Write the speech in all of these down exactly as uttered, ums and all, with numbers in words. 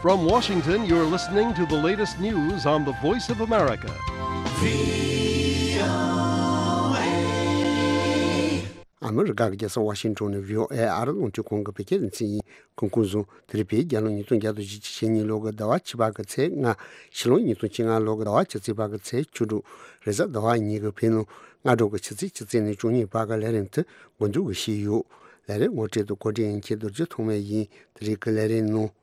From Washington, you're listening to the latest news on the Voice of America. ཨ་མི་རི་ཀ་གི་རྒྱལ་ས་ཝ་ཤིང་ཊོན་ནས་བྷི་ཨོ་ཨེ་ཨ་རི་རླུང་འཕྲིན་ཁང་གི་བོད་སྐད་སྡེ་ཚན་ཡིན། གོང་གསུངས་དེ་རིང་བོད་རྒྱལ་ལོ་ཉིས་སྟོང་བརྒྱ་དང་བཞི་བཅུ་ཞེ་གཉིས་ལོ་གི་ཟླ་བ་བཅུ་པ་གི་ཚེས་ལྔ། ཕྱི་ལོ་ཉིས་སྟོང་བཅོ་ལྔ་ལོ་གི་ཟླ་བ་བཅུ་གཅིག་པ་གི་ཚེས་བཅུ་དྲུག་རེས་གཟའ་ཟླ་བ་ཉིན་གྱི་བོད་ནང་སྔ་དྲོ་གི་ཆུ་ཚོད་བཅུ་གཅིག་ནས་བཅུ་གཉིས་བར་གྱི་ལས་རིམ་དེ་འགོ་འཛུགས་ཀྱི་བྱས་ཡོད། ལས་རིམ་ངོ་སྤྲོད་དང་གོ་སྒྲིག་ཡིན་མཁན་རྡོ་རྗེ་ཐོགས་མེད་ཡིན། དེ་རིང་གི་ལས་རིམ་ནང་།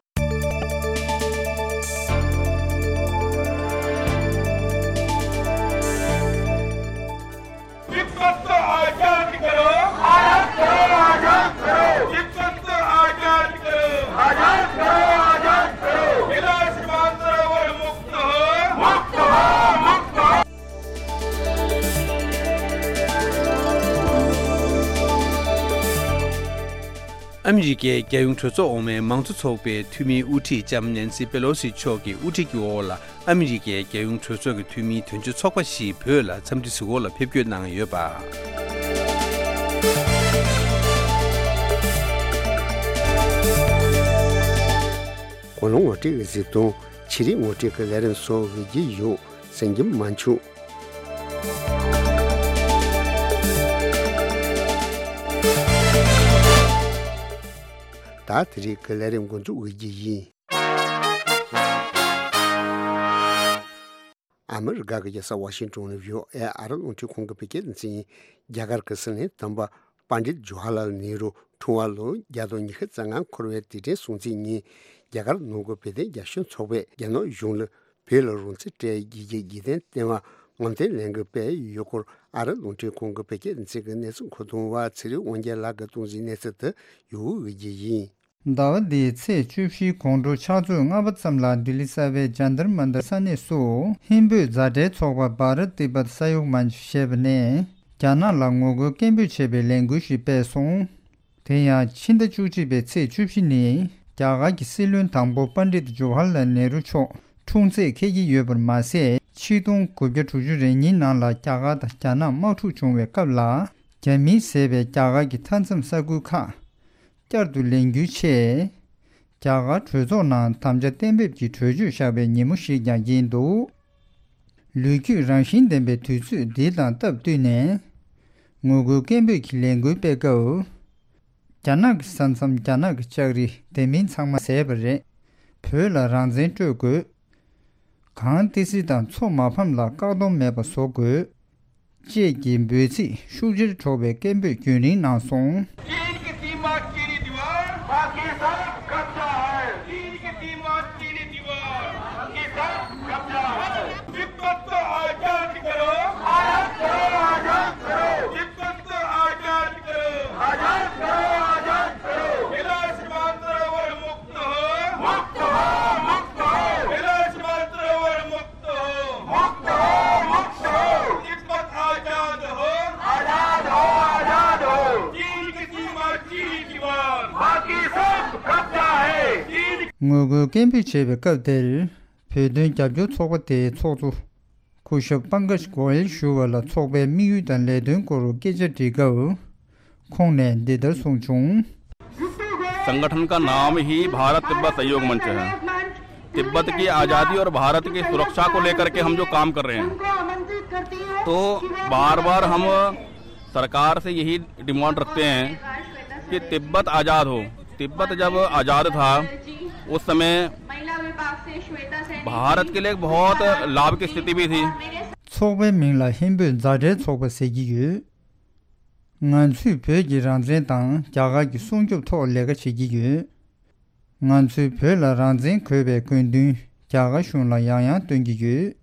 तिब्बत को आजाद करो। आजाद करो, आजाद करो। तिब्बत को आजाद करो। आजाद करो, आजाद करो। कैलाश मानसरोवर मुक्त हो। मुक्त हो, मुक्त हो। ཨ་མི་རི་ཀའི་རྒྱལ་ཡོངས་གྲོས་ཚོགས་འོག་མའི་མང་གཙོ་ཚོགས་པའི་འཐུས་མིའི་དབུ་ཁྲིད་ལྕམ་ནེན་སི་པེ་ལོ་སི་མཆོག་གི་དབུ་ཁྲིད་ཀྱི་འོག་ལ། ཨ་མི་རི་ཀའི་རྒྱལ་ཡོངས་གྲོས་ཚོགས་ཀྱི་འཐུས་མིའི་དོན་གཅོད་ཚོགས་པ་ཞིག་བོད་ལ་འཚམས་འདྲི་གཟིགས་སྐོར་ལ་ཕེབས་སྐྱོད་གནང་ཡོད་པ། གོ་ལོང་ངོ་སྤྲོད་ཀྱི་གཟིགས་སྟངས། ཆེད་རིགས་ངོ་སྤྲོད་ཀྱི་ལས་རིམ་སོགས་ཡོད་ཀྱི་ཡོད། གསན་རྒྱུ་མ་འཆུག་ད་དེ་རིང་གི་ལས་རིམ་འགོ་འཛུགས་འོས་ཀྱི་ཡིན། ཨ་མི་རི་ཀ་གི་རྒྱལ་ས་ཝ་ཤིང་ཊོན་ནས་བྷི་ཨོ་ཨེ་ཨ་རི་རླུང་འཕྲིན་ཁང་གི་བོད་སྐད་སྡེ་ཚན་ཡིན། རྒྱ་གར་གྱི་སྲིད་བློན་དམ་པ་པཎ་ཌིད་ཇོ་ཧར་ལཱལ་ནེ་རུ་འཁྲུངས་པ་ལོ་བརྒྱ་དང་ཉི་ཤུ་རྩ་ལྔ་འཁོར་བའི་དུས་དྲན་སྲུང་བརྩིའི་ཉིན། རྒྱ་གར་ནང་གི་བོད་དོན་རྒྱབ་སྐྱོར་ཚོགས་པས་རྒྱ་ནག་གཞུང་ལ་བོད་ལ་རང་བཙན་སྤྲད་རྒྱུའི་རྒྱུ་རྐྱེན་བསྟན་པ་ངོམ་སྟོན་ལས་འགུལ་སྤེལ་ཡོད་སྐོར། ཨ་རི་རླུང་འཕྲིན་ཁང་གི་བོད་སྐད་སྡེ་ཚན་གྱི་གནས་ཚུལ་མཁོ་གཏོང་བ་ཚེ་རིང་དབང་རྒྱལ་ལགས་ཀྱིས་གཏོང་གཟིགས་གནས་ཚུལ་དེ་ཡོད་འོས་ཀྱི་ཡིན། ཟླ་བ་འདིའི་ཚེས་བཅུ་བཞིའི་དགོང་དྲོ་ཕྱག་ཚོད་ལྔ་པ་ཙམ་ལ་ལྡི་ལི་གསར་པའི་ཇན་ཏར་མན་ཏར་ས་གནས་སུ་ཧིན་བོད་མཛའ་འབྲེལ་ཚོགས་པ་བྷ་ར་ཏི་བྷ་ས་ཡོག་མན་ཆ་ཞེས་པ་ནས་རྒྱ་ནག་ལ་ངོ་རྒོལ་སྐད་འབོད་བྱེད་པའི་ལས་འགུལ་ཞིག་སྤེལ་སོང་། དེ་ཡང་ཕྱི་ཟླ་བཅུ་གཅིག་པའི་ཚེས་བཅུ་བཞི་ནི་རྒྱ་གར་གྱི་སྲིད་བློན་དང་པོ་པཎ་ཌིད་ཇོ་ཧར་ལཱལ་ནེ་རུ་མཆོག་འཁྲུངས་ཚེས་འཁེལ་གྱི་ཡོད་པར་མ་ཟད། ཆིག་སྟོང་དགུ་བརྒྱ་དྲུག་ཅུ་རེ་གཉིས་ནང་ལ་རྒྱ་གར་དང་རྒྱ་ནག་དམག་འཁྲུག་བྱུང་བའི་སྐབས་ལ། རྒྱ་མིས་བཟས་པའི་རྒྱ་གར་གྱི་མཐའ་མཚམས་ས་ཁུལ་ཁག་བསྐྱར་དུ་ལེན་རྒྱུའི་ཆེད། རྒྱ་གར་གྲོས་ཚོགས་ནང་དམ་བཅའ་གཏན་འབེབས་ཀྱི་གྲོས་ཆོད་བཞག་པའི་ཉིན་མོ་ཞིག་ཀྱང་ཡིན་འདུག་ལོ་རྒྱུས་རང་བཞིན་ལྡན་པའི་དུས་ཚོད་འདི་དང་སྟབས་བསྟུན་ནས། ངོ་རྒོལ་སྐད་འབོད་ཀྱི་ལས་འགུལ་སྤེལ་སྐབས། རྒྱ་ནག་གི་ས་མཚམས། རྒྱ་ནག་གི་ལྕགས་རི་དེ་མིན་ཚང་མ་བཟས་པ་རེད། བོད་ལ་རང་བཙན་སྤྲོད་དགོས། གངས་ཏི་སེ་དང་མཚོ་མ་ཕམ་ལ་བཀག་སྡོམ་མེད་པ་བཟོ་དགོས། བཅས་ཀྱི་འབོད་ཚིག་ཤུགས་ཆེར་སྒྲོག་པའི་སྐད་འབོད་རྒྱུན་རིང་གནང་སོང་། चीन की सीमा चीनी दीवार, बाकी सब कब्जा है। चीन की सीमा चीनी दीवार, बाकी सब कब्जा है। तिब्बत को आजाद करो। आजाद करो, आजाद करो। तिब्बत को आजाद करो। आजाद करो, आजाद करो। कैलाश मानसरोवर मुक्त हो। मुक्त हो, मुक्त हो। कैलाश मानसरोवर मुक्त हो। मुक्त हो, मुक्त हो। तिब्बत आजाद हो। आजाद हो, आजाद हो। चीन की सीमा चीनी दीवार। बाकी सब कब्जा है। चीन ངོ་རྒོལ་སྐད་འབོད་བྱེད་པའི་སྐབས་དེར། བོད་དོན་རྒྱབ་སྐྱོར་ཚོགས་པ་དེའི་ཚོགས་གཙོ་སྐུ་ཞབས་པང་ཀཇ་གོ་ཡལ་ཞུ་བ་ལ་ཚོགས་པའི་དམིགས་ཡུལ་དང་ལས་དོན་སྐོར་སྐད་ཆ་དྲིས་སྐབས། ཁོང་ནས་འདི་ལྟར་གསུངས་བྱུང་། संगठन का नाम ही भारत तिब्बत सहयोग मंच है। तिब्बत की आज़ादी और भारत की सुरक्षा को लेकर के हम जो काम कर रहे हैं, तो बार बार हम सरकार से यही डिमांड रखते हैं कि तिब्बत आज़ाद हो। तिब्बत जब आज़ाद था, उस समय भारत के लिए एक बहुत लाभ की स्थिति भी थी। ཚོགས་པའི་མིང་ལ་ཧིན་བོད་མཛའ་འབྲེལ་ཚོགས་པ་ཟེར་གྱི་ཡོད། ང་ཚོས་བོད་ཀྱི་རང་བཙན་དང་རྒྱ་གར་གྱི་སྲུང་སྐྱོབ་ཐོག་ལས་ཀ་བྱེད་ཀྱི་ཡོད། ང་ཚོས་བོད་ལ་རང་བཙན་དགོས་པའི་དགོས་འདུན་རྒྱ་གར་གཞུང་ལ་ཡང་ཡང་སྟོན་གྱི་ཡོད།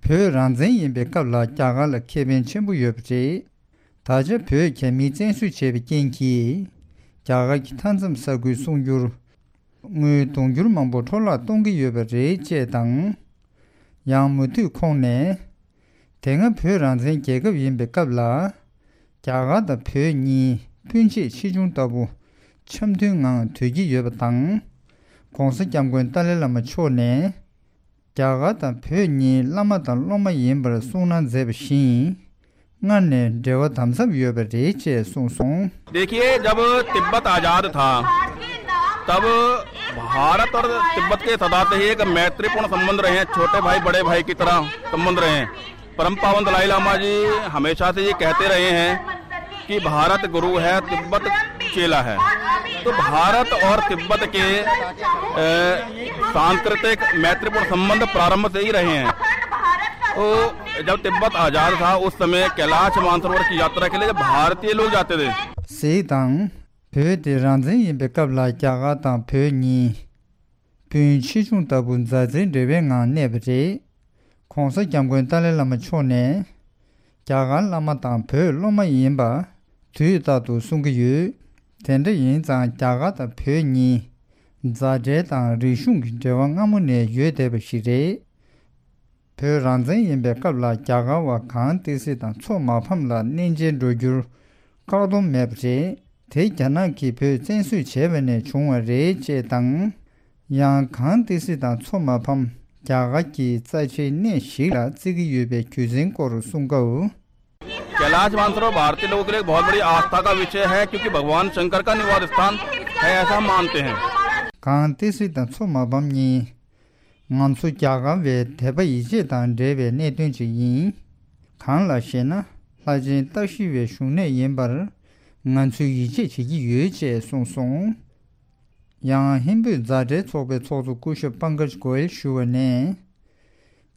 བོད་རང་བཙན་ཡིན་པའི་སྐབས་ལ་རྒྱ་གར་ལ་ཁེ་ཕན་ཆེན་པོ་ཡོད་པ་རེད། ད་ཆ་བོད་རྒྱ་མིས་བཙན་བཟུང་བྱས་པའི་རྐྱེན་གྱིས། རྒྱ་གར་གྱི་མཐའ་མཚམས་ས་ཁུལ་སྲུང་སྐྱོར། དངུལ་དུང་ཕྱུར་མང་པོ་འཕྲོ་བརླག་གཏོང་གི་ཡོད་པ་རེད་ཅེས་དང་། ཡང་མུ་མཐུད་ཁོང་ནས། དེ་སྔ་བོད་རང་བཙན་རྒྱལ་ཁབ་ཡིན་པའི་སྐབས་ལ། རྒྱ་གར་དང་བོད་གཉིས་སྤུན་མཆེད་ཆེ་ཆུང་ལྟ་བུ་འཆམ་མཐུན་ངང་སྡོད་ཀྱི་ཡོད་པ་དང་། ༸གོང་ས་༸སྐྱབས་མགོན་ཏཱ་ལའི་བླ་མ་མཆོག་ནས། རྒྱ་གར་དང་བོད་གཉིས་བླ་མ་དང་སློབ་མ་ཡིན་པར་གསུངས་གནང་མཛད་པ་བཞིན། སྔར་ནས་འབྲེལ་བ་དམ་ཟབ་ཡོད་པ་རེད་ཅེས་གསུངས་སོང་། देखिए, जब तिब्बत आज़ाद था, तब भारत और तिब्बत के सदा से ही एक मैत्रीपूर्ण संबंध रहे हैं, छोटे भाई बड़े भाई की तरह संबंध रहे हैं। परम पावन दलाई लामा जी हमेशा से ये कहते रहे हैं कि भारत गुरु है, तिब्बत चेला है। तो भारत और तिब्बत के, अ, सांस्कृतिक मैत्रीपूर्ण संबंध प्रारंभ से ही रहे हैं। तो जब तिब्बत आजाद था, उस समय कैलाश मानसरोवर की यात्रा के लिए जब भारतीय लोग जाते थे, เศรษฐกิจ བོད་དེ་རང་བཙན་ཡིན་པའི་སྐབས་ལ་རྒྱ་གར་དང་བོད་གཉིས་སྤུན་མཆེད་ཆུང་ལྟ་བུ་མཛའ་བརྩེའི་འབྲེལ་བའི་ངང་གནས་པ་རེད། ༸གོང་ས་༸སྐྱབས་མགོན་ཏཱ་ལའི་བླ་མ་མཆོག་ནས་རྒྱ་གར་བླ་མ་དང་བོད་སློབ་མ་ཡིན་པ་དུས་རྟག་ཏུ་གསུང་གི་ཡོད། དེ་འདྲ་ཡིན་ཙང་རྒྱ་གར་དང་བོད་གཉིས་མཛའ་འབྲེལ་དང་རིག་གཞུང་གི་འབྲེལ་བ་སྔ་མོ་ནས་ཡོད་བསྡད་པ་ཞིག་རེད། བོད་རང་བཙན་ཡིན་པའི་སྐབས་ལ་རྒྱ་གར་བ་གངས་ཏི་སེ་དང་མཚོ་མ་ཕམ་ལ་གནས་མཇལ་འགྲོ་རྒྱུར་བཀག་སྡོམ་མེད་པ་རེད། དེ་རྒྱ་ནག་གིས་བོད་བཙན་བཟུང་བྱས་པ་ནས་བྱུང་བ་རེད་ཅེས་དང་། ཡང་གངས་ཏི་སེ་དང་མཚོ་མ་ཕམ་རྒྱ་གར་གྱི་རྩ་ཆེའི་གནས་ཤིག་ལ་བརྩི་གི་ཡོད་པའི་རྒྱུ་མཚན་སྐོར་གསུང་སྐབས། कैलाश मानसरोवर भारतीय लोगों के लिए एक बहुत बड़ी आस्था का विषय है, क्योंकि भगवान शंकर का निवास स्थान है, ऐसा हम मानते हैं। གངས་ཏི་སེ་དང་མཚོ་མ་ཕམ་གཉིས་ང་ཚོ་རྒྱ་གར་བའི་དད་པ་ཡིད་ཆེས་དང་འབྲེལ་བའི་གནད་དོན་ཅིག་ཡིན། གང་ལགས་ཤེ་ན། ལྷ་ཆེན་སྟག་ཤི་བའི་བཞུགས་གནས་ཡིན་པར་ང་ཚོས་ཡིད་ཆེས་བྱེད་ཀྱི་ཡོད་ཅེས་གསུངས་སོང་། ཡང་ཧིན་བོད་མཛའ་འབྲེལ་ཚོགས་པའི་ཚོགས་གཙོ་སྐུ་ཞབས་པང་ཀཱཇ་གོ་ཡལ་ཞུ་བ་ནས།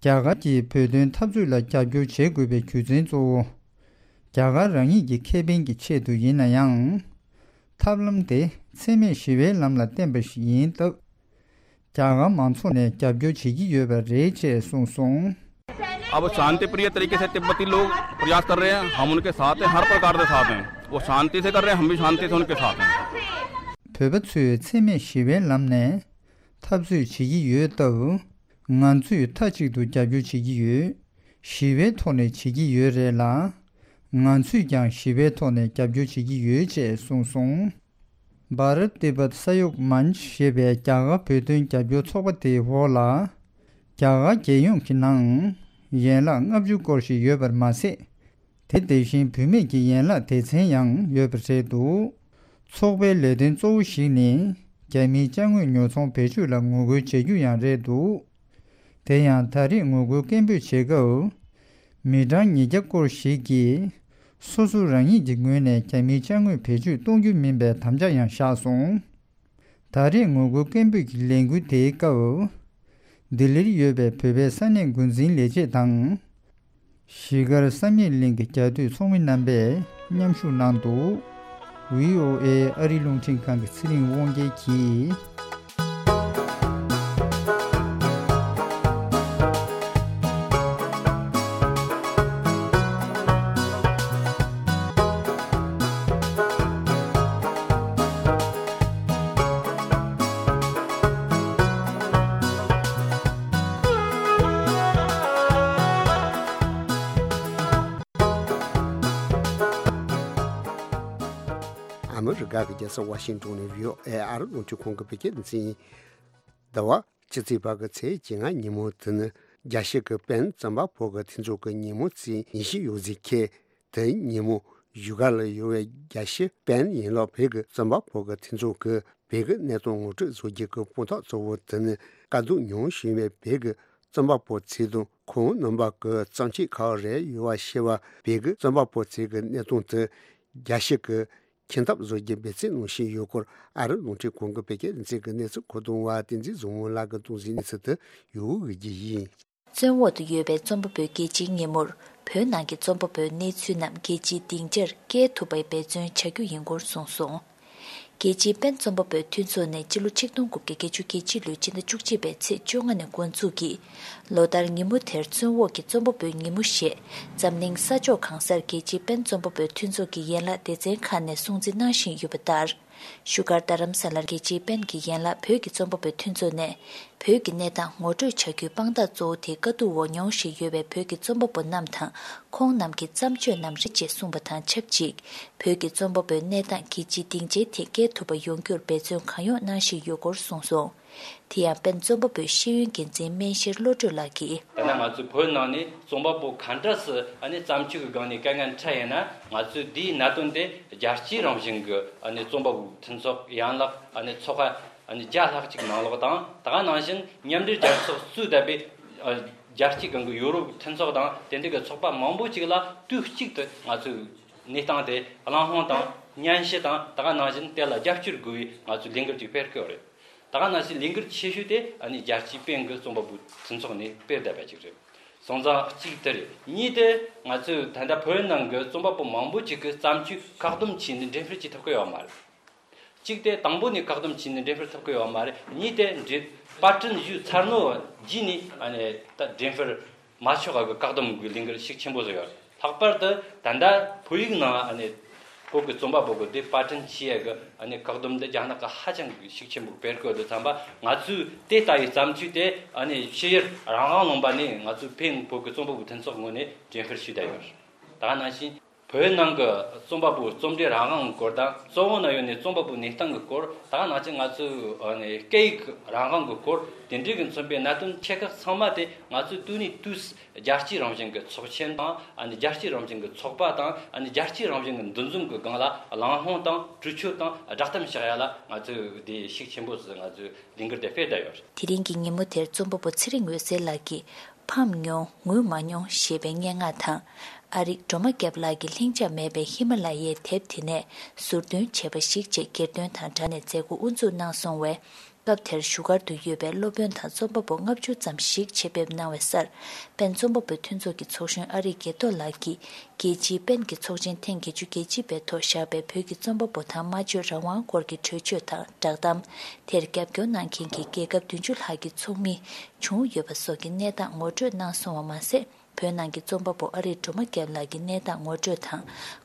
རྒྱ་གར་གྱིས་བོད་དོན་འཐབ་རྩོད་ལ་རྒྱབ་སྐྱོར་བྱེད་དགོས་པའི་རྒྱུ་མཚན་གཙོ་བོ། རྒྱ་གར་རང་ཉིད་ཀྱི་ཁེ་ཕན་གྱི་ཆེད་དུ་ཡིན་ན་ཡང་། ཐབས་ལམ་དེ་འཚེ་མེད་ཞི་བའི་ལམ་ལ་བརྟེན་པ་ཞིག་ཡིན་སྟབས། རྒྱ་གར་མང་ཚོགས་ནས་རྒྱབ་སྐྱོར་བྱེད་ཀྱི་ཡོད་པ་རེད་ཅེས་གསུངས་སོང་། अब शांति प्रिय तरीके से तिब्बती लोग प्रयास कर रहे हैं, हम उनके साथ हैं, हर प्रकार से साथ हैं। वो शांति से कर रहे हैं, हम भी शांति से उनके साथ हैं। བོད་པ་ཚོས་འཚེ་མེད་ཞི་བའི་ལམ་ནས་འཐབ་རྩོད་བྱེད་ཀྱི་ཡོད་སྟབས། ང་ཚོས་མཐའ་གཅིག་ཏུ་རྒྱབ་སྐྱོར་བྱེད་ཀྱི་ཡོད། ཞི་བའི་ཐོག་ནས་བྱེད་ཀྱི་ཡོད་རེད་ལ། ང་ཚོས་ཀྱང་ཞི་བའི་ཐོག་ནས་རྒྱབ་སྐྱོར་བྱེད་ཀྱི་ཡོད་ཅེས་གསུངས་སོང་། Bharat Tibet Sahyog Manch ཞེས་པའི་རྒྱ་གར་བོད་དོན་རྒྱབ་སྐྱོར་ཚོགས་པ་དེའི་འོག་ལ། རྒྱ་གར་རྒྱལ་ཡོངས་ཀྱི་ནང་ཡན་ལག་ལྔ་བཅུ་སྐོར་ཞིག་ཡོད་པར་མ་ཟད། དེ་དེ་བཞིན་བུད་མེད་ཀྱི་ཡན་ལག་སྡེ་ཚན་ཡང་ཡོད་པ་རེད་འདུག་ཚོགས་པའི་ལས་དོན་གཙོ་བོ་ཞིག་ནི། རྒྱ་མིའི་ཅ་དངོས་ཉོ་ཚོང་བེད་སྤྱོད་ལ་ངོ་རྒོལ་བྱ་རྒྱུ་ཡང་རེད་འདུག་དེ་ཡང་ད་རེས་ངོ་རྒོལ་སྐད་འབོད་བྱེད་སྐབས། མི་གྲངས་ཉིས་བརྒྱ་སྐོར་ཞིག་གིས། སོ་སོ་རང་ཉིད་ཀྱི་ངོས་ནས་རྒྱ་མིའི་ཅ་དངོས་བེད་སྤྱོད་གཏོང་རྒྱུ་མིན་པའི་དམ་བཅའ་ཡང་བཞག་སོང་། ད་རེས་ངོ་རྒོལ་སྐད་འབོད་ཀྱི་ལས་འགུལ་དེའི་སྐབས། ལྡི་ལིར་ཡོད་པའི་བོད་པའི་ས་གནས་འགོ་འཛིན་ལས་བྱེད་དང་། གཞིས་སྒར་བསམ་ཡས་གླིང་གི་རྒྱ་སྡོད་ཚོགས་མི་རྣམ་པས་མཉམ་ཞུགས་གནང་འདུག་ཝི་ཨོ་ཨེ་ཨ་རིའི་རླུང་འཕྲིན་ཁང་གི་ཚེ་རིང་དབང་རྒྱལ་གྱིས། ཨ་མི་རི་ཀ་གི་རྒྱལ་ས་ཝ་ཤིང་ཏོན་ནས་ཝི་ཨོ་ཨེ་ཨ་རི་རླུང་འཕྲིན་ཁང་གི་བོད་སྐད་སྡེ་ཚན་ཡིན། ཟླ་བ་ཕྱི་ཚེས་པ་གི་ཚེས་བཅོ་ལྔ་ཉིན་མོ་དེ་ནི་རྒྱལ་སྤྱི་གི་པེན་རྩོམ་པ་པོ་གི་མཐུན་ཚོགས་ཀྱི་ཉིན་མོ་ཚེས་ཉི་ཤུ་ཡོལ་ཚེ་ཁེལ། དེ་ཉིན་མོ་བཞུགས་སྒར་ལ་ཡོད་པའི་རྒྱལ་སྤྱི་པེན་ཡན་ལག་བོད་ཀྱི་རྩོམ་པ་པོ་གི་མཐུན་ཚོགས་ཀྱིས་བོད་ཀྱི་གནས་སྟངས་ངོ་སྤྲོད་བཟོ་རྒྱུ་གི་དཔང་རྟགས་གཙོ་བོ་དེ་ནི་དཀའ་སྡུག་མྱོང་བཞིན་པའི་བོད་ཀྱི་རྩོམ་པ་པོ་ཚོ་དང་ཁོང་རྣམ་པ་གི་བརྩམས་ཆོས་ག་རེ་ཡོད་པ་ཞེས་པ། བོད་ཀྱི་རྩོམ་པ་པོ་ཚོ་གི་གནས་སྟངས་དེ་རྒྱལ་སྤྱི་གི་ཁྱིམ་ཐབ་བཟོ་རྒྱུ་འབད་བརྩོན་གནང་བཞིན་ཡོད་སྐོར་ཨ་རི་རླུང་འཕྲིན་ཁང་གི་བོད་སྐད་སྡེ་ཚན་གྱིས་གནས་ཚུལ་མཁོ་གཏོང་བ་བསྟན་འཛིན་བཟང་མོ་ལགས་ཀྱིས་གཏོང་གཟིགས་གནས་ཚུལ་དེ་ཡོད་འོས་ཀྱི་ཡིན། བཙོན་འོག་ཏུ་ཡོད་པའི་རྩོམ་པ་པོའི་རྒྱལ་སྤྱིའི་ཉིན་མོར་བོད་ནང་གི་རྩོམ་པ་པོའི་གནས་ཚུལ་རྣམས་རྒྱལ་སྤྱིའི་སྡིངས་ཆར་སྐྱེལ་ཐུབ་པའི་འབད་བརྩོན་བྱ་རྒྱུ་ཡིན་སྐོར་གསུངས་སོང་། རྒྱལ་སྤྱིའི་པེན་རྩོམ་པ་པོའི་མཐུན་ཚོགས་ནས་སྤྱི་ལོ་ཆིག་སྟོང་དགུ་བརྒྱ་བརྒྱད་ཅུ་གྱ་གཅིག་ལོའི་ཕྱི་ཟླ་བཅུ་གཅིག་པའི་ཚེས་བཅོ་ལྔ་ནས་འགོ་འཛུགས་ཀྱིས། ལོ་ལྟར་ཉིན་མོ་དེར་བཙོན་འོག་གི་རྩོམ་པ་པོའི་ཉིན་མོ་ཞེས་འཛམ་གླིང་ས་ཕྱོགས་གང་སར་རྒྱལ་སྤྱིའི་པེན་རྩོམ་པ་པོའི་མཐུན་ཚོགས་ཀྱི་ཡན་ལག་སྡེ་ཚན་ཁག་ནས་སྲུང་བརྩི་གནང་བཞིན་ཡོད་པ་ལྟར། བཞུགས་སྒར་རྡ་རམ་ས་ལར་རྒྱལ་སྤྱིའི་པེན་གྱི་ཡན་ལག་བོད་ཀྱི་རྩོམ་པ་པོའི་མཐུན་ཚོགས་ནས། བོད་ཀྱི་གནས་སྟངས་ངོ་སྤྲོད་བྱ་རྒྱུའི་དཔང་རྟགས་གཙོ་བོ་དེ་དཀའ་སྡུག་འོག་མྱོང་བཞིན་ཡོད་པའི་བོད་ཀྱི་རྩོམ་པ་པོ་རྣམས་དང་། ཁོང་རྣམས་ཀྱི་བརྩམས་ཆོས་རྣམས་རེད་ཅེས་གསུངས་པ་དང་ཆབས་ཅིག་བོད་ཀྱི་རྩོམ་པ་པོའི་གནས་སྟངས་རྒྱལ་སྤྱིའི་སྡིངས་ཆའི་སྟེང་སྐྱེལ་ཐུབ་པ་ཡོང་རྒྱུར་འབད་བརྩོན་གང་ཡོང་གནང་བཞིན་ཡོད་སྐོར་གསུངས་སོང་། དེ་ཡང་པེན་རྩོམ་པ་པོའི་ཤེས་ཡོན་འགན་འཛིན་སྨན་ཤེར་བློ་གྲོས་ལགས་ཀྱིས། ད་ནང་ང་ཚོའི་བོད་ནང་ནས་རྩོམ་པ་པོ་ག་འདྲ་སེ་ཨ་ནི་བརྩམས་ཆོས་ཀྱི་སྒང་ནས་དཀའ་ངལ་འཕྲད་ཡིན་ན། ང་ཚོའི་འདིའི་གནད་དོན་དེ་རྒྱལ་སྤྱིའི་རང་བཞིན་གྱི་ཨ་ནི་རྩོམ་པ་པོའི་མཐུན་ཚོགས་ཡན་ལག་ཨ་ནི་ཚོགས་ཁག་ ཨ་ནི་བརྒྱ་ལྷག་ཅིག་ནང་ལོགས་དང་། ད་ག་ནང་བཞིན་མཉམ་འབྲེལ་རྒྱལ་ཚོགས་གཙོས་བསྡད་པའི་ཨ་རྒྱལ་སྤྱིའི་སྒང་གི་ཡོ་རོབ་མཐུན་ཚོགས་དང་དེ་འདྲ་གི་ཚོགས་པ་མང་པོ་ཅིག་ལ་དུས་གཅིག་ཏུ་ང་ཚོས་གནས་སྟངས་དེ་གླེང་སློང་དང་སྙན་ཞུ་དང་། ད་ག་ནང་བཞིན་དེ་ལ་རྒྱབ་སྐྱོར་དགོས་པའི་ང་ཚོས་ལས་འགུལ་ཅིག་སྤེལ་གི་ཡོད་རེད། ད་ག་ནང་བཞིན་ལས་འགུལ་ཆེ་ཤོས་དེ་ཨ་ནི་རྒྱལ་སྤྱིའི་པེན་གྱི་རྩོམ་པ་པོའི་མཐུན་ཚོགས་ནས་སྤེལ་བསྡད་པ་ཅིག་རེད། སོང་ཙང་གཅིག་དེ་རེད། གཉིས་དེ་ང་ཚོས་ད་ལྟ་བོད་ནང་གི་རྩོམ་པ་པོ་མང་པོ་ཅིག་གིས་བརྩམས་ཆོས་བཀག་སྡོམ་བྱས་ནས་འགྲེམས་སྤེལ་བྱེད་ཐུབ་ཀྱི་ཡོད་མ་རེད། གཅིག་དེ་དང་པོ་ནས་བཀག་སྡོམ་བྱས་ནས་འགྲེམས་སྤེལ་ཐུབ་ཀྱི་ཡོད་མ་རེད། གཉིས་དེ་འགྲེམས་པར་སྐྲུན་ཞུས་ཚར་ནོ་རྗེས་ནས་ཨ་ནི་ད་འགྲེམས་སྤེལ་མ་ཆོག་གི་བཀག་སྡོམ་གྱི་ལས་འགུལ་ཤུགས་ཆེན་པོ་བཟོས་ཡོད། ལྷག་པར་དུ་ད་ལྟ་བོད་ཡིག་ནང་ཨ་ནི་བོད་ཀྱི་རྩོམ་པ་པོ་གི་དེབ་པར་སྐྲུན་བྱེད་ཡས་ཀྱི་ཨ་ནི་བཀག་སྡོམ་འདི་རྒྱ་ནག་གིས་ཧ་ཅང་གི་ཤུགས་ཆེན་པོ་སྤེལ་གི་འདུག་བསམ་པ། ང་ཚོས་དེ་ལྟ་བུའི་བརྩམས་ཆོས་དེ་ཨ་ནི་ཕྱི་ཡུལ་རང་དབང་ལུང་པ་ནས་ང་ཚོས་པེན་བོད་ཀྱི་རྩོམ་པ་པོའི་མཐུན་ཚོགས་ངོས་ནས་འགྲེམས་སྤེལ་ཞུས་བསྡད་ཡོད། ད་ག་ནང་བཞིན་བོད་ནང་གི་རྩོམ་པ་པོའི་རྩོམ་འབྲི་རང་དབང་གི་སྐོར་དང་། བཙན་འོག་ན་ཡོད་ནས་རྩོམ་པ་པོའི་གནས་སྟངས་ཀྱི་སྐོར། ད་ག་ནང་བཞིན་ང་ཚོའི་ཨ་ནི་སྐད་ཡིག་རང་དབང་གི་སྐོར། དེ་འདྲའི་གི་མཚོན་པའི་གནད་དོན་ཆེ་ཁག་ཚང་མ་དེ་ང་ཚོས་དུས་ནས་དུས་སུ་རྒྱལ་སྤྱིའི་རང་བཞིན་གྱི་ཚོགས་ཆེན་དང་། ཨ་ནི་རྒྱལ་སྤྱིའི་རང་བཞིན་གྱི་ཚོགས་པ་དང་། ཨ་ནི་རྒྱལ་སྤྱིའི་རང་བཞིན་གྱི་འདུ་འཛོམས་ཀྱི་སྒང་ལ་གླེང་སློང་དང་གྲོས་ཆོད་དང་བསྒྲགས་གཏམ་བཞག་ཡ་ལ་ང་ཚོས་དེ་ཤུགས་ཆེན་པོ་ཞིག་ང་ཚོས་ལས་འགུལ་དེ་སྤེལ་བསྡད་ཡོད་རེད། དེ་རིང་གི་ཉིན་མོ་དེར་རྩོམ་པ་པོ་ཚེ་རིང་འོད་ཟེར་ལགས་ཀྱིས། ཕམ་མྱོང་ངུ་མ་མྱོང་ཞེས་པའི་སྙན་ངག་དང་། ཨ་རིག་སྒྲོལ་མ་སྐྱབས་ལགས་ཀྱི་ལྷིང་འཇགས་མེད་པའི་ཧི་མ་ལ་ཡའི་དེབ་དེ་ནས་ཟུར་འདོན་བྱས་པ་ཞིག་ཅེས་སྒེར་དོན་དང་སྦྲགས་ནས་མཛད་སྒོ་དབུ་འཛུགས་གནང་སོང་བས། སྐབས་དེར་བཞུགས་སྒར་དུ་ཡོད་པའི་སློབ་དཔོན་དང་རྩོམ་པ་པོ་ལྔ་བཅུ་ཙམ་ཞིག་ཆེད་ཕེབས་གནང་བའི་སར། པེན་རྩོམ་པ་པོའི་མཐུན་ཚོགས་ཀྱི་ཚོགས་གཞོན་ཨ་རིག་དགེ་ཐོག་ལགས་ཀྱིས། རྒྱལ་སྤྱིའི་པེན་གྱི་ཚོགས་ཆེན་ཐེངས་བརྒྱད་ཅུ་གྱ་གཅིག་པའི་ཐོག་བཞག་པའི་བོད་ཀྱི་རྩོམ་པ་པོ་དང་སྨྲ་བརྗོད་རང་དབང་སྐོར་གྱི་གྲོས་ཆོད་དང་བསྒྲགས་གཏམ། དེར་རྒྱབ་སྐྱོར་གནང་མཁན་གྱི་རྒྱལ་ཁབ་བདུན་ཅུ་ལྷག་གི་ཚོགས་མི་བྱུང་ཡོད་པ་སོགས་ཀྱི་གནས་སྟངས་ངོ་སྤྲོད་གནང་སོང་བ་མ་ཟད། བོད་ནང་གི་རྩོམ་པ་པོ་ཨ་རིག་སྒྲོལ་མ་སྐྱབས་ལགས་ཀྱི་གནས་སྟངས་ངོ་སྤྲོད་དང་།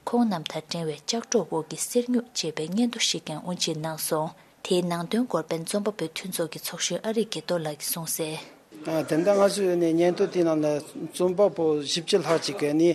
ཁོང་རྣམས་དང་འབྲེལ་བའི་ལྕགས་སྒྲོག་འོག་གི་གསེར་སྨྱུག་ཅེས་པའི་སྙན་ཐོ་ཞིག་ཀྱང་དབུ་འབྱེད་གནང་སོང་། དེའི་ནང་དོན་སྐོར་པེན་རྩོམ་པ་པོའི་མཐུན་ཚོགས་ཀྱི་ཚོགས་གཞོན་ཨ་རིག་དགེ་ཐོག་ལགས་ཀྱིས་གསུངས་གསལ། ཨ། དེ་འདྲ་ང་ཚོའི་ནས་སྙན་ཐོ་དེའི་ནང་ལ་རྩོམ་པ་པོ་བཞི་བཅུ་ལྷག་ཅིག་གི་ནི་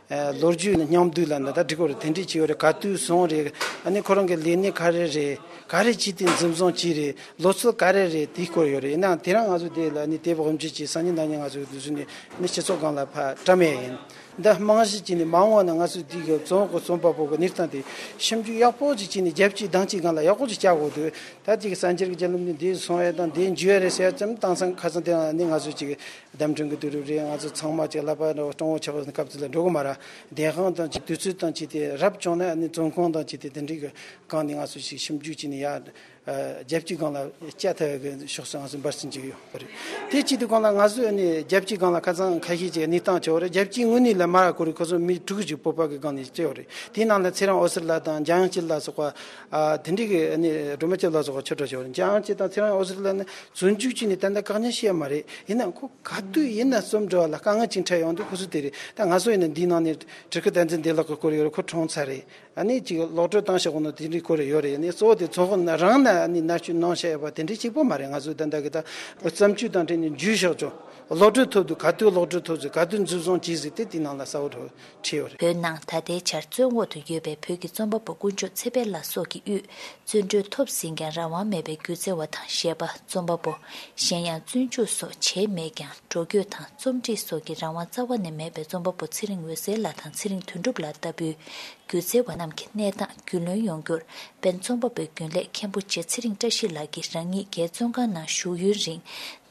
ཨ་ལོ་རྒྱུས་མཉམ་བསྡུས་ལ་འདི་ལྟར་བྲིས་ཡོད་རེད། དེ་འདྲ་ཅིག་ཡོད་རེད། ག་དུས་སོང་རེད། ཨ་ནི་ཁོ་རང་གི་ལས་གནས་ག་རེ་རེད། ག་རེ་བྱས་ཏེ་འཛིན་བཟུང་བྱས་རེད། ལོ་ཚོད་ག་རེ་རེད། དེའི་སྐོར་ཡོད་རེད། ཡིན་ནའང་དེ་རིང་ང་ཚོ་དེ་ལ་ནི་དེབ་དབུ་འབྱེད་ཀྱི་སང་ཉིན་གནངས་ཉིན་ང་ཚོ་དེ་ཚོ་ནི་ནི་སྤྱི་ཚོགས་སྒང་ལ་ཕར་བཀྲམ་ཡས་ཡིན། འདི་རྨང་གཞི་བྱས་ནས་མ་འོངས་པ་ན་ང་ཚོ་དེ་གི་རྩོམ་པ་པོ་གི་གནས་སྟངས་དེ་ཞིབ་འཇུག་ཡག་པོ་ཅིག་བྱས་ནས་རྒྱལ་སྤྱིའི་དང་སྤྱིའི་སྒང་ལ་ཡག་པོ་ཅིག་བྱ་དགོས་འདུག་ད་དེ་གི་གསར་འགྱུར་གྱི་བརྒྱུད་ལམ་ནས་འདི་སོང་ཡས་དང་འདི་འཇུ་ཡས་རེད་ཟེར་ཡ་ཙམ་བཏང་སང་ཁ་སང་དེ་རིང་ནི་ང་ཚོ་ཅིག་བརྡ་འཕྲིན་གྱི་དུས་རབས་རེད། ང་ཚོ་ཚང་མ་ཅིག་ཀླད་པ་འདྲ་བོ་སྤྲང་བོ་ཆགས་པའི་སྐབས་དེ་ལ་འགྲོ་གི་མ་རེད། བདེན་དཔང་དང་ཅིག་དུས་ཚོད་དང་ཅིག་དེ་རབ་བྱུང་ན་ནི་རྩོམ་ཁང་དང་ཅིག་དེ་དེ་འདྲའི་གི་སྒང་ནས་ང་ཚོ་ཅིག་ཞིབ་འཇུག་བྱས་ནས་ཡ། རྒྱལ་སྤྱིའི་སྒང་ལ་བསྐྱལ་ཐུབ་ཡག་གི་ཕྱོགས་སུ་ང་ཚོ་འབད་བརྩོན་བྱེད་ཀྱི་ཡོད་པ་རེད། དེ་གཅིག་དེ་སྒང་ལ་ང་ཚོས་ནི་རྒྱལ་སྤྱིའི་སྒང་ལ་ཁ་སང་ཁ་ཤས་ཀྱི་གནས་སྟངས་བྱས་པ་རེད། རྒྱལ་སྤྱིའི་ངོས་ནས་ལ་མར་ཁོ་རེ་ཁོ་ཚོ་མི་དྲུག་ཅིག་བོད་པ་གི་སྒང་ནས་བྱས་པ་རེད། དེའི་ནང་ལ་ཚེ་རིང་འོད་ཟེར་ལགས་དང་འཇམ་དབྱངས་སྐྱིད་ལགས་སོགས་པ། ཨ། དེ་འདྲའི་གི་ནི་སྒྲོལ་མ་སྐྱབས་ལགས་སོགས་པ་ཆོས་གྲོགས་བྱས་པ་རེད། འཇམ་དབྱངས་སྐྱིད་དང་ཚེ་རིང་འོད་ཟེར་ལགས་ནི་རྩོམ་མཇུག་ཅིག་ནས་ད་ལྟ་བཀག་ཉར་བྱས་ཡོད་མ་རེད། ཡིན་ནའང་ཁོ་ག་དུས་ཡིན་ན་རྩོམ་འབྲི་བ་ལ་དཀའ་ངལ་ཅིག་འཕྲད་ཡོང་དུས་ཁོ་ཚོ་དེ་རེད། ད་ང་ཚོ་ཡིན་ན་འདིའི་ནང་ནས་བྲུ་གུ་བསྟན་འཛིན་བདེ་ལེགས་ཀྱི་སྐོར་ཡོད་རེད། ཁོ་གྲོངས་ཚར་རེད། ཨ་ནི་ཅིག་གློག་བརྙན་བཏང་བཞག་གོ་ནོ་དེ་འདྲའི་སྐོར་ཡོད་རེད། ཨ་ནི་གཙོ་བོ་དེ་ཚོགས་པ་རང་ནས་ཨ་ནི་མནར་གཅོད་གནང་བཞག་ཡོད་པ་དེ་འདྲའི་གཅིག་པོ་མ་རེད། ང་ཚོས་ད་ལྟ་གི་ད་བརྩམས་ཆོས་དང་འབྲེལ་ནས་འཇུས་བཞག་ཆོག་གློག་བརྙན་ཐོག་ཏུ་ག་དུས་གློག་བརྙན་ཐོག་ཏུ་ག་དུས་འཛིན་བཟུང་བྱས་ཟིག་དེ་དེའི་ནང་ལ་གསལ་བོ་བྲིས་ཡོད་རེད། བོད་ནང་ད་ལྟའི་ཆར་བཙོན་འོག་ཏུ་ཡོད་པའི་བོད་ཀྱི་རྩོམ་པ་པོ་དཀོན་མཆོག་ཚེ་འཕེལ་ལགས་སོགས་ཀྱི་དབུས་བཙོན་གྲོལ་ཐོབ་ཟིན་ཀྱང་རང་དབང་མེད་པའི་སྒྱུ་རྩལ་བ་དང་གཞས་པ། རྩོམ་པ་པོ། གཞན་ཡང་བཙོན་འཇུག་སོགས་བྱས་མེད་ཀྱང་འགྲོ་སྐྱོད་དང་རྩོམ་སྒྲིག་སོགས་ཀྱི་རང་དབང་རྩ་བ་ནས་མེད་པའི་རྩོམ་པ་པོ་ཚེ་རིང་འོད་ཟེར་ལགས་དང་ཚེ་རིང་དོན་གྲུབ་ལགས་ལྟ་བུའི། སྒྱུ་རྩལ་བ་རྣམས་ཀྱི་གནས་སྟངས་རྒྱུས་ལོན་ཡོང་རྒྱུར། པེན་རྩོམ་པ་པོའི་རྒྱུན་ལས་མཁན་པོ་རྗེ་ཚེ་རིང་བཀྲ་ཤིས་ལགས་ཀྱིས་རང་ཉིད་རྒྱའི་བཙོན་ཁང་ནང་བཞུགས་ཡུན་རིང་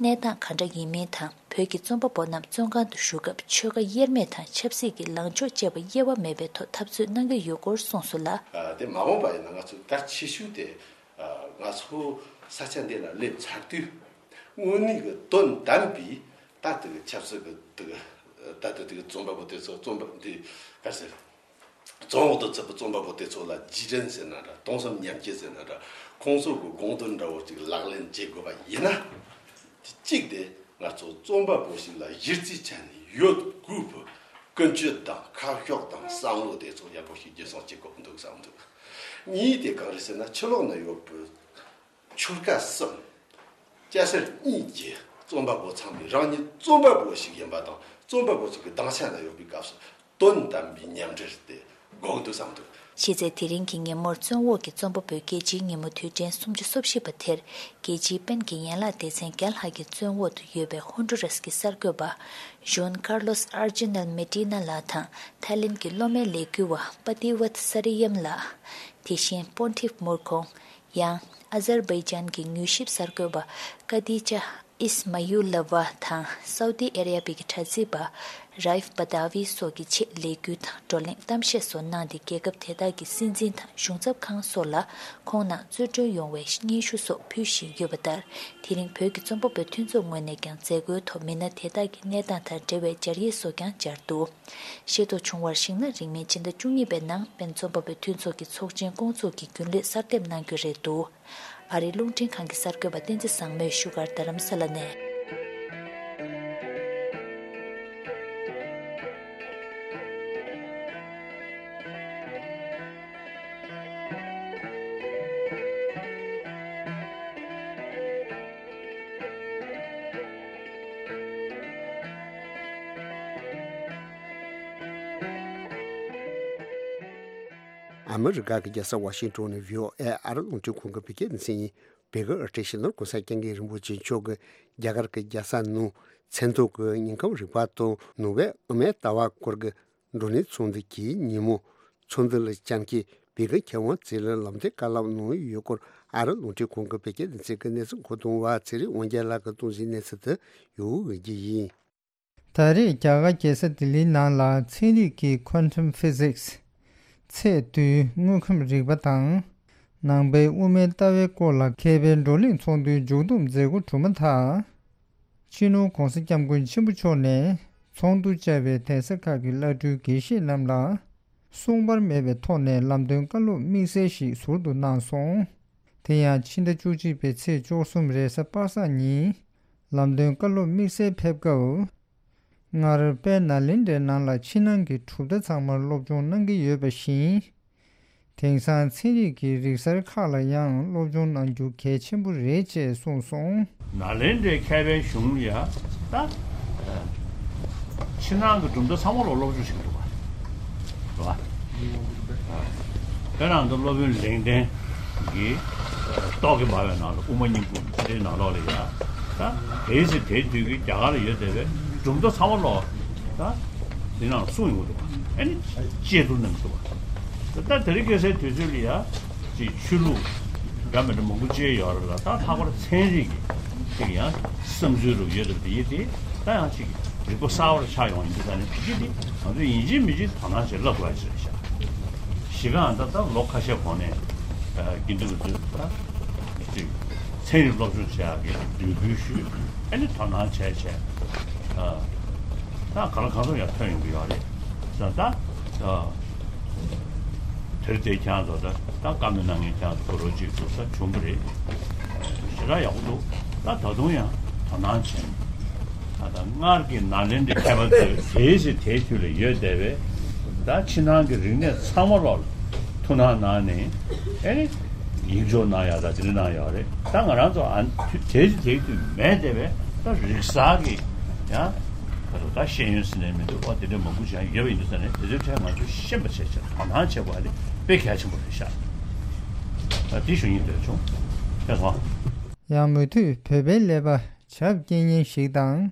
གནས་སྟངས་ག་འདྲ་ཡིན་མིན་དང་། བོད་ཀྱི་རྩོམ་པ་པོ་རྣམས་བཙོན་ཁང་དུ་བཞུགས་སྐབས་ཆོལ་ཁ་དབྱེར་མེད་དང་ཆབ་སྲིད་ཀྱི་ལངས་ཕྱོགས་བཅས་པ་དབྱེ་བ་མེད་པའི་ཐོག་འཐབ་རྩོད་གནང་གི་ཡོད་སྐོར་གསུངས་སོང་ལ། ཨ། དེ་མ་འོངས་པ་ཡིན་ན་ང་ཚོའི་གལ་ཆེ་ཤོས་དེ། ཨ། ང་ཚོ་ས་ཆ་འདི་ལ་སླེབས་ཚར་དུས་དངོས་གནས་ཀྱི་དོན་དམ་པའི་ད་ལྟ་གི་ཆབ་སྲིད་ཀྱི་དེ་གི་ད་ལྟ་དེ་གི་རྩོམ་པ་པོ་དེ་ཚོ་རྩོམ་པ་འདི་ག་ཟེར། རྫོང་འོག་ཏུ་ཚུད་པའི་རྩོམ་པ་པོ་དེ་ཚོ་ལ་རྗེས་དྲན་ཟེར་ན་འདྲ། གདུང་སེམས་མཉམ་སྐྱེད་ཟེར་ན་འདྲ། ཁོང་ཚོ་གི་དགོངས་དོན་འདྲ་བོ་ཅིག་ལག་ལེན་བྱེད་དགོས་པ་ཡིན་ན། གཅིག་དེ་ང་ཚོ་རྩོམ་པ་པོ་ཞིག་ལ་གཞི་རྩའི་ཆ་ནས་ཡོད་དགོས་པའི་ཀུན་སྤྱོད་དང་ཁ་ཕྱོགས་དང་བསམ་བློ་དེ་ཚོ་ཡག་པོ་ཞིག་རྒྱུན་སྲུང་བྱེད་དགོས་འདུག་བསམ་འདུག་གཉིས་དེ་གང་རེད་ཟེར་ན། ཕྱི་ལོགས་ན་ཡོད་པའི་ཆོལ་ཁ་གསུམ། སྐྱ་སེར་གཉིས་ཀྱི་རྩོམ་པ་པོ་ཚང་མས་རང་ཉིད་རྩོམ་པ་པོ་ཞིག་ཡིན་པ་དང་། རྩོམ་པ་པོ་ཞིག་གི་སྡིངས་ཆ་ན་ཡོད་པའི་སྐབས་སུ་དོན་དམ་པའི་མཉམ་འབྲེལ་དེ་དགོས་འདུག་བསམ་འདུག་ཕྱི་ཚེས་དེ་རིང་གི་ཉིན་མོར་བཙོན་འོག་གི་རྩོམ་པ་པོའི་རྒྱལ་སྤྱིའི་ཉིན་མོ་དུས་དྲན་སུམ་ཅུ་སོ་བཞི་པ་དེར། རྒྱལ་སྤྱིའི་པེན་གྱི་ཡན་ལག་སྡེ་ཚན་བརྒྱ་ལྷག་གིས་བཙོན་འོག་ཏུ་ཡོད་པའི་ཧོན་ཌུ་རཱས་ཀྱི་གསར་འགོད་པ་ཇུན་ཀར་ལོས་ཨར་ཇི་ནལ་མེ་ཏི་ན་ལགས་དང་། ཐའི་ལེན་གྱི་སློབ་མའི་ལས་འགུལ་བ་པ་ཏི་ཝད་ས་རི་ཡམ་ལགས། དེ་བཞིན་པོན་ཐིབ་མུར་ཁོང་། ཡང་། ཨ་ཛར་བྷའི་ཇན་གྱི་མྱུལ་ཞིབ་གསར་འགོད་པ་ཀ་དི་ཅཱ་ཨིས་མ་ཡུ་ལ་ཝ་དང་སའུ་ཏི་ཨ་ར་བི་གི་དྲ་ཚིགས་པ་རའིཕ་བ་དཱ་ཝི་སོགས་ཀྱི་ཆེད་ལས་འགུལ་དང་བགྲོ་གླེང་གཏམ་བཤད་སོགས་གནང་སྟེ། རྒྱལ་ཁབ་དེ་དག་གི་སྲིད་འཛིན་དང་གཞུང་ཚབ་ཁང་སོགས་ལ་ཁོང་རྣམས་གཙོ་གྲོན་ཡོང་བའི་སྙན་ཞུ་སོགས་ཕུལ་བཞིན་ཡོད་པ་ལྟར། དེ་རིང་བོད་ཀྱི་རྩོམ་པ་པོའི་མཐུན་ཚོགས་ངོས་ནས་ཀྱང་མཛད་སྒོའི་ཐོག་མི་སྣ་དེ་དག་གི་གནས་སྟངས་དང་འབྲེལ་བའི་སྦྱར་ཡིག་སོགས་ཀྱང་སྦྱར་འདུག། ཤེས་རྟོགས་བྱུང་བར་གཞིགས་ན། རིང་མིན་ཕྱི་ཟླ་བཅུ་གཉིས་པའི་ནང་པེན་རྩོམ་པ་པོའི་མཐུན་ཚོགས་ཀྱི་ཚོགས་ཆེན་བསྐོང་ཚོགས་ཀྱི་རྒྱུན་ལས་གསར་འདེབས་གནང་རྒྱུ་རེད་འདུག། ཨ་རིའི་རླུང་འཕྲིན་ཁང་གི་གསར་འགོད་པ་བསྟན་འཛིན་བཟང་མོས་བཞུགས་སྒར་རྡ་རམ་ས་ལ་ནས། ཨ་མི་རི་ཀ་གི་རྒྱལ་ས་ཝ་ཤིང་ཏོན་ནས་བྷི་ཨོ་ཨེ་ཨ་རི་རླུང་འཕྲིན་ཁང་གི་བོད་སྐད་སྡེ་ཚན་ཡིན། བོད་ཀྱི་ཨ་ཏི་ཤ་ནོར་༸གོང་ས་༸སྐྱབས་མགོན་རིན་པོ་ཆེ་མཆོག་གིས་རྒྱ་གར་གྱི་རྒྱལ་ས་ནང་མཚན་ཐོ་གི་ཉིན་ཁམས་རིག་པ་དང་ནོ་བྷེལ་དབུ་མའི་ལྟ་བ་སྐོར་གྱི་བགྲོ་གླེང་ཚོགས་འདུ་གྱི་ཉིན་མོ་ཚོགས་འདུ་ལ་བཅར་མཁན་བོད་ཀྱི་མཁས་དབང་ཚོས་ལ་ལམ་སྟོན་བཀའ་སློབ་གནང་ཡོད་སྐོར་ཨ་རི་རླུང་འཕྲིན་ཁང་གི་བོད་སྐད་སྡེ་ཚན་གྱི་གནས་ཚུལ་མཁོ་གཏོང་བ་ཚེ་རིང་དབང་རྒྱལ་ལགས་ཀྱིས་གཏོང་བཞིན་གནས་ཚུལ་དེ་ཡོང་འོས་ཀྱི་ཡིན། ད་རེས་རྒྱ་གར་རྒྱལ་ས་ལྡི་ལིའི་ནང་ལ་ཚན་རིག་གི་Quantum Physics ཚད་རྡུལ་དངོས་ཁམས་རིག་པ་དང་། ནང་པའི་དབུ་མའི་ལྟ་བའི་སྐོར་ལ་མཁས་པའི་བགྲོ་གླེང་ཚོགས་འདུའི་མཇུག་བསྡོམས་མཛད་སྒོ་གྲུབ་མ་ཐག། སྤྱི་ནོར་༸གོང་ས་༸སྐྱབས་མགོན་ཆེན་པོ་མཆོག་ནས་ཚོགས་འདུ་བཅར་བའི་གདན་ས་ཁག་གི་བླ་སྤྲུལ་དགེ་བཤེས་རྣམས་ལ་གསུང་བར་མེད་པའི་ཐོག་ནས་ལམ་སྟོན་བཀའ་སློབ་དམིགས་བསལ་ཞིག་ཟུར་དུ་གནང་སོང་། དེ་ཡང་ཕྱི་ཟླ་བཅུ་གཅིག་པའི་ཚེས་བཅུ་གསུམ་རེས་གཟའ་པ་སངས་ཉིན་ལམ་སྟོན་བཀའ་སློབ་དམིགས་བསལ་ཕེབས་སྐབས། སྔར་དཔལ་ནཱ་ལེནྡྲའི་ནང་ལ་ཕྱི་ནང་གི་གྲུབ་མཐའ་ཚང་མར་སློབ་སྦྱོང་གནང་གི་ཡོད་པ་བཞིན། དེང་སང་ཚན་རིག་གི་རིག་གསར་ཁག་ལ་ཡང་སློབ་སྦྱོང་གནང་རྒྱུ་གལ་ཆེན་པོ་རེད་ཅེས་གསུངས་སོང་། ནཱ་ལེནྡྲའི་མཁས་པའི་གཞུང་ལ་ཡ་ད་ཕྱི་ནང་གི་གྲུབ་མཐའ་ཚང་མ་ལ་སློབ་སྦྱོང་བྱེད་ཀྱི་འདུག་པ། རེད་པ། དཔེར་ན་ང་ཚོ་སློབ་དཔོན་ལེགས་ལྡན་གྱི་ཏོག་གི་འབར་བའི་ནང་ལ་དབུ་མ་སྙིང་པོ་དེའི་ནང་ལོགས་ལ་ཡ་ད་དེའི་ཚེ་དེའི་དུས་ཀྱི་རྒྱ་གར་ལ་ཡོད་བསྡད་པའི་གྲུབ་མཐའ་ཚང་མ་ལོག་ད་དེ་ནང་གསུངས་ཡོང་གི་འདུག་པ། ཨ་ནི་བཅད་བསྡུར་གནང་གི་འདུག་པ། ད་དེ་རིང་ཁ་སང་དུས་ཚོད་ལ་ཡ་ཅིག་ཆོས་ལུགས་འདྲ་མི་འདྲ་མང་པོ་བཅས་ཡོད་རེད་ལ། ད་ལྷག་པར་ཚན་རིག་གི་ཅིག་ཡང་བསམ་ཚུལ་རུ་ཡོད་དེ་དེ་ཡིན་དེ་ད་ཡང་ཅིག་རིག་པ་གསར་བར་ཆགས་ཡོང་ཡིན་དུས་ད་ནི་དེ་གི་དེ་ང་ཚོ་ཡིན་གཅིག་མིན་གཅིག་དོ་སྣང་བྱེད་ལབ་དགོས་ཡ་ཅིག་རེད་ཤག་གཞི་རྐང་ད་ལྟ་ལོ་ཁ་ཤས་གོང་ནས་དགེ་འདུན་གྱི་ཚོས་ད་ཅིག་ཚན་རིག་སློབ་སྦྱོང་བྱེད་ཡག་གི་འབོད་སྐུལ་ཞུས། ཨ་ནི་དོ་སྣང་བྱས་བྱས་ད་ག་ལ་གང་འཚམ་ཡང་ཐོན་ཡོང་གི་ཡོད་རེད་ཟེར། ད་དེར་དེ་ཁྱང་ཚོ་ད་ད་བཀའ་མོལ་གནང་མཁན་ཁྱང་ཚོ་གོ་རོ་གཅིག་འདུག་ས་བྱུང་གི་རེད། ཞེ་དྲག་ཡག་པོ་འདུག་ད་ད་དུང་ཡང་དོ་སྣང་བྱས། ད་ལྟ་སྔར་གྱི་ནཱ་ལེནྡྲའི་མཁས་པ་ཚོས་དེའི་ཚེ་དེའི་དུས་ལ་ཡོད་བསྡད་པའི་ད་ཕྱི་ནང་གི་རིག་གནས་ཚང་མ་ལོག་ལ་ཐུགས་སྣང་གནང་ནས་ཨེ་ནི་ཡིག་འཇོག་གནང་ཡག་ད་དེ་འདྲ་གནང་ཡོད་རེད། ད་ང་རང་ཚོ་ཨ་དེའི་ཚེ་དེའི་དུས་མེད་བསྡད་པའི་ད་རིག་གསར་གྱི་ཡང་ད་ཤེས་ཡོན་ཟེར་ནས་མི་འདུག་པ། དེ་འདྲ་མང་པོ་ཞིག་ཡོད་པ་ཡིན་དུས་ཙང་ནས་དེ་ཚོའི་གྲས་ང་ཚོས་ཤེས་པ་བྱས་བྱས་དོ་སྣང་བྱེད་དགོས་པ་དེ་དཔེ་གལ་ཆེན་པོ་རེད་ཤག་ད་དེ་ཞུ་སྙིང་འདོད་བྱུང་། ཕེབས་སོང་། ཡང་མུ་མཐུད་བོད་པའི་ཀླད་པ་ཇབ་སྐྱེལ་མཁན་ཞིག་དང་།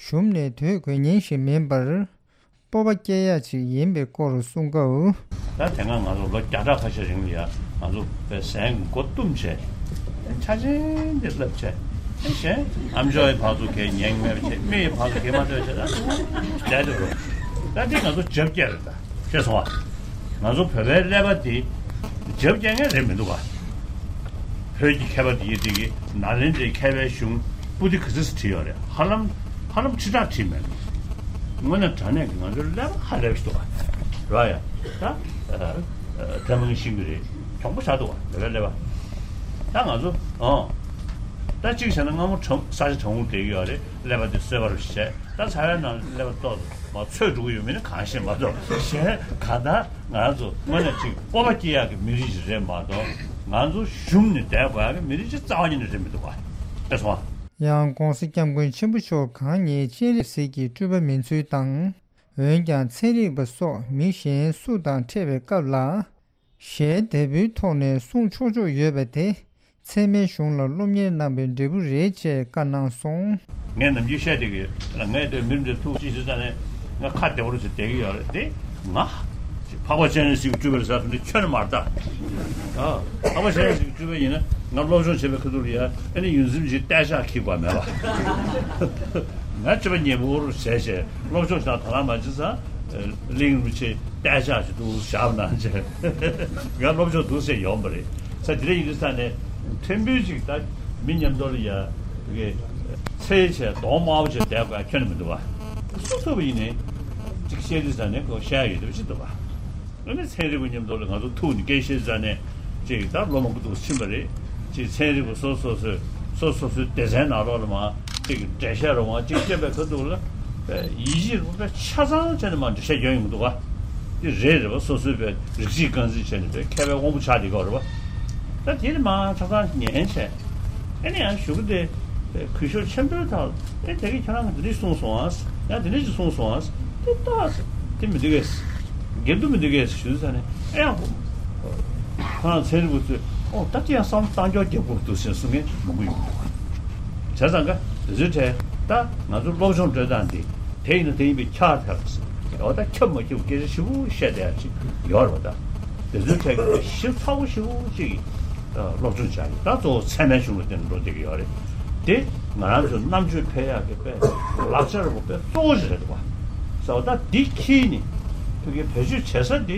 གཞུང་ནས་དོས་དགོས་མཁན་ཞིག་མིན་པར། སྤོབས་པ་སྐྱེ་ཡག་ཅིག་ཡིན་པའི་སྐོར་གསུང་སྐབས། ད་དེ་སྔ་ང་ཚོ་ལོ་བརྒྱ་ཕྲག་ཁ་ཤས་རིང་ལ་ཡ་ང་ཚོ་པའི་ཟན་མགོ་བཏུམས་བྱས། ཆ་ཆེན་འདི་བསླབ་བྱས། གཞན་ཨམ་ཅོག་གི་བར་དུ་གས་ཉན་མེད་པ་བྱས། མིག་གི་བར་དུ་གས་མ་ཐོས་བྱས། ད་ལས་དུ་རུ་ད་འདི་ང་ཚོ་ཇབ་སྐྱེལ་རེད། ད་ཤེས་སོང་བ། ང་ཚོ་བོད་པའི་ཀླད་པ་འདི་ཇབ་སྐྱེལ་མཁན་རེད་མི་འདུག་ག་བོད་ཀྱི་མཁས་པ་འདི་ཡིན་འདི་གི་ནཱ་ལེནྡྲའི་མཁས་པའི་གཞུང་པུ་ཏི་ག་ཚོད་བྲིས་ཡོད་རེད། ཧ་ལམ་ཧ་ལམ་ཁྲི་ཕྲག་བྲིས་མེད། དངོས་གནས་དྲང་གནས་ཀྱི་ང་ཚོའི་ཀླད་པ་ཧ་ལས་པ་ཞིག་འདུག་ག་རེད་ཡ། ད་ཐལ་མོ་ཤིང་གི་རེད། གྱོང་པོ་ཆགས་འདུག་ག་བོད་པའི་ཀླད་པ། ད་ང་ཚོ་ཨང་། ད་གཅིག་བྱས་ན་སྔ་མོ་གྲང་ས་ཆ་གྲང་མོ་བསྡད་ཀྱི་ཡོད་རེད། ཀླད་པ་འདི་གསོད་པར་བྱས། ད་ཚ་བའི་ནང་ཀླད་པ་ཏོག་ཙམ་མ་ཚོས་འགྲོ་གི་ཡོད་མིན་ནི་གང་ཤེས་མ་གཏོགས། གཞན་གང་ལྟར་ང་ཚོ་དངོས་གནས་ཅིག་སྤོབས་པ་སྐྱེ་ཡག་གི་མི་རིགས་ཤིག་རེད་མ་གཏོགས། ང་ཚོ་གཞུང་ནས་བསྡད་དགོས་ཡག་གི་མི་རིགས་ཤིག་རྩ་བ་ཉིད་ནས་རེད་མི་འདུག་ག་ཨེ་སོང་ཨ། ཡང་༸གོང་ས་༸སྐྱབས་མགོན་ཆེན་པོ་མཆོག་གང་ཉིད་སྤྱན་རས་གཟིགས་ཀྱི་སྤྲུལ་པ་མིན་ཚུལ་དང་། འོན་ཀྱང་ཚན་རིག་པ་སོགས་མི་གཞན་སུ་དང་འཕྲད་པའི་སྐབས་ལ། ཞལ་དལ་བུའི་ཐོག་ནས་གསུང་ཆོག་ཆོག་ཡོད་པ་དེ་ཚད་མའི་གཞུང་ལ་སློབ་གཉེར་གནང་བའི་འབྲས་བུ་རེད་ཅེས་བཀའ་གནང་སོང་། ངས་ནམ་རྒྱུན་བཤད་བསྡད་ཀྱི་ཡོད། ངས་དེ་མི་འདི་ཐུག་ཅི་ཞིག་ཙ་ནས་ང་ཁ་བདེ་བོ་རུ་ཞིག་བསྡད་ཀྱི་ཡོད་རེད་དེ། ང་ འཕགས་པ་སྤྱན་རས་གཟིགས་ཀྱིས་སྤྲུལ་པ་རེད་ཟེར་དེ་ཁྱོན་ནས་མ་རེད་ད། ཨ། འཕགས་པ་སྤྱན་རས་གཟིགས་ཀྱིས་སྤྲུལ་པ་ཡིན་ན་ང་སློབ་སྦྱོང་བྱེད་པའི་ཁ་ཐུག་ལ་ཡ་ཨ་ནི་ཡོངས་འཛིན་གྱི་སྟོད་ཆ་འཁྱེར་དགོས་མེད་པ། ང་སྤྱི་པ་ཉེ་པོར་བྱས་བྱས་སློབ་སྦྱོང་བྱ་དོ་སྣང་མ་བྱེད་ཙང་། གླིང་རིན་པོ་ཆེ་སྟོད་ཆ་ཞིག་འདུག་བཞག་གནང་བྱས། ང་སློབ་སྦྱོང་འདུག་ཟེར་ཡོང་པ་རེད། ས་དེ་འདྲ་ཡིན་དུས་ས་ནས་ཕྲན་བུ་ཅིག་ད་མི་མཉམ་དུ་ལ་ཡ་གི་ཚེ་བྱས་གདོང་དམར་པོ་བྱས་བསྡད་དགོས་ཁྱོན་ནས་མི་འདུག་བ། སུ་ཐུབ་པ་ཡིན་ནའི་ཅིག་བཤད་དུས་ས་ནས་ཁོ་བཤད་ཡོད་དུས་ཅི་འདུག་བ། ཨ་ནི་ཚན་རིག་པ་མཉམ་དུ་ལ་ང་ཚོ་ཐུག་ནས་སྐད་བཤད་ས་ནས་ཅིག་ད་ལོ་མང་པོ་འདུག་ཕྱིན་པ་རེད། ཅིག་ཚན་རིག་པ་སོ་སོ་སོས་སོ་སོ་སོའི་སྡེ་ཚན་ནང་ལོགས་ལ་མ་ཅིག་འགྲེལ་བཤད་རོགས་མ་ཅིག་བཤད་པའི་ཁ་ཐུག་ལ་ཡིད་ཆེས་རོགས་པས་ཆ་ཚང་བྱས་ནས་མ་འགྲེལ་བཤད་རྒྱག་ཡོང་གི་འདུག་བ། དེ་རེད་རེད་བ། སོ་སོའི་པའི་རིགས་གཅིག་རྐང་འཛིན་བྱས་ནས་པའི་མཁས་པའི་དབང་པོ་ཆགས་བསྡད་ཀྱི་ཡོད་རེད་བ། ད་དེ་ནི་མ་ཆ་ཚང་ཉན་བྱས། ཨེ་ནི་ཡང་གཞུག་གུ་དེ་གུས་ཞབས་ཆེན་པོའི་ཐོག་ཨེ་དེ་གི་ཁྱེད་རང་གི་འདི་འདྲ་གསུངས་སོང་ཨ། ཡང་དེ་འདྲ་ཅིག་གསུངས་སོང་ཨ། དེ་ཏོག་ཙམ་དེ་མི་འདུག་གས། འགལ་འདུ་མི་འདུག་གས་ཞུ་ས་ནས་ཨེ་ཡང་ཁོ་རང་ཚན་རིག་པ་ཚོས་ཨོ་ད་དེ་ཡང་བསམ་བློ་གཏོང་རྒྱུ་རྒྱབ་དགོས་འདུག་ཟེར་གསུང་མཁན་མང་པོ་ཡོང་གི་འདུག་བ། བྱས་ཙང་ཀ་དེ་ཚོའི་གྲས་ད་ང་ཚོ་སློབ་སྦྱོང་སྤྲོད་སྟངས་འདི་དེ་ཡིན་ན་དེ་ཡིན་པའི་ཁྱབ་ཐལ་ཟེར། འོ་ད་ཁྱབ་མ་ཁྱབ་སྐད་ཆ་ཞིབ་པོ་བཤད་བསྡད་ཡ་ཅིག་ཡོད་རེད་བ། ད་དེ་ཚོའི་གྲས་ཀྱི་ཞིབ་ཚགས་པོ་ཞིབ་པོ་ཅིག་སློབ་སྦྱོང་བྱ་ཡི་ད་གཙོ་བོ་ཚད་མའི་གཞུང་ལ་བརྟེན་ནས་འགྲོ་བསྡད་ཀྱི་ཡོད་རེད། དེ་ང་རང་ཚོའི་རྣམ་དཔྱོད་འཕེལ་ཡག་གི་དཔེ་ལག་ཆ་རིང་པོ་དཔེ་གཙོ་བོ་ཞིག་རེད་འདུག་བ། ཟེར་བ་ད་འདི་ཁྱེར་ནས་ཕ་གིའི་བེད་སྤྱོད་བྱེད་ས་འདི་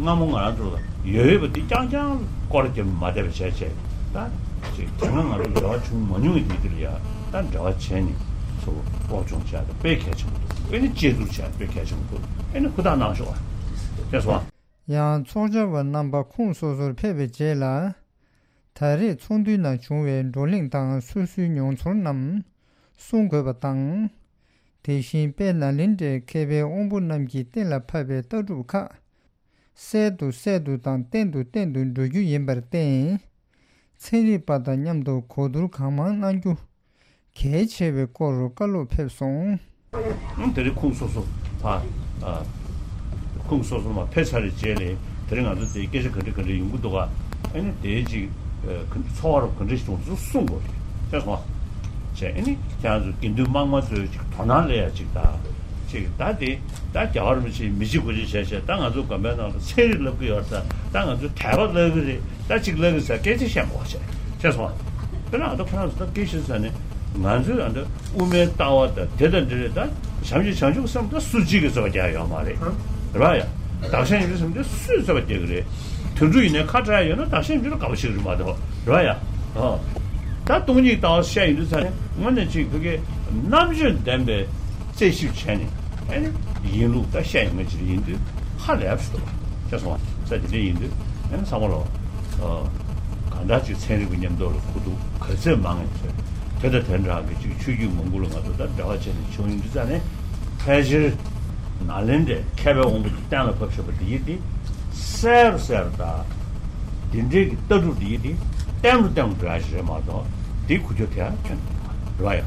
སྔ་མོ་ང་རང་ཚོ་ལ་ཡོད་ཡོད་པ་འདི་རྐྱང་རྐྱང་སྐོར་རྒྱབ་མ་བསྡད་པ་བྱས་བྱས་ད་ཅིག་དེ་སྔ་ང་ཚོ་འབྲེལ་བ་བྱུང་མ་མྱོང་བའི་དུས་དེ་ལ་ཡ་ད་འབྲེལ་བ་བྱས་ནས་ཚུར་སློབ་སྦྱོང་བྱས་ད་དཔེ་གལ་ཆེན་པོ་འདུག་ཨེ་ནི་དཔྱད་བསྡུར་བྱས་དཔེ་གལ་ཆེན་པོ་འདུག་ཨེ་ནི་ཧུར་ཐག་གནང་ཤོག་ཨ། ཤེས་སོང་ཨ། ཡང་ཚོགས་བཅར་བ་རྣམ་པ་ཁོངས་སོ་སོར་ཕེབས་པའི་རྗེས་ལ། ད་རེས་ཚོགས་འདུའི་ནང་བྱུང་བའི་བགྲོ་གླེང་དང་སོ་སོའི་མྱོང་ཚོར་རྣམས་གསུང་དགོས་པ་དང་། དེ་བཞིན་དཔལ་ནཱ་ལེནྡྲའི་མཁས་པའི་དབང་པོ་རྣམས་ཀྱིས་གཏན་ལ་ཕབ་པའི་ལྟ་གྲུབ་ཁག་གསལ་དུ་གསལ་དུ་དང་བརྟན་དུ་བརྟན་དུ་འགྲོ་རྒྱུ་ཡིན་པར་བརྟེན། ཚན་རིག་པ་དང་མཉམ་དུ་གོ་བསྡུར་གང་མང་གནང་རྒྱུ་གལ་ཆེ་བའི་སྐོར་བཀའ་སློབ་ཕེབས་སོང་། ཨང་། དེ་རིང་ཁོངས་སོ་སོ་ཕ། ཨ། ཁོངས་སོ་སོ་མ་ཕེབས་ཚར་བའི་རྗེས་ནས་དེ་རིང་ང་ཚོ་དེའི་སྐད་ཆ་ག་འདྲ་ག་འདྲ་ཡོང་གི་འདུག་ག་ཨ་ནི་དེའི་ཅིག་ཨ། ག་འཚོ་བ་རོགས་ག་འདྲ་ཞིག་བྱུང་ཚུལ་གསུང་དགོས་རེད། ཤེས་སོང་ཨ། བྱས་ཨ་ནི་ཁྱེད་རང་ཚོ་དགེ་འདུན་དམངས་མང་ཚོས་ཅིག་དོ་སྣང་སླེབས་ཡ་ཅིག་དང་། ཅིག་ད་དེ་ད་རྒྱལ་བ་རིན་པོ་ཆེའི་མི་གཅིག་དགུ་གཅིག་བྱས་བྱས་ད་ང་ཚོ་དགོན་པའི་ནང་ལ་ཚན་རིག་བསླབ་ཀྱི་ཡོད་ད། ད་ང་ཚོ་དད་པ་བསླབ་ཀྱི་རེད། ད་གཅིག་ལབ་ཀྱི་ཟེར་སྐད་ཆ་བཤད་མ་དགོས་བྱས། ཤེས་སོང་ཨ། དཔེར་ན་ཨ་ད་ཁོ་རང་ཚོ་ད་སྐད་ཆ་ཟེར་ནས་ང་ཚོས་ཨ་ད་དབུ་མའི་ལྟ་བ་ད་དེ་ད་འདི་རེད་ད། བྱམས་ཆེན་བྱང་ཆུབ་སེམས་ད་སུ་གཅིག་གིས་རྩོད་པ་རྒྱག་ཡོད་མ་རེད། རེད་བ་ཡ། བདག་གཞན་ཡིན་གྱི་སེམས་དེ་སུས་རྩོད་པ་རྒྱག་གི་རེད། དུད་འགྲོ་ཡིན་ནའི་ཁ་བྲལ་ཡོད་ན་བདག་གཞན་ཡིན་གྱི་དགའ་པོ་བྱེད་ཀྱི་རེད་མ་གཏོགས། རེད་བ་ཡ། ཨ། ད་སྟོང་ཉིད་ལྟ་བ་བཤད་ཡོང་དུས་ཙང་ནས་དངོས་གནས་གཅིག་ཕ་གིའི་རྣམ་དཔྱོད་ལྡན་པའི་རྩད་ཞིབ་བྱས་ནས་ཨ་ནི་ཡིན་ལུགས་ད་བཤད་ཡོང་མཁན་ཅིག་ཡིན་དུས་ཧ་ལས་པ་ཞིག་འདུག་བ། ཤེས་སོང་བ། ས་དེ་འདྲ་ཡིན་དུས་ཨ་ནི་ཚང་མ་ལོ། ཨ། གང་ལྟར་ཅིག་ཚན་རིག་པ་མཉམ་དུ་ལ་ཁུ་ཐུག་ག་ཚོད་མང་ཡིན་ཚོད་དེ་དང་དེ་འདྲ་གི་ཅིག་ཆོས་བརྒྱུད་མང་པོ་ལ་ང་ཚོ་ད་འབྲེལ་བ་བྱས་ནས་བྱུང་ཡོང་དུས་ཙང་ནས་ཕལ་ཆེར་ནཱ་ལེནྡྲའི་མཁས་པའི་དབང་པོ་དེ་གཏན་ལ་ཕབ་བཞག་པ་འདི་ཡིན་ཏེ། གསལ་རུ་གསལ་རུ་དང་། འདི་འདྲའི་གི་ལྟ་གྲུབ་འདི་ཡིན་ཏེ། བརྟན་རུ་བརྟན་རུ་འགྲོ་ཡ་ཞིག་རེད་མ་གཏོགས་འདི་ཁུ་ཆོ་དེ་ཡང་ཁྱོན་རེད་བ་ཡ།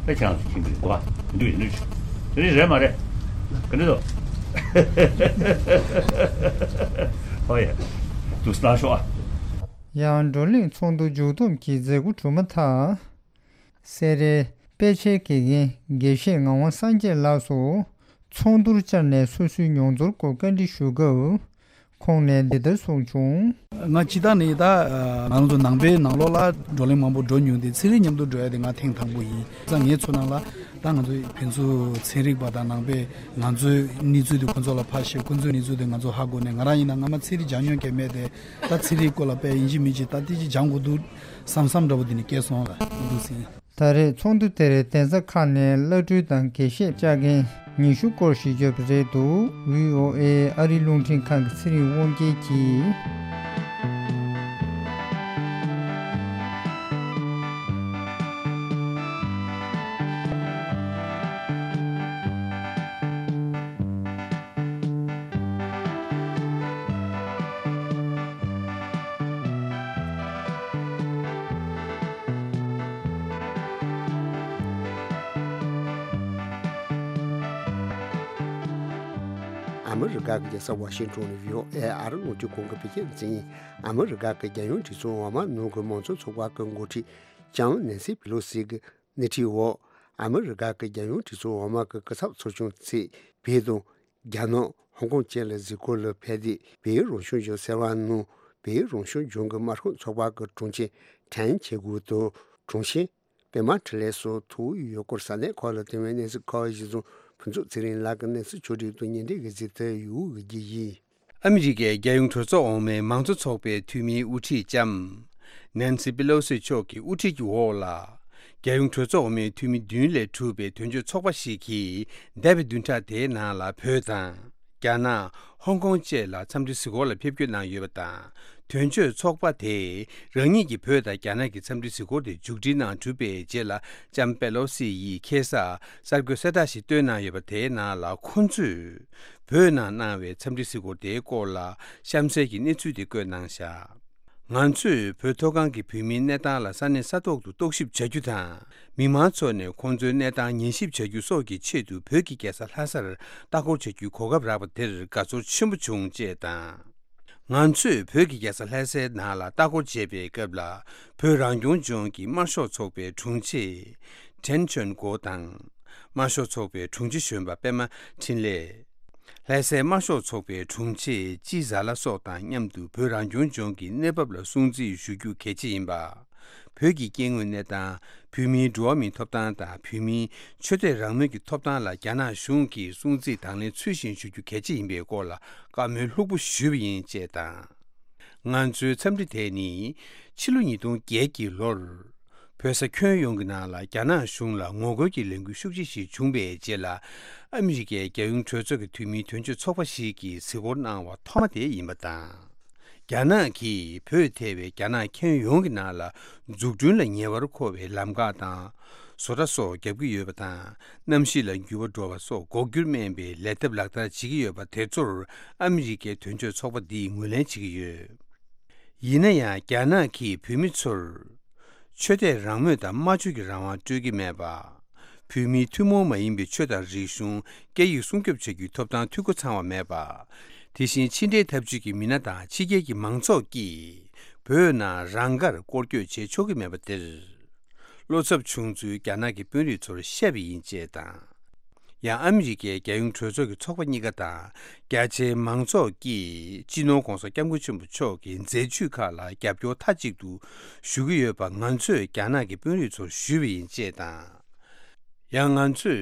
ད་ཁྱེད་རང་ཚོ་མཁྱེན་གི་རེད་གོ་བ་མི་འདུག་ཡིན་འདུག་ཅིག་དེ་རིང་རེད་མ་རེད། ག་འདྲ་འདུག་ཧོ་ཡ། འདུག་སེ་གནང་ཤོག་ཨ། ཡང་བགྲོ་གླེང་ཚོགས་འདུ་མཇུག་བསྡོམས་ཀྱི་མཛད་སྒོ་གྲུབ་མ་ཐག་སེ་རའི་དཔེ་ཆའི་དགེ་རྒན་དགེ་བཤེས་ངག་དབང་སངས་རྒྱས་ལགས་སུ་ཚོགས་འདུར་བཅར་ནས་སོ་སོའི་མྱོང་ཚོར་སྐོར་བཀའ་འདྲི་ཞུ་སྐབས་ཁོང་ནས་འདི་ལྟར་གསུངས་བྱུང་། ང་སྤྱིར་བཏང་ནས་ད་ང་རང་ཚོ་ནང་པའི་ནང་ལོགས་ལ་བགྲོ་གླེང་མང་པོ་འགྲོ་མྱོང་སྟེ་ཚན་རིག་མཉམ་དུ་འགྲོ་ཡ་དེ་ང་ཐེངས་དང་པོ་ཡིན་ཙང་། ངའི་ཚོར་སྣང་ལ་ད་ང་ཚོ་ཕན་ཚུན་ཚན་རིག་པ་དང་ནང་པས་ང་ཚོའི་གནས་ཚུལ་དེ་ཁོ་ཚོ་ལ་ཕར་བཤད། ཁོ་ཚོའི་གནས་ཚུལ་དེ་ང་ཚོ་ཧ་གོ་ནས། ང་རང་ཡིན་ན་སྔ་མ་ཚན་རིག་སྦྱང་མྱོང་མཁན་མེད་དེ། ད་ཚན་རིག་སྐོར་ལ་དཔེ་ཡིན་གཅིག་མིན་གཅིག་ད་ཏི་ཅིག་སྦྱང་དགོས་འདུག་བསམ་བསམ་འདྲ་པོ་དེ་ནི་སྐྱེས་སོང་ལ་འདུག་ཟིན། ད་རེས་ཚོགས་འདུ་དེར་གདན་ས་ཁག་ནས་བླ་སྤྲུལ་དང་དགེ་བཤེས་བཅར་མཁན་ཉི་ཤུ་སྐོར་ཞིག་ཡོད་པ་རེད་འདུག། བྷི་ཨོ་ཨེ་ཨ་རིའི་རླུང་འཕྲིན་ཁང་གི་ཚེ་རིང་དབང་རྒྱལ་གྱིས། ཨ་མི་རི་ཀ་གི་རྒྱལ་ས་ཝ་ཤིང་ཊོན་ནས་བྷི་ཨོ་ཨེ་ཨ་རི་རླུང་འཕྲིན་ཁང་གི་བོད་སྐད་སྡེ་ཚན་ཡིན། ཨ་མི་རི་ཀ་གི་རྒྱལ་ཡོངས་གྲོས་ཚོགས་འོག་མ་ནང་གི་མང་གཙོ་ཚོགས་པ་གི་འགོ་ཁྲིད་ལྕམ་ནན་སི་པེ་ལོ་སི་གི་སྣེ་ཁྲིད་འོག་ཨ་མི་རི་ཀ་གི་རྒྱལ་ཡོངས་གྲོས་ཚོགས་འོག་མ་གི་སྐུ་ཚབ་ཚོགས་ཆུང་ཚེ་བལ་དང་ རྒྱ་ནག་ཧོང་ཀོང་བཅས་ལ་གཟིགས་སྐོར་ལ་ཕེབས་ཏེ། བལ་ཡུལ་རང་སྐྱོང་ལྗོངས་ཟེར་བ་ནང་བལ་ཡུལ་རང་སྐྱོང་ལྗོངས་ཀྱི་དམར་ཤོག་ཚོགས་པ་གི་དྲུང་ཆེ་ཁྲེན་ཆེ་གུ་དང་། དྲུང་ཆེ་པད་མ་འཕྲིན་ལས་སོགས་ཐུག་ཡོད་སྐོར། ས་གནས་ཁག་ལ་བཏང་བའི་གནས་ཚུལ་ཁག་གཞི་བཟུང་ཕུན་ཚོགས་ཚེ་རིང་ལགས་ཀྱིས་གནས་ཚུལ་ཕྱོགས་སྒྲིག་དང་སྙན་སྒྲོན་གྱི་གཟིགས་ཐོ་ཡོད་དགུ་རྒྱུ་ཡིན། ཨ་མི་རི་ཀའི་རྒྱལ་ཡོངས་གྲོས་ཚོགས་འོག་མའི་མང་གཙོ་ཚོགས་པའི་འཐུས་མིའི་དབུ་ཁྲིད་ལྕམ་ནན་སི་པེ་ལོ་སི་མཆོག་གི་དབུ་ཁྲིད་ཀྱི་འོག་ལ། རྒྱལ་ཡོངས་གྲོས་ཚོགས་འོག་མའི་འཐུས་མི་བདུན་ལས་གྲུབ་པའི་དོན་གཅོད་ཚོགས་པ་ཞིག་གིས། འདས་པའི་བདུན་ཕྲག་དེའི་ནང་ལ་བོད་དང་། རྒྱ་ནག་ཧོང་ཀོང་བཅས་ལ་འཚམས་འདྲི་གཟིགས་སྐོར་ལ་ཕེབས་སྐྱོད་གནང་ཡོད་པ་དང་། དོན་གཅོད་ཚོགས་པ་དེས་རང་ཉིད་ཀྱིས་བོད་དང་རྒྱ་ནག་གི་འཚམས་འདྲི་གཟིགས་སྐོར་དེ་མཇུག་སྒྲིལ་གནང་གྲུབ་པའི་རྗེས་ལ། ལྕམ་པེ་ལོ་སི་ཡིས་ཁ་སང་གསར་འགོད་གསལ་བསྒྲགས་ཤིག་བཏོན་གནང་ཡོད་པ། དེའི་ནང་ལ་ཁོང་ཚོས་བོད་ནང་གནང་བའི་འཚམས་འདྲི་གཟིགས་སྐོར་དེའི་སྐོར་ལ་གཤམ་གསལ་གྱི་གནས་ཚུལ་དེ་བཀོད་གནང་བཞག་ང་ཚོས་བོད་མཐོ་སྒང་གི་བོད་མིའི་གནས་སྟངས་ལ་ས་གནས་ས་ཐོག་ཏུ་རྟོག་ཞིབ་བྱ་རྒྱུ་དང་། མི་མང་ཚོ་ནས་ཁོང་ཚོའི་གནས་སྟངས་ཉན་ཞིབ་བྱ་རྒྱུ་སོགས་ཀྱི་ཆེད་དུ། བོད་ཀྱི་རྒྱལ་ས་ལྷ་སར་ལྟ་སྐོར་བྱ་རྒྱུའི་གོ་སྐབས་རག་པ་དེར་དགའ་ཚོར་ཆེན་པོ་བྱུང་ཅེས་དང་། ང་ཚོས་བོད་ཀྱི་རྒྱལ་ས་ལྷ་སའི་ནང་ལ་ལྟ་སྐོར་བྱེད་པའི་སྐབས་ལ། བོད་རང་སྐྱོང་ལྗོངས་ཀྱི་དམར་ཤོག་ཚོགས་པའི་དྲུང་ཆེ། ཁྲེན་ཆོན་གོ་དང་། དམར་ཤོག་ཚོགས་པའི་དྲུང་ཆེ་གཞོན་པ་པད་མ་འཕྲིན་ལས། ལྷ་སའི་དམར་ཤོག་ཚོགས་པའི་དྲུང་ཆེ་ཅི་ཟ་ལ་སོགས་དང་མཉམ་དུ། བོད་རང་སྐྱོང་ལྗོངས་ཀྱི་གནས་བབ་ལ་སྲུང་བརྩི་ཞུ་རྒྱུ་གལ་ཆེ་ཡིན་པ། བོད་ཀྱི་སྐྱེ་དངོས་གནས་སྟངས། བོད་མིའི་འགྲོ་བ་མིའི་ཐོབ་ཐང་དང་། བོད་མིའི་ཆོས་དད་རང་མོས་ཀྱི་ཐོབ་ཐང་ལ་རྒྱ་ནག་གཞུང་གིས་སྲུང་བརྩི་དང་ལེན་ཚུལ་བཞིན་ཞུ་རྒྱུ་གལ་ཆེ་ཡིན་པའི་སྐོར་ལ་བཀའ་མོལ་ལྷུག་པོ་ཞུས་པ་ཡིན་ཅེས་དང་། ང་ཚོའི་འཚམས་འདྲི་དེ་ནི། ཕྱི་ལོ་ཉིས་སྟོང་བརྒྱད་ཀྱི་ལོར། བོད་ས་ཁྱོན་ཡོངས་ཀྱི་ནང་ལ་རྒྱ་ནག་གཞུང་ལ་ངོ་རྒོལ་གྱི་ལས་འགུལ་ཤུགས་ཆེ་ཞིག་བྱུང་བའི་རྗེས་ལ། ཨ་མི་རི་ཀའི་རྒྱལ་ཡོངས་གྲོས་ཚོགས་ཀྱི་འཐུས་མིའི་དོན་གཅོད་ཚོགས་པ་ཞིག་གིས་གཟིགས་སྐོར་གནང་བ་ཐོག་མ་དེ་ཡིན་པ་དང་། རྒྱ་ནག་གིས་བོད་ཐེ་བའི་རྒྱ་ནག་ཁྱོན་ཡོངས་ཀྱི་ནང་ལ་འཛུགས་སྐྲུན་ལ་ཉེ་བར་མཁོ་བའི་ལམ་ཁ་དང་། བཟོ་གྲྭ་སོགས་བརྒྱབ་ཀྱི་ཡོད་པ་དང་། གནམ་གཤིས་ལ་འགྱུར་བ་འགྲོ་བ་སོགས་འགོག་རྒྱུར་སྨན་པའི་ལས་ཐབས་ལག་བསྟར་བྱེད་ཀྱི་ཡོད་པ་དེ་ཚོར་ཨ་མི་རི་ཀའི་དོན་གཅོད་ཚོགས་པ་འདིས་ངོས་ལེན་བྱེད་ཀྱི་ཡོད། ཡིན་ན་ཡང་རྒྱ་ནག་གིས་བོད་མི་ཚོར་ཆོས་དད་རང་མོས་དང་སྨྲ་བརྗོད་ཀྱི་རང་དབང་སྤྲོད་ཀྱི་མེད་པ། བོད་མིའི་ཐུན་མོང་མ་ཡིན་པའི་ཆོས་དང་རིག་གཞུང་སྐད་ཡིག་སྲུང་སྐྱོབ་བྱ་རྒྱུའི་ཐོབ་ཐང་འཐུས་སྒོ་ཚང་བ་མེད་པ། དེ་བཞིན་ཕྱི་འབྲེལ་འཐབ་ཇུས་ཀྱི་མི་སྣ་དང་ཕྱི་རྒྱལ་གྱི་མང་ཚོགས་ཀྱིས་བོད་ནང་རང་དགར་སྐོར་སྐྱོད་བྱེད་ཆོག་གི་མེད་པ་དེར། བློ་འཚབ་བྱུང་ཚུལ་རྒྱ་ནག་གི་དཔོན་རིགས་ཚོར་བཤད་པ་ཡིན་ཅེས་དང་། ཡང་ཨ་མི་རི་ཀའི་རྒྱལ་ཡོངས་གྲོས་ཚོགས་ཀྱི་ཚོགས་པ་གཉིས་ཀ་དང་རྒྱ་ཆེའི་མང་ཚོགས་ཀྱིས་སྤྱི་ནོར་༧གོང་ས་༧སྐྱབས་མགོན་ཆེན་པོ་མཆོག་གི་མཛད་ཇུས་ཁག་ལ་རྒྱབ་སྐྱོར་མཐའ་གཅིག་ཏུ་ཞུ་གི་ཡོད་པ་ང་ཚོས་རྒྱ་ནག་གི་དཔོན་རིགས་ཚོར་ཞུས་པ་ཡིན་ཅེས་དང་། ཡང་ང་ཚོས་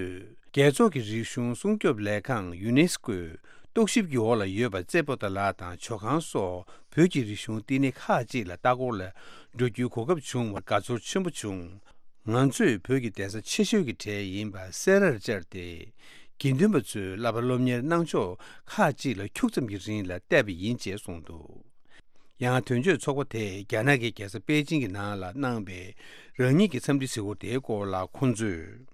རྒྱལ་ཚོགས་ཀྱི་རིག་གཞུང་སྲུང་སྐྱོབ་ལས་ཁང་ཡུ་ནེ་སི་ཀོའི་རྟོག་ཞིབ་ཀྱི་འོག་ལ་ཡོད་པ་རྩེ་པོ་ཏ་ལ་དང་ཇོ་ཁང་སོགས་བོད་ཀྱི་རིག་གཞུང་བསྟི་གནས་ཁག་ཅིག་ལ་ལྟ་སྐོར་ལ་འགྲོ་རྒྱུའི་གོ་སྐབས་བྱུང་བར་དགའ་ཚོར་ཆེན་པོ་བྱུང་། ང་ཚོས་བོད་ཀྱི་གདན་ས་ཆེ་ཤོས་ཀྱི་གྲས་ཡིན་པ་སེ་རར་བཅར་ཏེ། དགེ་འདུན་པ་ཚོས་བསླབ་པ་སློབ་གཉེར་གནང་ཕྱོགས་ཁག་ཅིག་ལ་ཁྱུག་ཙམ་གྱི་རིང་ལ་བལྟས་པ་ཡིན་ཅེས་གསུངས་འདུག་ཡང་དོན་གཅོད་ཚོགས་པ་དེས་རྒྱ་ནག་གི་རྒྱལ་ས་པེ་ཅིང་གི་ནང་ལ་གནང་བའི་རང་ཉིད་ཀྱི་འཚམས་འདྲི་གཟིགས་སྐོར་དེའི་སྐོར་ལ་ཁོང་ཚོས།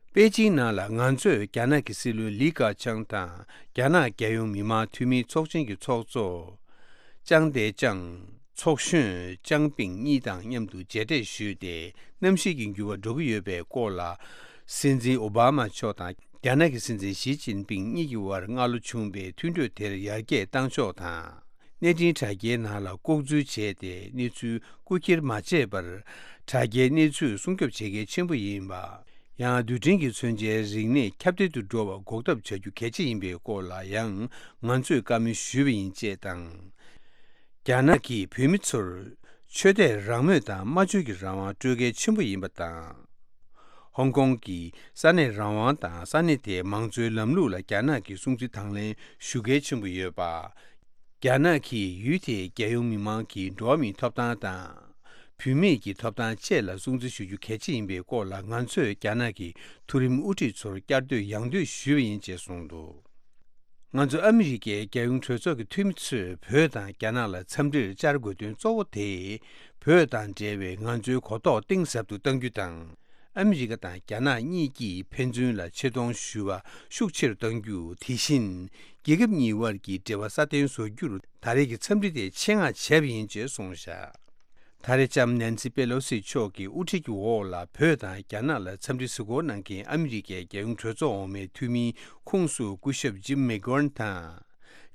པེ་ཅིང་ནང་ལ་ང་ཚོས་རྒྱ་ནག་གི་སྲིད་བློན་ལི་ཁེ་ཆང་དང་རྒྱ་ནག་རྒྱལ་ཡོངས་མི་དམངས་འཐུས་མིའི་ཚོགས་ཆེན་གྱི་ཚོགས་གཙོ་ཅང་ཏེ་ཅང་། ཚོགས་གཞོན་ཅང་པིང་གཉིས་དང་མཉམ་དུ་མཇལ་འཕྲད་ཞུས་ཏེ། གནམ་གཤིས་ཀྱི་འགྱུར་བ་འགྲོ་གི་ཡོད་པའི་སྐོར་ལ། སྲིད་འཛིན་ཨོ་བྷ་མ་མཆོག་དང་རྒྱ་ནག་གི་སྲིད་འཛིན་ཞི་ཅིན་ཕིང་གཉིས་ཀྱི་དབར་སྔ་ལོ་བྱུང་བའི་མཐུན་གྲོས་དེར་ཡར་རྒྱས་བཏང་ཕྱོགས་དང་། གནས་འཕྲིན་དྲ་རྒྱའི་ནང་ལ་ལྐོག་འཛུལ་བྱས་ཏེ་གནས་ཚུལ་རྐུ་འཁྱེར་མ་བྱས་པར། དྲ་རྒྱའི་གནས་ཚུལ་སྲུང་སྐྱོབ་བྱེད་གལ་ཆེན་པོ་ཡིན་པ། ཡང་རྡུལ་ཕྲན་གྱི་མཚོན་ཆའི་རིག་གནས་ཁྱབ་གདལ་དུ་འགྲོ་བར་འགོག་ཐབས་བྱ་རྒྱུ་གལ་ཆེ་ཡིན་པའི་སྐོར་ལ་ཡང་ང་ཚོས་བཀའ་མོལ་ཞུས་པ་ཡིན་ཅེས་དང་། རྒྱ་ནག་གིས་བོད་མི་ཚོར་ཆོས་དད་རང་མོས་དང་སྨྲ་བརྗོད་ཀྱི་རང་དབང་སྤྲོད་གལ་ཆེན་པོ་ཡིན་པ་དང་། ཧོང་ཀོང་གི་ས་གནས་རང་དབང་དང་ས་གནས་དེའི་མང་གཙོའི་ལམ་ལུགས་ལ་རྒྱ་ནག་གིས་སྲུང་བརྩི་དང་ལེན་ཞུ་གལ་ཆེན་པོ་ཡོད་པ། རྒྱ་ནག་གིས་ཡུལ་དེའི་རྒྱལ་ཡོངས་མི་མང་གི་འགྲོ་བ་མིའི་ཐོབ་ཐང་དང་། བུད་མེད་ཀྱི་ཐོབ་ཐང་བཅས་ལ་སྲུང་བརྩི་ཞུ་རྒྱུ་གལ་ཆེ་ཡིན་པའི་སྐོར་ལ་ང་ཚོས་རྒྱ་ནག་གི་མཐོ་རིམ་དབུ་ཁྲིད་ཚོར་བསྐྱར་ཟློས་ཡང་ཟློས་ཞུས་པ་ཡིན་ཅེས་གསུངས་འདུག་ང་ཚོ་ཨ་མི་རི་ཀའི་རྒྱལ་ཡོངས་གྲོས་ཚོགས་ཀྱི་འཐུས་མི་ཚོས་བོད་དང་རྒྱ་ནག་ལ་འཚམས་འདྲིར་བཅར་དགོས་དོན་གཙོ་བོ་དེ། བོད་དང་འབྲེལ་བའི་ང་ཚོའི་གོ་རྟོགས་གཏིང་ཟབ་ཏུ་གཏང་རྒྱུ་དང་། ཨ་མི་རི་ཀ་དང་རྒྱ་ནག་གཉིས་ཀྱིས་ཕན་ཚུན་ལ་ཆེ་མཐོང་ཞུ་བ་ཤུགས་ཆེ་རུ་གཏང་རྒྱུ། དེ་བཞིན་རྒྱལ་ཁབ་གཉིས་དབར་གྱི་འབྲེལ་བ་སྲ་བརྟན་བཟོ་རྒྱུར་ད་རེས་ཀྱི་འཚམས་འདྲི་དེ་ཆེད་མངགས་བྱས་པ་ཡིན་ཅེས་གསུངས་བཞག་ད་རེས་ལྕམ་ནན་སི་པེ་ལོ་སི་མཆོག་གི་དབུ་ཁྲིད་ཀྱི་འོག་ལ་བོད་དང་རྒྱ་ནག་ལ་འཚམས་འདྲི་གཟིགས་སྐོར་གནང་མཁན་ཨ་མི་རི་ཀའི་རྒྱལ་ཡོངས་གྲོས་ཚོགས་འོག་མའི་འཐུས་མིའི་ཁོངས་སུ་སྐུ་ཞབས་ཇིམ་མེག་གྷོན་དང་།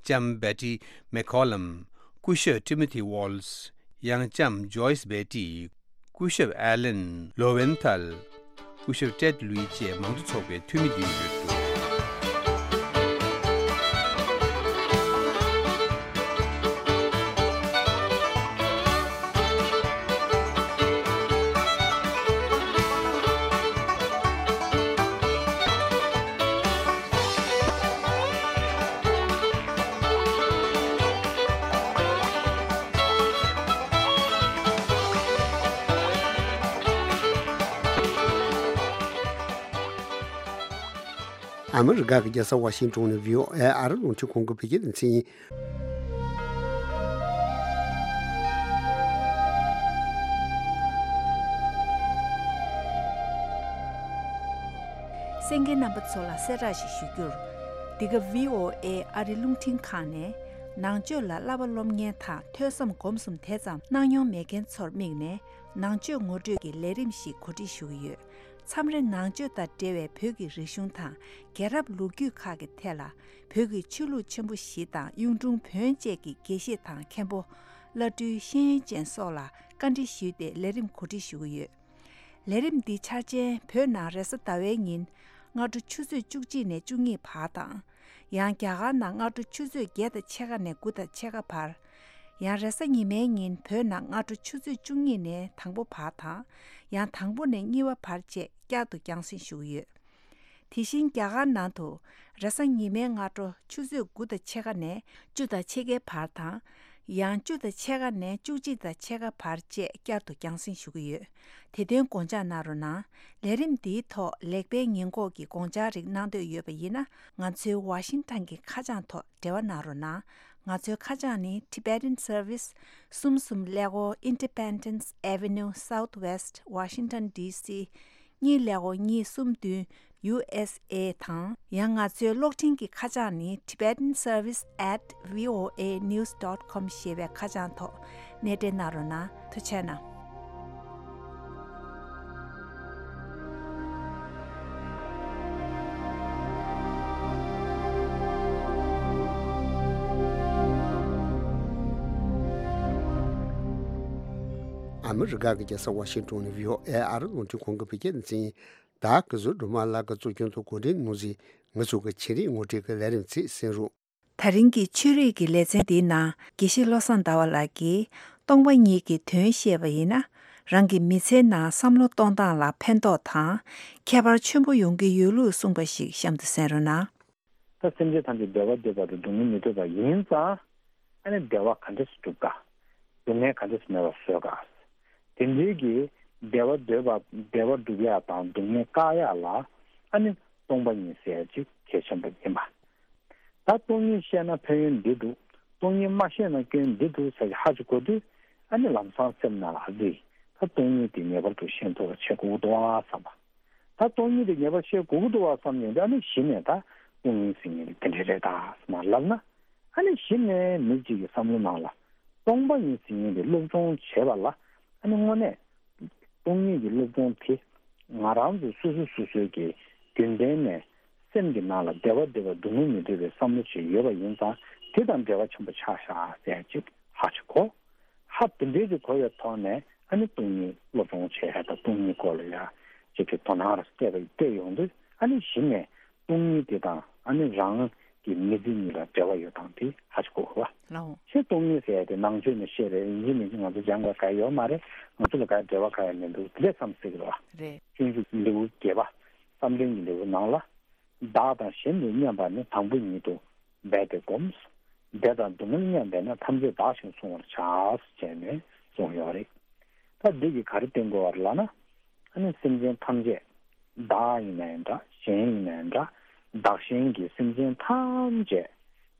ལྕམ་བེ་ཏི་མེག་ཁོ་ལམ། སྐུ་ཞབས་ཏི་མོ་ཐི་ཝོལ་སི། ཡང་ལྕམ་ཇོ་ཡིས་བེ་ཏི། སྐུ་ཞབས་ཨེ་ལན་ལོ་ཝེན་ཐལ། སྐུ་ཞབས་ཏེད་ལུའི་བཅས་མང་གཙོ་ཚོགས་པའི་འཐུས་མི་བདུན་ཡོད་འདུག་ཨ་མི་རི་ཀ་གི་རྒྱལ་ས་ཝ་ཤིང་ཏོན་ནས་བྷི་ཨོ་ཨེ་ཨ་རི་རླུང་འཕྲིན་ཁང་གི་བོད་སྐད་སྡེ་ཚན་ཡིན། གསན་མཁན་རྣམ་པ་ཚོ་ལ་གསལ་བསྒྲགས་ཤིག་ཞུ་རྒྱུར། འདི་ག་བྷི་ཨོ་ཨེ་ཨ་རི་རླུང་འཕྲིན་ཁང་ནས་ནང་ཆོས་ལ་བསླབ་པ་སློབ་གཉེར་དང་ཐོས་བསམ་སྒོམ་གསུམ་དེ་ཙམ་གནང་མྱོང་མེད་མཁན་ཚོར་དམིགས་ནས་ནང་ཆོས་ངོ་སྤྲོད་ཀྱི་ལས་རིམ་ཞིག་གོ་སྒྲིག་ཞུ་གི་ཡོད། མཚམས་རེ་ནང་ཆོས་དང་འབྲེལ་བའི་བོད་ཀྱི་རིག་གཞུང་དང་རྒྱལ་རབས་ལོ་རྒྱུས་ཁག་གི་ཐད་ལ་བོད་ཀྱི་ཆོས་ལུགས་ཆེན་པོ་བཞི་དང་གཡུང་དྲུང་བོན་བཅས་ཀྱི་དགེ་བཤེས་དང་མཁན་པོ། བླ་སྤྲུལ་ཤེས་ཡོན་ཅན་སོགས་ལ་བཀའ་འདྲི་ཞུས་ཏེ་ལས་རིམ་གོ་སྒྲིག་ཞུ་གི་ཡོད། ལས་རིམ་འདི་འཆར་ཅན་བོད་ནང་རེས་གཟའ་ཟླ་བའི་ཉིན་སྔ་དྲོ་ཆུ་ཚོད་བཅུ་གཅིག་ནས་བཅུ་གཉིས་བར་དང་། ཡང་རྒྱ་གར་ནང་སྔ་དྲོ་ཆུ་ཚོད་བརྒྱད་དང་ཕྱེད་ཀ་ནས་དགུ་དང་ཕྱེད་ཀ་བར། ཡང་རེས་གཟའ་ཉི་མའི་ཉིན་བོད་ནང་སྔ་དྲོ་ཆུ་ཚོད་བཅུ་གཉིས་ནས་དང་པོ་བར་དང་། ཡང་དང་པོ་ནས་གཉིས་པ་བར་བཅས་བསྐྱར་དུ་རྒྱང་སྲིང་ཞུ་གི་ཡོད། དེ་བཞིན་རྒྱ་གར་ནང་དུ་རེས་གཟའ་ཉི་མའི་སྔ་དྲོ་ཆུ་ཚོད་དགུ་དང་ཕྱེད་ཀ་ནས་བཅུ་དང་ཕྱེད་ཀའི་བར་དང་། ཡང་བཅུ་དང་ཕྱེད་ཀ་ནས་བཅུ་གཅིག་དང་ཕྱེད་ཀ་བར་བཅས་བསྐྱར་དུ་རྒྱང་སྲིང་ཞུ་གི་ཡོད། དེ་དོན་དགོངས་འཇགས་གནང་རོགས་གནང་། ལས་རིམ་འདིའི་ཐོག་ལེགས་སྤེལ་ཉེས་འགོག་གི་དགོངས་འཆར་རིགས་གནང་འདོད་ཡོད་པ་ཡིན་ན། ང་ཚོའི་ཝ་ཤིང་ཊོན་གྱི་ཁ་བྱང་ཐོག་འབྲེལ་བ་གནང་རོགས་གནང་། ང་ཚོའི་ཁ་བྱང་ནི། Tibetan Service། གསུམ་གསུམ་ཀླད་ཀོར་Independence Avenue Southwest Washington D C། གཉིས་ཀླད་ཀོར་གཉིས་གསུམ་བདུན། U S A དང་། ཡང་ང་ཚོའི་གློག་འཕྲིན་གྱི་ཁ་བྱང་ནི། Tibetan Service at V O A news dot com ཞེས་པའི་ཁ་བྱང་ཐོག་གནས་འབྲེལ་གནང་རོགས་གནང་། ཐུགས་རྗེ་གནང་། ཨ་མི་རི་ཀ་གི་རྒྱལ་ས་ཝ་ཤིང་ཏོན་ནས་བྷི་ཨོ་ཨེ་ཨ་རི་རླུང་འཕྲིན་ཁང་གི་བོད་སྐད་སྡེ་ཚན་ཡིན། ད་གཟོད་སྒྲོལ་མ་ལགས་ཀྱི་གཙོ་སྐྱོང་དུ་གོ་སྒྲིག་གནང་བཞིན་ང་ཚོ་གི་ཆེད་རིགས་ངོ་སྤྲོད་ཀྱི་ལས་རིམ་ཚིག་གསན་རོགས། ད་རིང་གི་ཆོས་རིག་གི་ལེ་ཚན་འདིའི་ནང་དགེ་བཤེས་བློ་བཟང་ཟླ་བ་ལགས་ཀྱིས་སྟོང་པ་ཉིད་ཀྱི་དོན་བཤད་པ་ཡིན་ན། རང་གི་མི་ཚེའི་ནང་བསམ་བློ་གཏོང་སྟངས་ལ་ཕན་ཐོགས་དང་ཁྱད་པར་ཆེན་པོ་ཡོང་གི་ཡོད་ལུགས་གསུངས་པ་ཞིག་གཤམ་དུ་གསན་རོགས་གནང་། ད་སེམས་ཅན་ཐམས་ཅད་བདེ་བ་འདོད་པ་དང་སྡུག་བསྔལ་མི་འདོད་པ་ཡིན་ཙང་ཨ་ནི་བདེ་བ་ག་འདྲས་སུ་སྒྲུབ་ག། སྡུག་བསྔལ་ག་འདྲས་སུ་མེད་པར་བཟོ་ག། དེ་འདྲའི་གི་བདེ་བ་འདོད་པ་བདེ་བ་སྒྲུབ་ཡག་དང་སྡུག་བསྔལ་བཀག་ཡག་ལ་ཨ་ནི་སྟོང་པ་ཉིད་ཟེར་ཡག་ཅིག་གལ་ཆེན་པོ་ཡིན་པ། ད་སྟོང་ཉིད་ཤེས་ན་ཕན་ཡོན་འདི་འདུག། སྟོང་ཉིད་མ་ཤེས་ན་སྐྱོན་འདི་འདུག་ཟེར་གྱི་ཧ་ཅིག་གོ་དུས་ཨ་ནི་ལམ་སང་སེམས་ནང་ལ་ཨ་ཙི། ད་སྟོང་ཉིད་དེ་ངེས་པར་དུ་ཤེས་ཐུབ་པ་བྱེད་དགོས་ཀྱི་འདུག་ཨ་བསམ་པ། ད་སྟོང་ཉིད་དེ་ངེས་པར་ཤེས་དགོས་ཀྱི་འདུག་བ་བསམ་ནས་ཨ་ནི་གཞི་ནས་ད་སྟོང་ཉིད་ཟེར་མཁན་དེ་དེ་འདྲ་རེད་ད་མར་ལབ་ན། ཨ་ནི་གཞི་ནས་མི་གཅིག་གི་བསམ་བློ་ནང་ལ་སྟོང་པ་ཉིད་ཟེར་མཁན་དེ་སློབ་སྦྱོང་བྱེད་པ་ལ་ཨ་ནི་དངོས་གནས་སྟོང་ཉིད་ཀྱི་སློབ་སྦྱོང་དེ་ང་རང་ཚོ་སོ་སོ་སོ་སོའི་གི་རྒྱུན་ལྡན་ནས་སེམས་ཀྱི་ནང་ལ་བདེ་བ་འདོད་པ་སྡུག་བསྔལ་མི་འདོད་པའི་བསམ་བློ་ཅིག་ཡོད་པ་ཡིན་ཙང་དེ་དང་འབྲེལ་བ་ཆེན་པོ་ཆགས་ཤག་ཟེར་ཅིག་ཧ་ཅིག་གོ། ཧ་དེ་འདྲའི་ཅིག་གོ་བའི་ཐོག་ནས་ཨ་ནི་སྟོང་ཉིད་སློབ་སྦྱོང་བྱེད་ཡ་དང་སྟོང་ཉིད་སྐོར་ལ་ཡ་ཅིག་གི་དོ་སྣང་ར་སྤྲད་པ་སྤྲད་ཡོང་དུས་ཨ་ནི་གཞི་ནས་སྟོང་ཉིད་དེ་དང་ཨ་ནི་རང་གི་མི་ཚེ་གཉིས་ལ་འབྲེལ་བ་ཡོད་སྟངས་དེ་ཧ་ཅིག་གོ་དགོས་པ། ལའོ། ཞེས་སྟོང་ཉིད་ཟེར་ཡ་དེ་ནང་ཆོས་ནས་བཤད་རེད། ཡིན་གཅིག་མིན་གཅིག་ང་ཚོ་སྦྱང་དགོས་ག་ཡོད་མ་རེད། ང་ཚོ་ལ་ག་འབྲེལ་བ་ག་ཡང་མི་འདུག་དེ་འདྲས་བསམ་སྲིད་ཀྱི་རེད་བ། རེད། སྤྱོད་འཇུག་ལེའུ་བརྒྱད་པ་བསམ་གཏན་གྱི་ལེའུ་ནང་ལ། བདག་དང་གཞན་དུ་མཉམ་པ་ནི་དང་པོ་ཉིད་དུ་འབད་དེ་བསྒོམ། བདེ་དང་སྡུག་བསྔལ་མཉམ་པས་ན་ཐམས་ཅད་བདག་ཞེས་གསུང་བར་བྱ། ཟེར་ནས་གསུངས་ཡོད་རེད། ད་འདི་གིས་ག་རེ་བསྟན་དགོས་པ་རེད་ལབ་ན། ཨ་ནི་སེམས་ཅན་ཐམས་ཅད་བདག་ཡིན་ནའི་འདྲ་གཞན་ཡིན་ནའི་འདྲ་བདག་གཞན་གྱི་སེམས་ཅན་ཐམས་ཅད་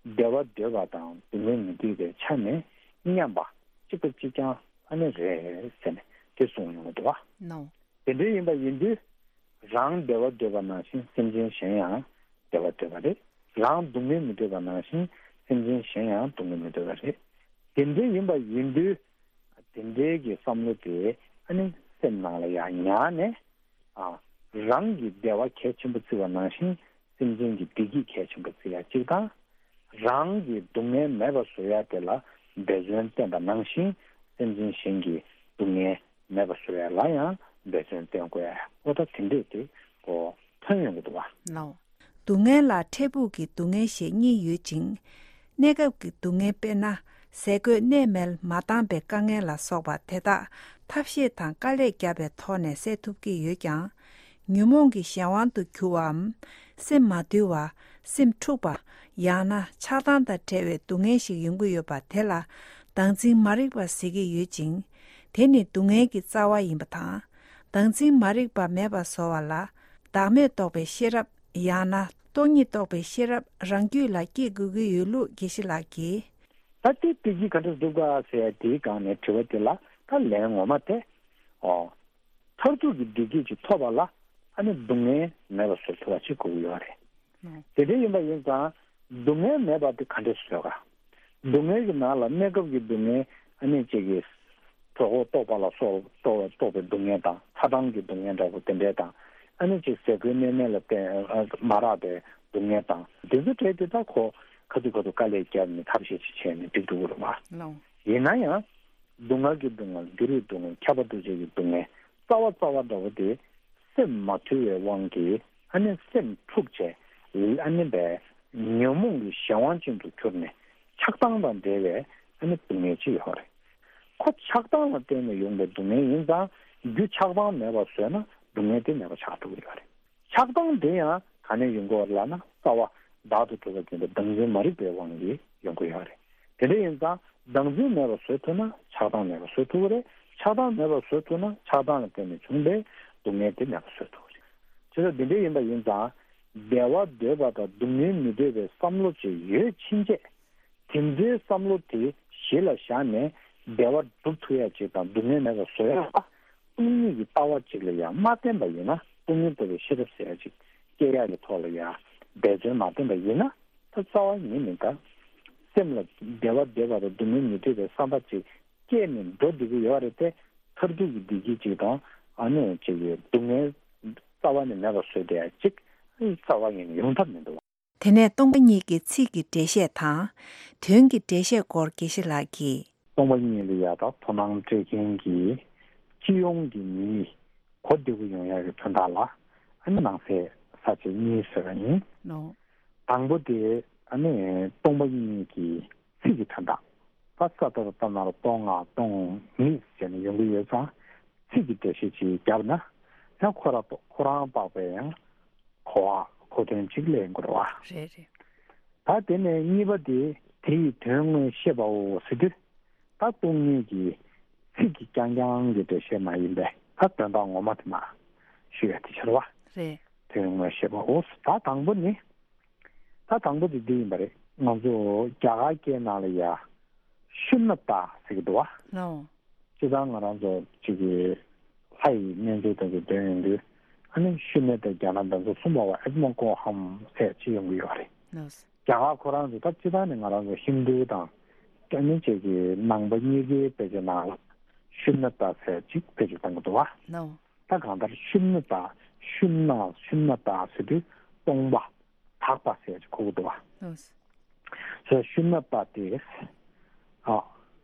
བདེ་བ་འདོད་པ་དང་སྡུག་བསྔལ་མི་འདོད་པའི་ཆ་ནས་མཉམ་པ་གཅིག་པ་གཅིག་རྐྱང་ཨ་ནི་རེད་ཟེར་ནས་དེ་གསུངས་ཡོང་གི་འདུག་བ། ནོ། དེ་འདྲ་ཡིན་པ་ཡིན་དུས། རང་བདེ་བ་འདོད་པ་ནང་བཞིན་སེམས་ཅན་གཞན་ཡང་བདེ་བ་འདོད་པ་རེད། རང་སྡུག་བསྔལ་མི་འདོད་པ་ནང་བཞིན་སེམས་ཅན་གཞན་ཡང་སྡུག་བསྔལ་མི་འདོད་པ་རེད། དེ་འདྲ་ཡིན་པ་ཡིན་དུས། དེ་འདྲའི་གི་བསམ་བློ་དེ་ཨ་ནི་སེམས་ནང་ལ་ཡང་ཉར་ནས། ཨ། རང་གི་བདེ་བ་གལ་ཆེན་པོ་བརྩི་བ་ནང་བཞིན་སེམས་ཅན་གྱི་བདེ་སྐྱིད་གལ་ཆེན་པོ་བརྩི་ཡ་གཅིག་དང་། རང་གི་སྡུག་བསྔལ་མེད་པ་བཟོ་ཡ་དེ་ལ་འབད་བརྩོན་བསྟེན་པ་ནང་བཞིན་སེམས་ཅན་གཞན་གྱི་སྡུག་བསྔལ་མེད་པ་བཟོ་ཡ་ལ་ཡང་འབད་བརྩོན་བསྟེན་དགོས་ཡ། འོ་ད་དེ་འདྲས་དེ་གོ་ཐོན་ཡོང་གི་འདུག་བ། ལའོ། སྡུག་བསྔལ་ལ་འཕྲལ་ཕུགས་ཀྱི་སྡུག་བསྔལ་ཞེས་གཉིས་ཡོད་ཅིང་། གནས་སྐབས་ཀྱི་སྡུག་བསྔལ་དཔེར་ན་ཟས་གོས་གནས་མལ་མ་འདང་པའི་དཀའ་ངལ་ལ་སོགས་པ་དེ་དག་ཐབས་ཤེས་དང་དཀའ་ལས་བརྒྱབ་པའི་ཐོག་ནས་སེལ་ཐུབ་ཀྱི་ཡོད་ཀྱང་། ཉོན་མོངས་ཀྱི་གཞན་དབང་དུ་གྱུར་བའམ། སེམས་མ་དུལ་བ། སེམས་འཁྲུགས་པ། ཡང་ན་ཆགས་སྡང་དང་བྲལ་བའི་སྡུག་བསྔལ་ཞིག་ཡོང་གི་ཡོད་པ་དེ་ལ་བདག་འཛིན་མ་རིག་པ་ཟེར་གྱི་ཡོད་ཅིང་། དེ་ནི་སྡུག་བསྔལ་གྱི་རྩ་བ་ཡིན་པ་དང་། བདག་འཛིན་མ་རིག་པ་མེད་པར་བཟོ་བ་ལ་བདག་མེད་རྟོགས་པའི་ཤེས་རབ། ཡང་ན་ སྟོང་ཉིད་རྟོགས་པའི་ཤེས་རབ་རང་རྒྱུད་ལ་སྐྱེ་དགོས་ཀྱི་ཡོད་ལུགས་དགེ་བཤེས་ལགས་ཀྱིས། ད་དེ་བདེ་སྐྱིད་ག་འདྲ་སྒྲུབ་ག་ཟེར་དེའི་སྒང་ནས་དྲི་བ་དེ་ལ་ད་ལན་ངོ་མ་དེ། ཨོ། མཐར་ཐུག་གི་བདེ་སྐྱིད་ཅིག་ཐོབ་པ་ལ་ཨ་ནི་སྡུག་བསྔལ་མེད་པ་བཟོ་ཐུབ་པ་ཅིག་དགོས་ཀྱི་ཡོད་རེད། ཨོ། དེ་འདྲ་ཡིན་པ་ཡིན་ཙང་སྡུག་བསྔལ་མེད་པ་དེ་ག་འདྲས་བཟོས་ག་སྡུག་བསྔལ་གྱི་ནང་ལ་གནས་སྐབས་ཀྱི་སྡུག་བསྔལ་ཨ་ནི་གཅིག་གི་གྲོད་ཁོག་ལྟོགས་པ་ལ་སོགས་ལྟོགས་ལྟོགས་པའི་སྡུག་བསྔལ་དང་ཚ་གྲང་གི་སྡུག་བསྔལ་འདྲ་པོ་དེ་འདྲས་དང་། ཨ་ནི་གཅིག་ཟས་གོས་གནས་མལ་ལ་བརྟེན་ཨ་མ་རག་པའི་སྡུག་བསྔལ་དང་དེ་ཚོ་གྲས་དེ་དག་ཁོ་ཁ་ཐུག་ཁ་ཐུག་དཀའ་ལས་བརྒྱབ་ནས་ཐབས་ཤེས་ཅིག་བྱས་ནས་འགྲིག་འགྲོ་གི་རེད་བ། ལགས། ཡིན་ན་ཡང་། སྡུག་བསྔལ་གྱི་སྡུག་བསྔལ་འགྱུར་བའི་སྡུག་བསྔལ་ཁྱབ་པ་འདུ་བྱེད་ཀྱི་སྡུག་བསྔལ་རྩ་བ་རྩ་བ་འདྲ་བོ་དེ་སེམས་མ་དུལ་བའི་དབང་གིས་ཨ་ནི་སེམས་འཁྲུགས་བྱས་ཨ་ནི་པའི་ཉོན་མོངས་ཀྱི་གཞན་དབང་ཅན་དུ་གྱུར་ནས་ཆགས་སྡང་དང་འབྲེལ་བའི་ཨ་ནི་སྡུག་བསྔལ་ཅིག་ཡོད་རེད། ཁོ་ཆགས་སྡང་ལ་བརྟེན་ནས་ཡོང་པའི་སྡུག་བསྔལ་ཡིན་ཙང་རྒྱུ་ཆགས་སྡང་མེད་པ་བཟོས་ན་སྡུག་བསྔལ་དེ་མེད་པ་ཆགས་ཐུབ་ཀྱི་ཡོད་རེད། ཆགས་སྡང་དེ་ཡང་ག་ནས་ཡོང་གི་ཡོད་རེད་ལབ་ན་རྩ་བ་བདག་ཏུ་གྲུབ་པ་ཅན་དེ་བདག་འཛིན་མ་རིག་པའི་དབང་གིས་ཡོང་གི་ཡོད་རེད། དེ་འདྲ་ཡིན་ཙང་བདག་འཛིན་མེད་པར་བཟོ་ཐུབ་ན་ཆགས་སྡང་མེད་པར་བཟོ་ཐུབ་ཀྱི་རེད། ཆགས་སྡང་མེད་པར་བཟོ་ཐུབ་ན་ཆགས་སྡང་ལ་བརྟེན་ནས་བྱུང་བའི་སྡུག་བསྔལ་དེ་མེད་པར་བཟོ་ཐུབ་ཀྱི་རེད། བྱས་ཙང་འདི་འདྲ་ཡིན་པ་ཡིན་ཙང་བདེ་བ་འདོད་པ་དང་སྡུག་བསྔལ་མི་འདོད་པའི་བསམ་བློ་ཅིག་ཡོད་ཕྱིན་ཆད། དེ་འདྲའི་བསམ་བློ་དེ་གཞི་ལ་བཞག་ནས་བདེ་བ་སྒྲུབ་ཐུབ་ཡ་ཅིག་དང་སྡུག་བསྔལ་མེད་པ་བཟོ་ཡ་ལ་སྟོང་ཉིད་ཀྱི་ལྟ་བ་ཅིག་ལ་ཡང་མ་བརྟེན་པ་ཡིན་ན་སྟོང་ཉིད་རྟོགས་པའི་ཤེས་རབ་ཟེར་ཡ་ཅིག་སྐྱེ་ཡ་གི་ཐོག་ལ་ཡང་འབད་བརྩོན་མ་བསྟེན་པ་ཡིན་ན་ད་རྩ་བ་ཉིད་ནས་ད་སེམས་ལ་བདེ་བ་འདོད་པ་དང་སྡུག་བསྔལ་མི་འདོད་པའི་བསམ་པ་ཅིག་སྐྱེས་ནས་འགྲོ་བསྡད་ཀྱི་ཡོད་རེད་དེ། མཐར་ཐུག་གི་བདེ་སྐྱིད་ཅིག་དང་ཨ་ནི་ཅིག་གི་སྡུག་བསྔལ་རྩ་བ་ནས་མེད་པ་བཟོས་བསྡད་ཡ་ཅིག་རྩ་བ་ཉིད་ནས་ཡོང་ཐབས་མི་འདུག་དེ་ནས་སྟོང་པ་ཉིད་ཀྱི་ཚིག་གི་འགྲེལ་བཤད་དང་། དོན་གྱི་འགྲེལ་བཤད་སྐོར་དགེ་བཤེས་ལགས་ཀྱིས། སྟོང་པ་ཉིད་ལ་ཡ་ད་དོ་སྣང་སྤྲད་མཁན་གྱི་སྤྱི་ཡོངས་ཀྱི་མིའི་གོ་བདེ་པོ་ཡོང་ཡག་གི་དོན་དག་ལ་ཨ་ནི་ནང་གསེས་ས་བཅད་གཉིས་བཟོས་པ་ཡིན། ནོ། དང་པོ་དེ་ཨ་ནི་སྟོང་པ་ཉིད་ཀྱི་ཚིག་གི་དོན་དག་ད་ས་ཏ་ར་ཏ་ན་རོ་སྟོང་ང་སྟོང་ཉིད་ཟེར་ནས་ཡོང་གི་ཡོད་ཙང་ཚིག་གི་འགྲེལ་བཤད་ཅིག་བརྒྱབ་ན་ཡང་ཁོ་ར་ཁོ་རང་དཔག་པའི་ཡང་གོ་བ་གོ་དོན་གཅིག་ལེན་དགོས་རེད་བ། རེད་རེད། ད་དེ་ནས་གཉིས་པ་དེ་དེ་ཡི་དོན་དངོས་བཤད་པའོ་ཟེར་དུས་ད་སྟོང་ཉིད་ཀྱི་ཚིག་གི་རྐྱང་རྐྱང་གི་འགྲེལ་བཤད་མ་ཡིན་པས་ད་དོན་དག་ངོ་མ་དེ་མ་ཞུ་ཡ་དེ་ཕྱིར་བ། རེད། དོན་དངོས་བཤད་པའོ། ད་དང་པོ་ནི་ད་དང་པོ་དེ་འདི་ཡིན་པ་རེད། ང་ཚོ་རྒྱ་གར་སྐད་ནང་ལ་ཡ་ཤུན་ན་ཏ་ཟེར་གི་འདུག་བ། ལའོ། སྤྱིར་བཏང་ང་རང་ཚོ་གཅིག་གི་ལྷ་ཡི་རྣལ་འབྱོར་དེ་ཚོ་འདོན་ཡོང་དུས་ཨ་ནི་ཤུན་ན་ཏ་རྒྱ་ནག་འདི་ཚོ་གསུམ་པ་བ་ཨེ་ཏྨ་ཀོ་ཧམ་ཟེར་ཅིག་ཡོང་གི་ཡོད་རེད། ལའོ། རྒྱ་གར་ཁོ་རང་ཚོ་ད་སྤྱིར་བཏང་ནས་ང་རང་ཚོ་ཧིན་དུ་དང་ཨ་ནི་གཅིག་གི་ནང་པ་གཉིས་ཀའི་དཔེ་ཆ་ནང་ལ་ཤུན་ན་ཏ་ཟེར་ཅིག་དཔེ་ཆ་བཏང་གི་འདུག་བ། ལའོ། ད་གང་ལྟར་ཤུན་ན་ཏ་ཤུན་ན་ཤུན་ན་ཏ་ཟེར་དུས་སྟོང་པ། དག་པ་ཟེར་གྱི་གོ་གི་འདུག་བ། ལགས། ཟེར་ཤུན་ན་ཏ་སྟེ། ཨ།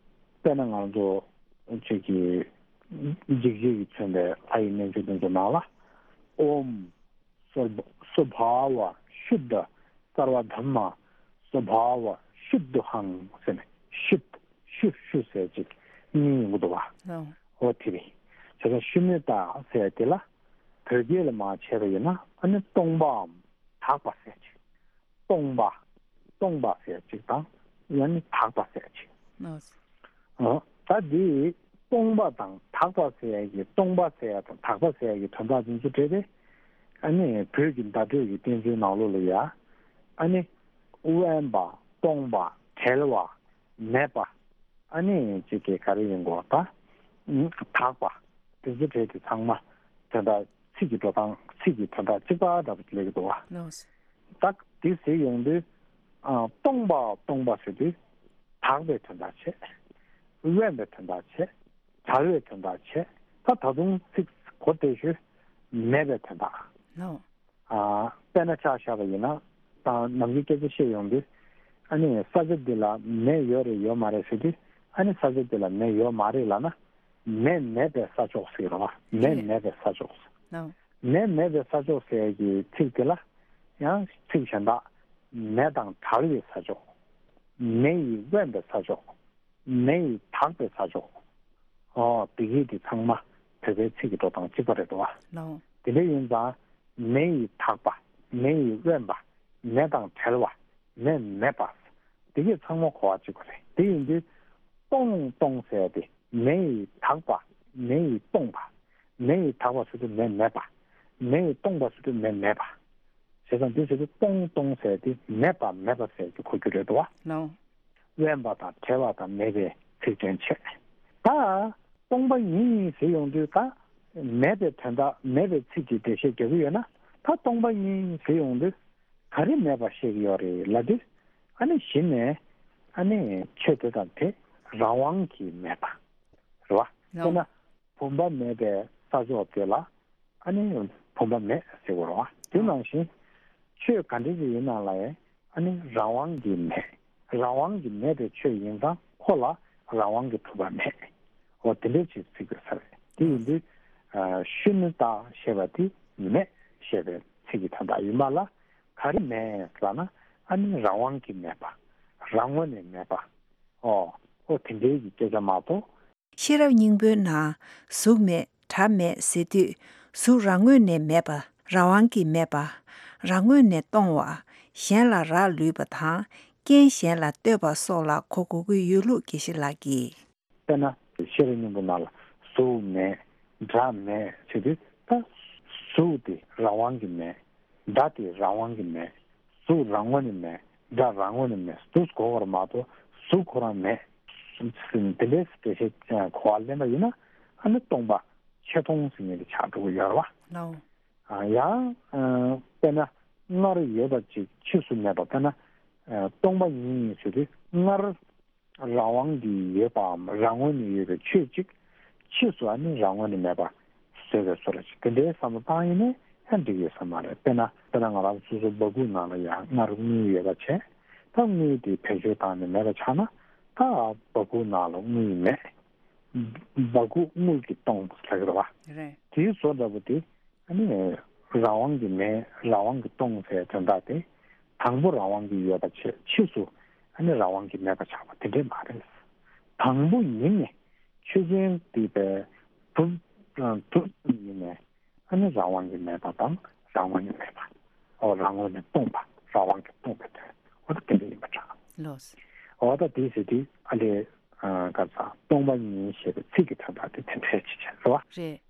དཔེར་ན་ང་ཚོ་ཅིག་གི་འཇིགས་བྱེད་ཀྱིས་མཚོན་པའི་ལྷ་ཡི་རྣལ་འབྱོར་དེ་ཚོ་ནང་ལ། ཨོཾ་སོ་སོ་བྷཱ་ཝ་ཤུད་དྷ་སརྦ་དྷརྨ་སོ་བྷཱ་ཝ་ཤུད་དྷོ་ཧཾ་ཟེར་ནས་ཤུད་ཤུ་ཤུ་ཟེར་ཅིག་གཉིས་ཡོང་གི་འདུག་བ། ལགས། ཨོ་དེ་རེད། བྱས་ཙང་ཤུན་ན་ཏ་ཟེར་དེ་ལ་བོད་སྐད་ལ་མར་བྱས་པ་ཡིན་ན་ཨ་ནི་སྟོང་པའམ། དག་པ་ཟེར་ཅིག་སྟོང་པ། སྟོང་པ་ཟེར་ཅིག་དང་ཡང་ན་དག་པ་ཟེར་ཅིག་ཨོ། ཨ། ད་འདི་སྟོང་པ་དང་དག་པ་ཟེར་ཡ་གི་སྟོང་པ་ཟེར་ཡ་དང་དག་པ་ཟེར་ཡ་གི་དོན་དག་འདི་ཚོ་འདྲ་སྟེ། ཨ་ནི་བོད་ཀྱི་བརྡ་སྤྲོད་ཀྱི་བསྟན་བཅོས་ནང་ལོགས་ལ་ཡ། ཨ་ནི། དབེན་པ། སྟོང་པ། བྲལ་བ། མེད་པ། ཨ་ནི་ཅིག་གི་ག་རེ་ཡིན་དགོས་ད། དག་པ། དེ་ཚོ་གྲས་དེ་ཚང་མ་དོན་དག་ཚིག་གི་འགྲོ་སྟངས་ཚིག་གི་དོན་དག་གཅིག་པ་འདྲ་པོ་སླེབས་ཀྱི་འདུག་བ། ལགས། ད་དེ་ཟེར་ཡོང་དུས། ཨ། སྟོང་པ་སྟོང་པ་ཟེར་དུས། དག་པའི་དོན་དག་བྱས། དབེན་པའི་དོན་དག་བྱས། བྲལ་བའི་དོན་དག་བྱས། ད་ད་དུང་ཚིག་གོ་བདེ་ཤོས། མེད་པའི་དོན་དག་ལགས། ཨ། དཔེར་ན་ཆ་བཞག་པ་ཡིན་ན། ད་ནམ་རྒྱུན་སྐད་ཆ་བཤད་ཡོང་དུས། ཨ་ནི་ས་ཆ་འདི་ལ་མེ་ཡོད་རེད་ཡོད་མ་རེད་ཟེར་དུས། ཨ་ནི་ས་ཆ་འདི་ལ་མེ་ཡོད་མ་རེད་ལབ་ན། མེ་མེད་པའི་ས་ཕྱོགས་ཟེར་གི་རེད་བ། མེ་རེད། མེད་པའི་ས་ཕྱོགས། ལགས། མེ་མེད་པའི་ས་ཕྱོགས་ཟེར་ཡ་གི་ཚིག་དེ་ལ། ཡང་ཚིག་གཞན་དག་མེ་དང་བྲལ་བའི་ས་ཕྱོགས། མེ་ཡིས་དབེན་པའི་ས་ཕྱོགས། མེ་ཡིས་དག་པའི་ས་ཕྱོགས། ཨོ། དེ་གི་དེ་ཚང་མ་བོད་པའི་ཚིག་གི་འགྲོ་སྟངས་གཅིག་པ་རེད་དོ། ལགས། དེ་འདྲ་ཡིན་ཙང་། མེ་ཡིས་དག་པ། མེ་ཡིས་དབེན་པ། མེ་དང་བྲལ་བ། མེ་མེད་པ། དེ་གི་ཚང་མ་གོ་བ་གཅིག་པ་རེད། དེ་ཡིན་དུས། སྟོང་སྟོང་ཟེར་ཡ་དེ། མེ་ཡིས་དག་པ། མེ་ཡིས་སྟོང་པ། མེ་ཡིས་དག་པ་ཟེར་དུས་མེ་མེད་པ། མེ་ཡིས་སྟོང་པ་ཟེར་དུས་མེ་མེད་པ། བྱས་ཙང་འདི་ཟེར་དུས་སྟོང་སྟོང་ཟེར་དེ་མེད་པ་མེད་པ་ཟེར་གྱི་གོ་རྒྱུ་རེད་དོ། ལའོ། དབེན་པ་དང་བྲལ་བ་དང་མེད་པའི་ཚིག་དོན་བྱས། ད་སྟོང་པ་ཉིད་ཟེར་ཡོང་དུས་ད་མེད་པའི་དོན་དག་མེད་པའི་ཚིག་གི་འགྲེལ་བཤད་རྒྱག་གི་ཡོད་ན། ད་སྟོང་པ་ཉིད་ཟེར་ཡོང་དུས་ག་རེ་མེད་པ་བཤད་ཀྱི་ཡོད་རེད་ལབ་དུས། ཨ་ནི་གཞི་ནས་ཨ་ནི་ཆོས་དེ་དང་དེ་རང་དབང་གིས་མེད་པ་རེད་བ། ལའོ། དཔེར་ན་བུམ་པ་མེད་པའི་ས་ཕྱོགས་དེ་ལ་ཨ་ནི་བུམ་པ་མེད་ཟེར་དགོས་རེད་བ། དེ་ནང་བཞིན་ཆོས་ག་འདྲ་ཞིག་ཡིན་ན་ལ་ཡང་ཨ་ནི་རང་དབང་གིས་མེད། རང་དབང་གིས་མེད་པའི་ཆོས་ཡིན་ཙང་ཁོ་ལ་རང་དབང་གིས་གྲུབ་པ་མེད། འོ་དེ་འདྲ་ཞིག་ཚིག་དགོས་ས་རེད། དེ་ཡིན་དུས་ཨ་ཤུན་ཏ་ཞེས་པ་དེ་མེད་ཞེས་པའི་ཚིག་གི་དོན་དག་ཡིན་པ་ལ། ག་རེ་མེད་ལབ་ན་ཨ་ནི་རང་དབང་གིས་མེད་པ། རང་ངོས་ནས་མེད་པ། ཨོ། ཨོ་དེ་འདྲའི་གི་སྐད་ཆ་མ་གཏོགས། ཤེས་རབ་སྙིང་པོའི་ནང་གཟུགས་མེད་སྒྲ་མེད་ཟེར་དུས། གཟུགས་རང་ངོས་ནས་མེད་པ། རང་དབང་གིས་མེད་པ། རང་ངོས་ནས་སྟོང་བ། གཞན་ལ་རག་ལུས་པ་དང་། རྐྱེན་གཞན་ལ་ལྟོས་པ་སོགས་ལ་གོ་དགོས་ཀྱི་ཡོད་ལུགས་དགེ་བཤེས་ལགས་ཀྱིས། དཔེར་ན་ཤེས་རབ་སྙིང་པོ་ནང་ལ་གཟུགས་མེད་སྒྲ་མེད་ཟེར་དུས། ད་གཟུགས་དེ་རང་དབང་གིས་མེད། སྒྲ་དེ་རང་དབང་གིས་མེད། གཟུགས་རང་ངོས་ནས་མེད། སྒྲ་རང་ངོས་ནས་མེད། འདུག་གོ་བར་མ་གཏོགས་གཟུགས་ཁོ་རང་མེད། དེ་འདྲའི་འགྲེལ་བཤད་གོ་བ་ལེན་པ་ཡིན་ན། ཨ་ནི་སྟོང་པ་ཆེ་མཐོང་ཟེར་མཁན་དེ་ཆགས་འགྲོ་གི་ཡོད་རེད་བ། ལའོ། ཨ་ཡང་ཨ་དཔེར་ན་སྔར་ཡོད་པ་ཅིག་ཕྱིས་སུ་མེད་པ། དཔེར་ན་ཨ་སྟོང་པ་ཉིད་ཟེར་དུས་སྔར་རང་དབང་གིས་ཡོད་པའམ་རང་ངོས་ནས་ཡོད་པའི་ཆོས་གཅིག་ཕྱིས་སུ་ཨ་ནི་རང་ངོས་ནས་མེད་པ་བཟོས་པའི་བཟོ་འདྲ་ཅིག་དེ་འདྲའི་བསམ་བློ་བཏང་ཡིན་ནའི་ཡང་འགྲིག་ཡོད་ས་མ་རེད། དཔེར་ན་དཔེར་ན་ང་རང་སོ་སོའི་སྦ་ཁུག་ནང་ལ་ཡང་སྔར་དངུལ་ཡོད་པ་བྱས། ད་དངུལ་དེ་བེད་སྤྱོད་བཏང་ནས་མེད་པ་ཆགས་ན། ད་སྦ་ཁུག་ནང་ལ་དངུལ་མེད། སྦ་ཁུག་དངུལ་གྱིས་སྟོང་ཟེར་གི་རེད་བ། རེད། དེའི་བཟོ་འདྲ་པོ་དེ། ཨ་ནི་རང་དབང་གིས་མེད། རང་དབང་གིས་སྟོང་ཟེར་དོན་དག་དེ། དང་པོ་རང་དབང་གིས་ཡོད་པ་བྱས། ཕྱིས་སུ་ཨ་ནི་རང་དབང་གིས་མེད་པ་ཆགས་པ་དེ་འདྲས་མ་རེད། དང་པོ་ཉིད་ནས་ཆོས་ཅན་དེ་བས་གྲུབ་གྲུབ་ཉིད་ནས་ཨ་ནི་རང་དབང་གིས་མེད་པ་དང་རང་ངོས་ནས་མེད་པ། འོ་རང་ངོས་ནས་སྟོང་པ། རང་དབང་གིས་སྟོང་པའི་དོན། འོ་ད་དེ་འདྲ་ཡིན་པ་འདྲ། ལོས། འོ་ད་དེའི་ཚེ་དེ་ཨ་ལས་ཨ་ག་ས་སྟོང་པ་ཉིད་ཞེས་པའི་ཚིག་གི་དོན་དག་དེ་དེ་འདྲའི་ཅིག་བྱས་རེད་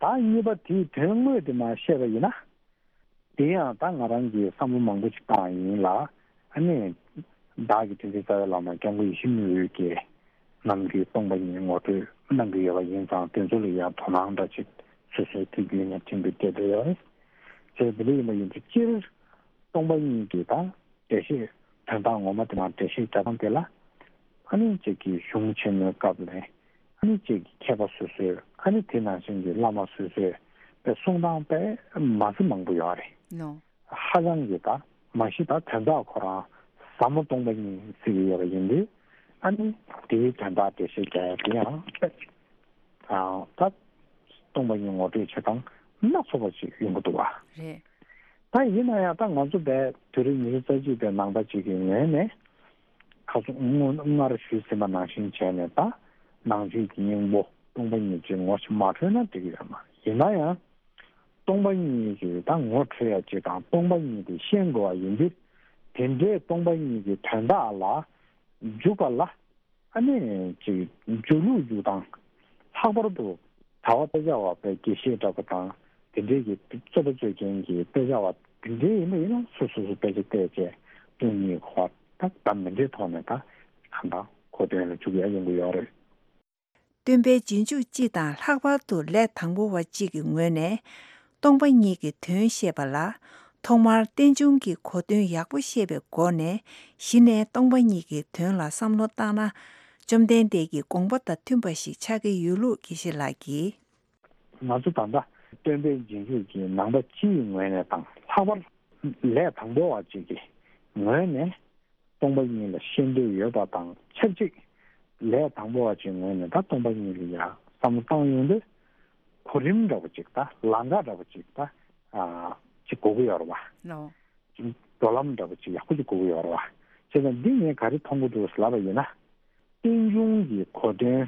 བ། རེད། ད་གཉིས་པ་དེའི་དོན་དངོས་དེ་མར་བཤད་པ་ཡིན་ན། དེ་ཡང་ད་ང་རང་གིས་བསམ་བློ་མང་པོ་ཅིག་བཏང་བ་ཡིན་ལ། ཨ་ནི་བདག་གི་དྲིན་ཅན་རྩ་བའི་བླ་མ་སྐྱབས་མགོན་ཡིད་བཞིན་ནོར་བུས་ཀྱིས་ནམ་རྒྱུན་སྟོང་པ་ཉིད་ངོ་སྤྲོད་གནང་གི་ཡོད་པ་ཡིན་ཙང་། དེ་ཚོ་ལ་ཡང་དོ་སྣང་འདྲ་ཅིག་སོ་སོའི་དུས་རྒྱུན་ནས་བྱེད་འདོད་སྐད་ཆ་ཡོད་རེད། བྱས་དེ་འདྲ་ཡིན་པ་ཡིན་དུས་སྤྱིར་སྟོང་པ་ཉིད་ཀྱི་ད་འགྲེལ་བཤད་དོན་དག་ངོ་མ་དེ་མར་འགྲེལ་བཤད་རྒྱག་སྟངས་དེ་ལ། ཨ་ནི་ཅིག་གི་གཞུང་ཆེན་མོའི་སྐབས་ལ་ཨ་ནི་ཅིག་གི་མཁས་པ་སོ་སོས། ཨ་ནི་དེ་ནང་བཞིན་གྱི་བླ་མ་སོ་སོས་པའི་གསུང་སྟངས་དཔེ་མ་སྲིད་མང་པོ་ཡོད་རེད། ནོ། ཧ་ཅང་གི་ད་མ་གཞི་ད་དོན་དག་ཁོ་རང་ཟབ་མོ་སྟོང་པ་ཉིད་ཟེར་གྱི་ཡོད་པ་ཡིན་དུས། ཨ་ནི་དེའི་དོན་དག་འགྲེལ་བཤད་རྒྱག་ཡ་དེ་ཡང་དཔེ་ད་སྟོང་པ་ཉིད་ངོ་སྤྲོད་བྱེད་སྟངས་སྣ་ཚོགས་པ་ཞིག་ཡོང་གི་འདུག་བ། རེད། ད་ཡིན་ན་ཡང་ད་ང་ཚོ་བས་དུས་རབས་ཉི་ཤུ་རྩ་གཅིག་པའི་ནང་པ་ཅིག་གི་ངོས་ནས། ཁ་སང་སྔོན་སྔར་ཞུས་ཟིན་པ་ནང་བཞིན་བྱས་ནས། ད་ནང་བཅུད་ཀྱི་སྙིང་པོ་སྟོང་པ་ཉིད་ཅིག་ངོ་ཅིག་མ་འཕྲོད་ན་འགྲིག་གི་ཡོད་མ་རེད། ཡིན་ན་ཡང་སྟོང་པ་ཉིད་ཀྱི་ད་ངོ་འཕྲོད་ཡ་ཅིག་དང་སྟོང་པ་ཉིད་དེ་ཤེས་དགོས་པ་ཡིན་དུས། དེ་འདྲའི་སྟོང་པ་ཉིད་ཀྱི་དོན་དག་ལ་འཇུག་པ་ལ། ཨ་ནི་ཅིག་འཇུག་ལུགས་འཇུག་སྟངས། ལྷག་པར་དུ་གྲྭ་པ་དཔེ་ཆ་བ་པའི་དགེ་བཤེས་འདྲ་པོ་དང་། དེ་འདྲའི་གི་རྩོད་པ་རྩོད་མཁན་གྱི་དཔེ་ཆ་བ་དེ་འདྲའི་ཡིན་པ་ཡིན་ན། སོ་སོ་སོ་དཔེ་ཆ་བལྟས་བྱས་སྟོང་ཉིད་ཁོ་ད་ད་མི་འདྲའི་ཐོག་ནས་ད་གང་ལྟར་གོ་དོན་ལ་འཇུག་ཡ་ཡོང་གི་ཡོད་རེད། སྟོན་པའི་རྗེས་འཇུག་སྤྱི་དང་ལྷག་པར་དུ་ལས་དང་པོ་བ་གཅིག་གི་ངོས་ནས་སྟོང་པ་ཉིད་ཀྱི་དོན་བཤད་པ་ལ། ཐོག་མར་རྟེན་འབྱུང་གི་གོ་དོན་ཡག་པོ་ཤེས་པའི་སྒོ་ནས། གཞི་ནས་སྟོང་པ་ཉིད་ཀྱི་དོན་ལ་བསམ་བློ་བཏང་ན། བཅོམ་ལྡན་འདས་ཀྱི་དགོངས་པ་དང་མཐུན་པ་ཞིག་ཆགས་ཀྱི་ཡོད་ལུགས་དགེ་བཤེས་ལགས་ཀྱིས། ང་ཚོ་ད་ལྟ་སྟོན་པའི་རྗེས་འཇུག་གི་ནང་པ་སྤྱིའི་ངོས་ནས་དང་། ལྷག་པར་ལས་དང་པོ་བ་གཅིག་གི་ངོས་ནས། སྟོང་པ་ཉིད་ལ་ཤེས་འདོད་ཡོད་པ་དང་ཆབས་ཅིག་ལས་དང་པོ་བ་ཅིག་ངོས་ནས་ད་སྟོང་པ་ཉིད་ལ་ཡང་བསམ་བློ་བཏང་ཡོང་དུས། གོ་རིམ་འདྲ་པོ་ཅིག་ད་ལམ་ཁ་འདྲ་པོ་ཅིག་ད་ཨ་ཅིག་དགོས་ཀྱི་ཡོད་རེད་བ། ལོ། འགྲོ་ལམ་འདྲ་པོ་ཅིག་ཡག་པོ་ཅིག་དགོས་ཀྱི་ཡོད་རེད་བ། བྱས་ཙང་འདི་ངས་ག་རེ་མཐོང་གི་འདུག་ལབ་པ་ཡིན་ན། རྟེན་འབྱུང་གི་གོ་དོན།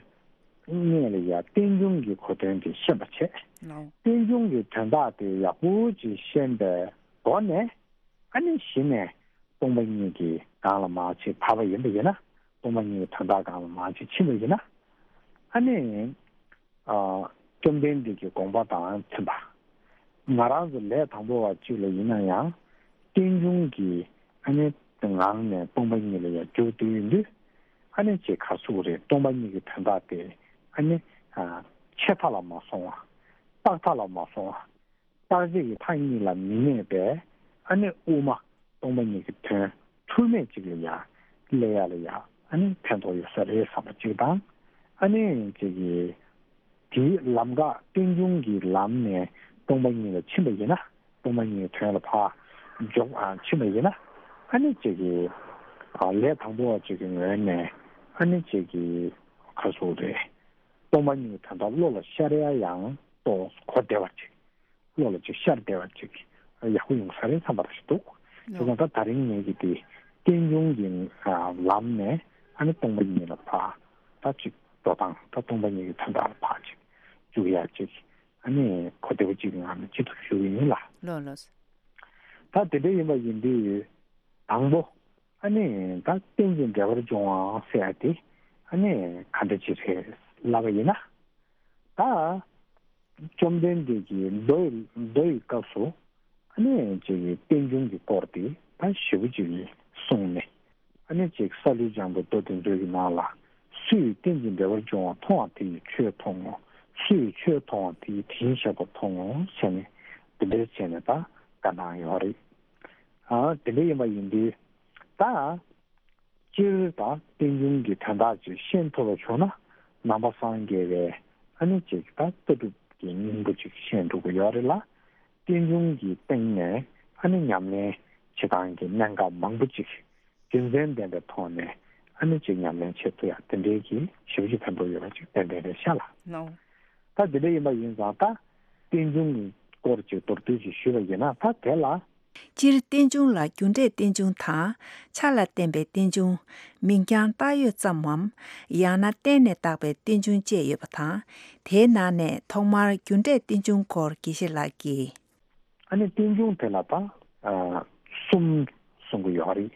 སྔོན་ལ་ཡ་རྟེན་འབྱུང་གི་གོ་དོན་དེ་ཤེས་པ་བྱས། ལོ། རྟེན་འབྱུང་གི་དོན་དག་དེ་ཡག་པོ་ཅིག་ཤེས་པའི་སྒོ་ནས། ཨ་ནི་གཞི་ནས་སྟོང་པ་ཉིད་ཀྱི་ནང་ལ་མར་ཅིག་བབས་པ་ཡིན་པ་ཡིན་ན། སྟོང་པ་ཉིད་ཀྱི་དོན་དག་སྒང་ལ་མར་ཅིག་ཕྱིན་པ་ཡིན་ན། ཨ་ནི་ཨ་བཅོམ་ལྡན་འདས་ཀྱི་དགོངས་པ་དང་མཐུན་པ། ང་རང་ཚོ་ལས་དང་པོ་བ་གཅིག་ལ་ཡིན་ན་ཡང་རྟེན་འབྱུང་གི་ཨ་ནི་ངང་ནས་སྟོང་པ་ཉིད་ལ་ཡང་འཇུག་བསྡད་ཡོད་དུས། ཨ་ནི་ཅིག་ག་ཚོད་རེད། སྟོང་པ་ཉིད་ཀྱི་དོན་དག་དེ་ཨ་ནི་ཆད་མཐའ་ལ་མ་སོང་བ། རྟག་མཐའ་ལ་མ་སོང་བ། རྟག་ཆད་ཀྱི་མཐའ་གཉིས་ལ་མི་གནས་པའི་ཨ་ནི་དབུ་མ་སྟོང་པ་ཉིད་ཀྱི་དོན་འཁྲུལ་མེད་ཅིག་ལ་ཡང་སླེབས་ཡ་ལ་ཡང་ཨ་ནི་ཕན་ཐོགས་ཡོད་ས་རེད་བསམ་པ་གཅིག་དང་། ཨ་ནི་ཅིག་གི་དེའི་ལམ་ཁ་རྟེན་འབྱུང་གི་ལམ་ནས་སྟོང་པ་ཉིད་ལ་ཕྱིན་པ་ཡིན་ན། སྟོང་པ་ཉིད་ཀྱི་དོན་ལ་ཕར་འཇོག་ཨ་ཕྱིན་པ་ཡིན་ན། ཨ་ནི་ཅིག་གི་ལས་དང་པོ་བ་ཅིག་གི་ངོས་ནས་ཨ་ནི་ཅིག་གི་ག་ཚོད་རེད། སྟོང་པ་ཉིད་ཀྱི་དོན་དག་བློ་ལ་ཤར་ཡ་ཡང་ཏོག་གོ་བདེ་བ་ཅིག་བློ་ལ་ཅིག་ཤར་བདེ་བ་ཅིག་ཡག་པོ་ཡོང་ས་རེད་བསམ་པ་ཞིག་འདུག་དེ་ཙང་ད་ད་རིང་ངེད་ཀྱི་དེ་རྟེན་འབྱུང་གི་ལམ་ནས་ཨ་ནི་སྟོང་པ་ཉིད་ལ་ཕར་ད་ཅིག་འགྲོ་སྟངས། ད་སྟོང་པ་ཉིད་ཀྱི་དོན་དག་ལ་ཕར་ཅིག་འཇུག་ཡ་ཅིག་ཨ་ནི་གོ་བདེ་བོ་ཅིག་གི་ངང་ནས་ཅི་ཐུབ་ཞུ་གི་ཡིན་ལ། ལགས་ལགས། ད་དེ་འདྲ་ཡིན་པ་ཡིན་དུས་དང་པོ། ཨ་ནི་ད་རྟེན་ཅིང་འབྲེལ་བར་འབྱུང་བ་ཟེར་ཡ་དེ་ཨ་ནི་ག་འདྲ་ཅིག་རེད་ལབ་པ་ཡིན་ན། ད་བཅོམ་ལྡན་འདས་ཀྱིས་མདོ་ཡི་མདོ་ཡི་སྐབས་སུ་ཨ་ནི་ཅིག་གི་རྟེན་འབྱུང་གི་སྐོར་དེ་ད་ཞེ་པོ་ཅིག་གསུངས་ནས། ཨ་ནི་ཅིག་སཱ་ལུ་ལྗང་དུ་བསྟོད་དེ་མཛོད་ཀྱི་ནང་ལ། སུ་ཡིས་རྟེན་ཅིང་འབྲེལ་བར་འབྱུང་བ་མཐོང་བ་དེ་ཡིས་ཆོས་མཐོང་ངོ་། སུ་ཡིས་ཆོས་མཐོང་བ་དེ་ཡིས་དེ་བཞིན་གཤེགས་པ་མཐོང་ངོ་ཟེར་ནས་དེ་འདྲ་བྱས་ནས་ད་བཀའ་གནང་ཡོད་རེད། ཨ་དེ་འདྲ་ཡིན་པ་ཡིན་དུས་ད། སྤྱིར་ད་རྟེན་འབྱུང་གི་དོན་དག་ཅིག་ཤེས་ཐུབ་པ་བྱུང་ན། ནང་པ་སངས་རྒྱས་པའི་ཨ་ནི་ཅིག་ད་ལྟ་གྲུབ་ཀྱི་སྙིང་པོ་ཅིག་ཤེས་འགྲོ་གི་ཡོད་རེད་ལ། རྟེན་འབྱུང་གི་སྟེང་ནས་ཨ་ནི་ཉམས་ལེན་བྱེད་སྟངས་ཀྱི་གནད་འགག་མང་པོ་ཅིག་རྒྱུ་མཚན་ལྡན་པའི་ཐོག་ནས་ཨ་ནི་ཅིག་ཉམས་ལེན་བྱེད་ཐུབ་ཡ་དེ་འདྲའི་གི་ཞེ་པོ་ཅིག་ཕན་ཐོགས་ཡོད་པ་ཅིག་ཏན་ཏན་རེད་ཤག་ལ། ལགས། ད་དེ་འདྲ་ཡིན་པ་ཡིན་ཙང་ད་རྟེན་འབྱུང་གི་སྐོར་ཅིག་མདོར་བསྡུས་ཅིག་ཞུས་པ་ཡིན་ན། ད་དེ་ལ། སྤྱིར་རྟེན་འབྱུང་ལ་རྒྱུ་འབྲས་རྟེན་འབྱུང་དང་། ཆ་ལ་བརྟེན་པའི་རྟེན་འབྱུང་། མིང་རྐྱང་བཏགས་ཡོད་ཙམ་མམ། ཡང་ན་བརྟེན་ནས་བཏགས་པའི་རྟེན་འབྱུང་བཅས་ཡོད་པ་དང་། དེའི་ནང་ནས་ཐོག་མར་རྒྱུ་འབྲས་རྟེན་འབྱུང་སྐོར་དགེ་བཤེས་ལགས་ཀྱིས། ཨ་ནི་རྟེན་འབྱུང་དེ་ལ་ད་གསུམ་གསུང་གི་ཡོད་རེད།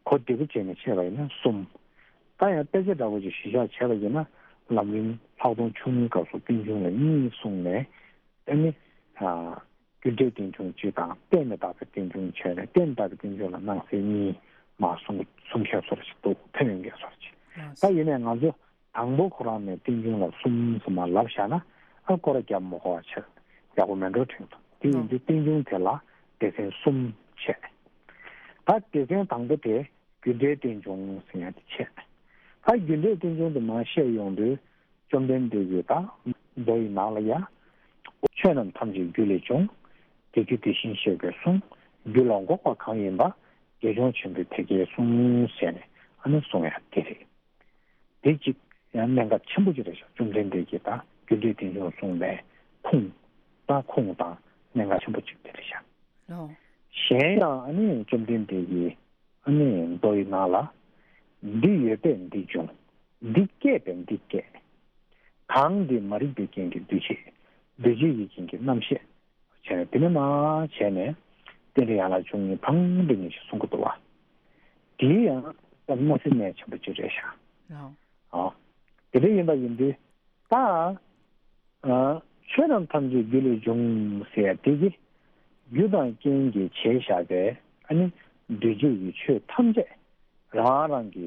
གོ་བདེ་པོ་བྱས་ནས་བཤད་པ་ཡིན་ན་གསུམ། ད་ཡང་དཔེ་ཆ་འདྲ་པོ་ཅིག་གཞི་བཞག་བྱས་པ་ཡིན་ན། ལམ་རིམ་ལྷག་མཐོང་ཆུང་ངུའི་སྐབས་སུ་རྟེན་འབྱུང་ལ་གཉིས་གསུངས་ནས། ཨ་ནི། རྒྱུ་འབྲས་རྟེན་འབྱུང་གཅིག་དང་བརྟེན་ནས་བཏགས་པའི་རྟེན་འབྱུང་བྱས་ནས། བརྟེན་བཏགས་པའི་རྟེན་འབྱུང་ལ་སྣང་གསལ་གཉིས་མར་གསུང་གསུང་མཁན་བཟོ་འདྲ་ཞིག་འདུག་ཐོན་ཡོང་མཁན་བཟོ་འདྲ་ཞིག་ད་ཡིན་ནའི་ང་ཚོ་དང་པོ་ཁོ་རང་ནས་རྟེན་འབྱུང་ལ་གསུམ་གསུམ་མར་ལབ་བཞག་ན། ཨ་སྐོར་ར་རྒྱབ་མ་དགོས་པ་བྱས་ཡག་པོ་མེད་འགྲོ་དྲན་འདུག་དེ་ཡིན་དུས་རྟེན་འབྱུང་དེ་ལ་སྡེ་ཚན་གསུམ་བྱས། ད་སྡེ་ཚན་དང་པོ་དེ་རྒྱུ་འབྲས་རྟེན་འབྱུང་ཟེར་ཡ་དེ་བྱས། ད་རྒྱུ་འབྲས་རྟེན་འབྱུང་དེ་མར་བཤད་ཡོང་དུས། བཅོམ་ལྡན་འདས་ཀྱིས་ད་མདོ་ཡི་ནང་ལ་ཡ། ཆོས་རྣམས་ཐམས་ཅད་རྒྱུ་ལས་བྱུང་། དེ་རྒྱུ་དེ་བཞིན་གཤེགས་པས་གསུངས། རྒྱུ་ལ་འགོག་པ་གང་ཡིན་པ། དགེ་སྦྱོང་ཆེན་པོས་དེ་སྐད་གསུངས་ཟེར་ནས་ཨ་ནི་གསུང་ཡ་དེ་རེད། དེ་གཅིག་ཡང་གནད་འགག་ཆེན་པོ་ཅིག་རེད་ཤག་བཅོམ་ལྡན་འདས་ཀྱིས་ད་རྒྱུ་འབྲས་རྟེན་འབྱུང་གསུངས་པའི་ཁུངས། ད་ཁུངས་དང་གནད་འགག་ཆེན་པོ་ཅིག་དེ་རེད་ཤག་ལོ། གཞན་ཡང་ཨ་ནི་བཅོམ་ལྡན་འདས་ཀྱིས་ཨ་ནི་མདོ་ཡི་ནང་ལ། འདི་ཡོད་པས་འདི་འབྱུང་། འདི་སྐྱེས་པས་འདི་སྐྱེ། གང་འདི་མ་རིག་པའི་རྐྱེན་གྱིས་འདུ་བྱེད། འདུ་བྱེད་ཀྱི་རྐྱེན་གྱིས་རྣམ་ཤེས། བྱས་ནས་དེ་ནས་མར་བྱས་ནས་རྟེན་འབྲེལ་ཡན་ལག་བཅུ་གཉིས་ཕྲང་སྒྲིག་ནས་ཞིག་གསུང་གི་འདུག་བ། དེའི་ཡང་ད་མ་སྲིད་གནད་ཆེན་པོ་ཅིག་རེད་ཤག་ལོ། ཨ། དེ་འདྲ་ཡིན་པ་ཡིན་དུས། ད། ཨ། ཆོས་རྣམས་ཐམས་ཅད་རྒྱུ་ལས་བྱུང་ཟེར་ཡ་དེ་གི། རྒྱུ་དང་རྐྱེན་གྱིས་བྱས་བཞག་པའི་ཨ་ནི་འདུས་བྱས་ཀྱི་ཆོས་ཐམས་ཅད་རང་རང་གི་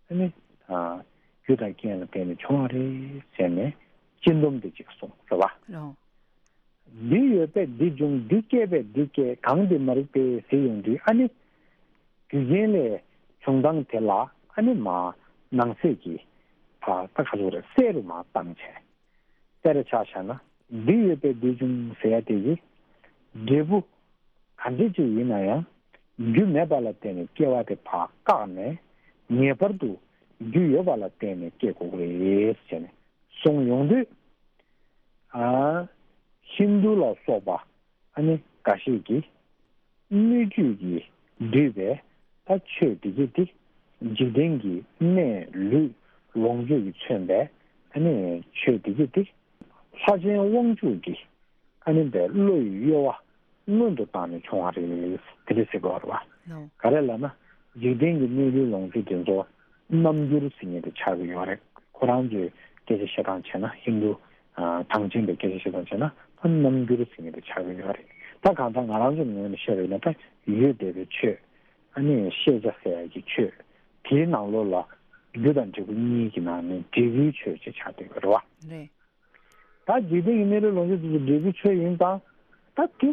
ཨ་ནི། ཨ། རྒྱུ་དང་རྐྱེན་ལ་བརྟེན་ནས་བྱུང་བ་རེད་ཟེར་ནས་སྤྱི་སྡོམ་དེ་ཅིག་གསུངས་རེད་བ། ལོ། འདི་ཡོད་པས་འདི་འབྱུང་། འདི་སྐྱེས་པས་འདི་སྐྱེ། གང་འདི་མ་རིག་པས་ཟེར་ཡོང་དུས་ཨ་ནི། རྒྱུ་རྐྱེན་ལས་བྱུང་སྟངས་དེ་ལ་ཨ་ནི་མར་ནང་གསེས་ཀྱི་ད་ད་ག་ཚོད་རེད། གསལ་རུ་མར་བཏང་བྱས། དཔེར་ཆ་བཞག་ན། འདི་ཡོད་པས་འདི་བྱུང་ཟེར་ཡ་དེ་གི་འབྲས་བུ་ག་འདྲ་ཅིག་ཡིན་ན་ཡང་རྒྱུ་མེད་པ་ལ་བརྟེན་ནས་སྐྱེ་བ་དེ་ཕར་བཀག་ནས་ངེས་པར་དུ་རྒྱུ་ཡོད་པ་ལ་བརྟེན་ནས་སྐྱེ་དགོས་ཀྱི་རེད་ཟེར་ནས་གསུངས་ཡོང་དུས། ཨ། ཧིན་དུ་ལ་སོགས་པ་ཨ་ནི་འགའ་ཤས་ཀྱིས་སྣོད་བཅུད་ཀྱིས་བསྡུས་པའི་ད་ཆོས་འདི་གྱད་དེ། འཇིག་རྟེན་གྱི་གནས་ལུས་ལོངས་སྤྱོད་ཀྱིས་མཚོན་པའི་ཨ་ནི་ཆོས་འདི་གྱད་དེ། ལྷ་ཆེན་དབང་ཕྱུག་གི་ཨ་ནི་པའི་བློ་ཡི་གཡོ་བ་སྔོན་དུ་བཏང་ནས་བྱུང་བ་རེད། དེ་འདྲ་ཟེར་དགོས་རེད་བ། ལོ། ག་རེ་ལབ་ན། འཇིག་རྟེན་གྱི་གནས་ལུས་ལོངས་སྤྱོད་དེ་ཚོ་རྣམ་འགྱུར་ཟེར་མཁན་དེ་ཆགས་ཀྱི་ཡོད་རེད། ཁོ་རང་ཚོའི་སྐད་ཆ་བཤད་སྟངས་བྱས་ན། ཧིན་དུ་ཨ་གྲངས་ཅན་པའི་སྐད་ཆ་བཤད་སྟངས་བྱས་ན། ཨ་རྣམ་འགྱུར་ཟེར་མཁན་དེ་ཆགས་ཀྱི་ཡོད་རེད། ད་གང་ལྟར་ང་རང་ཚོའི་ངོས་ནས་བཤད་པ་ཡིན་ན། ད་ཡུལ་འདས་པའི་ཆོས། ཨ་ནི་ཤེས་བྱ་ཟེར་ཡག་གི་ཆོས། དེའི་ནང་ལོགས་ལ་རྒྱུ་དང་འབྲས་བུ་གཉིས་ཀྱི་ནང་ནས་འབྲས་བུའི་ཆོས་ཅིག་ཆགས་བསྡད་ཡོད་རེད་བ། རེད། ད་འཇིག་རྟེན་གྱི་གནས་ལུགས་ལོངས་སྤྱོད་དེ་ཚོ་འབྲས་བུའི་ཆོས་ཡིན་ཙང་། ད་དེ་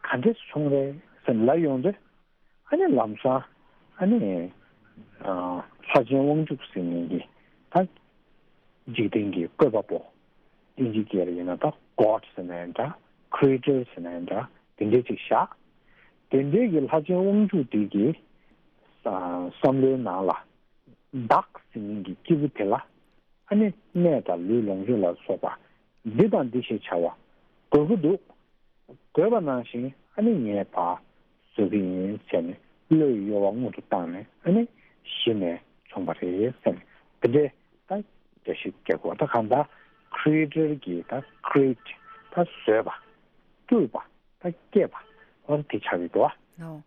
ག་འདྲས་སེ་བྱུང་རེད་ཟེར་ལབ་ཡོང་དུས། ཨ་ནི་ལམ་སང་ཨ་ནི་ཨ་ལྷ་ཆེན་དབང་ཕྱུག་ཟེར་མཁན་གྱི་ད་འཇིག་རྟེན་གྱི་བཀོད་པ་པོ། ཨིན་ཇི་སྐད་ལ་ཡིན་ན་ད་གོཌ་ཟེར་ན་ཡང་འདྲ། ཁི་རི་ཨེ་ཊར་ཟེར་ན་ཡང་འདྲ། དེ་འདྲས་ཅིག་བཞག་དེ་འདྲས་ཀྱི་ལྷ་ཆེན་དབང་ཕྱུག་དེ་གི་ཨ་བསམ་བློའི་ནང་ལ། བདག་ཟེར་མཁན་གྱི་སྐྱེས་བུ་དེ་ལ། ཨ་ནི་གནས་དང་ལུས་ལོངས་སྤྱོད་ལ་སོགས་པ་འདི་དང་འདི་ཞེས་བྱ་བ་དགོས་ཀྱི་འདུག་དགོས་པ་ནང་བཞིན་ཨ་ནི་ངས་ཕར་བཟོ་གི་ཡིན་ཟེར་ནས་བློའི་གཡོ་བ་སྔོན་དུ་བཏང་ནས། ཨ་ནི་གཞི་ནས་བྱུང་བ་རེད་ཟེར་ནས། དེ་འདྲའི་ད་འགྲེལ་བཤད་རྒྱག་དགོས། ད་གང་ལྟར་ཁི་རི་ཨེ་ཊར་གྱིས་ད་ཁི་རི་ཨེ་ཊི་ད་བཟོས་པ། སྤྲུལ་པ། ད་སྐྱེས་པ། འོ་དེ་ཆགས་ཀྱི་འདུག་ཨ། ལོ།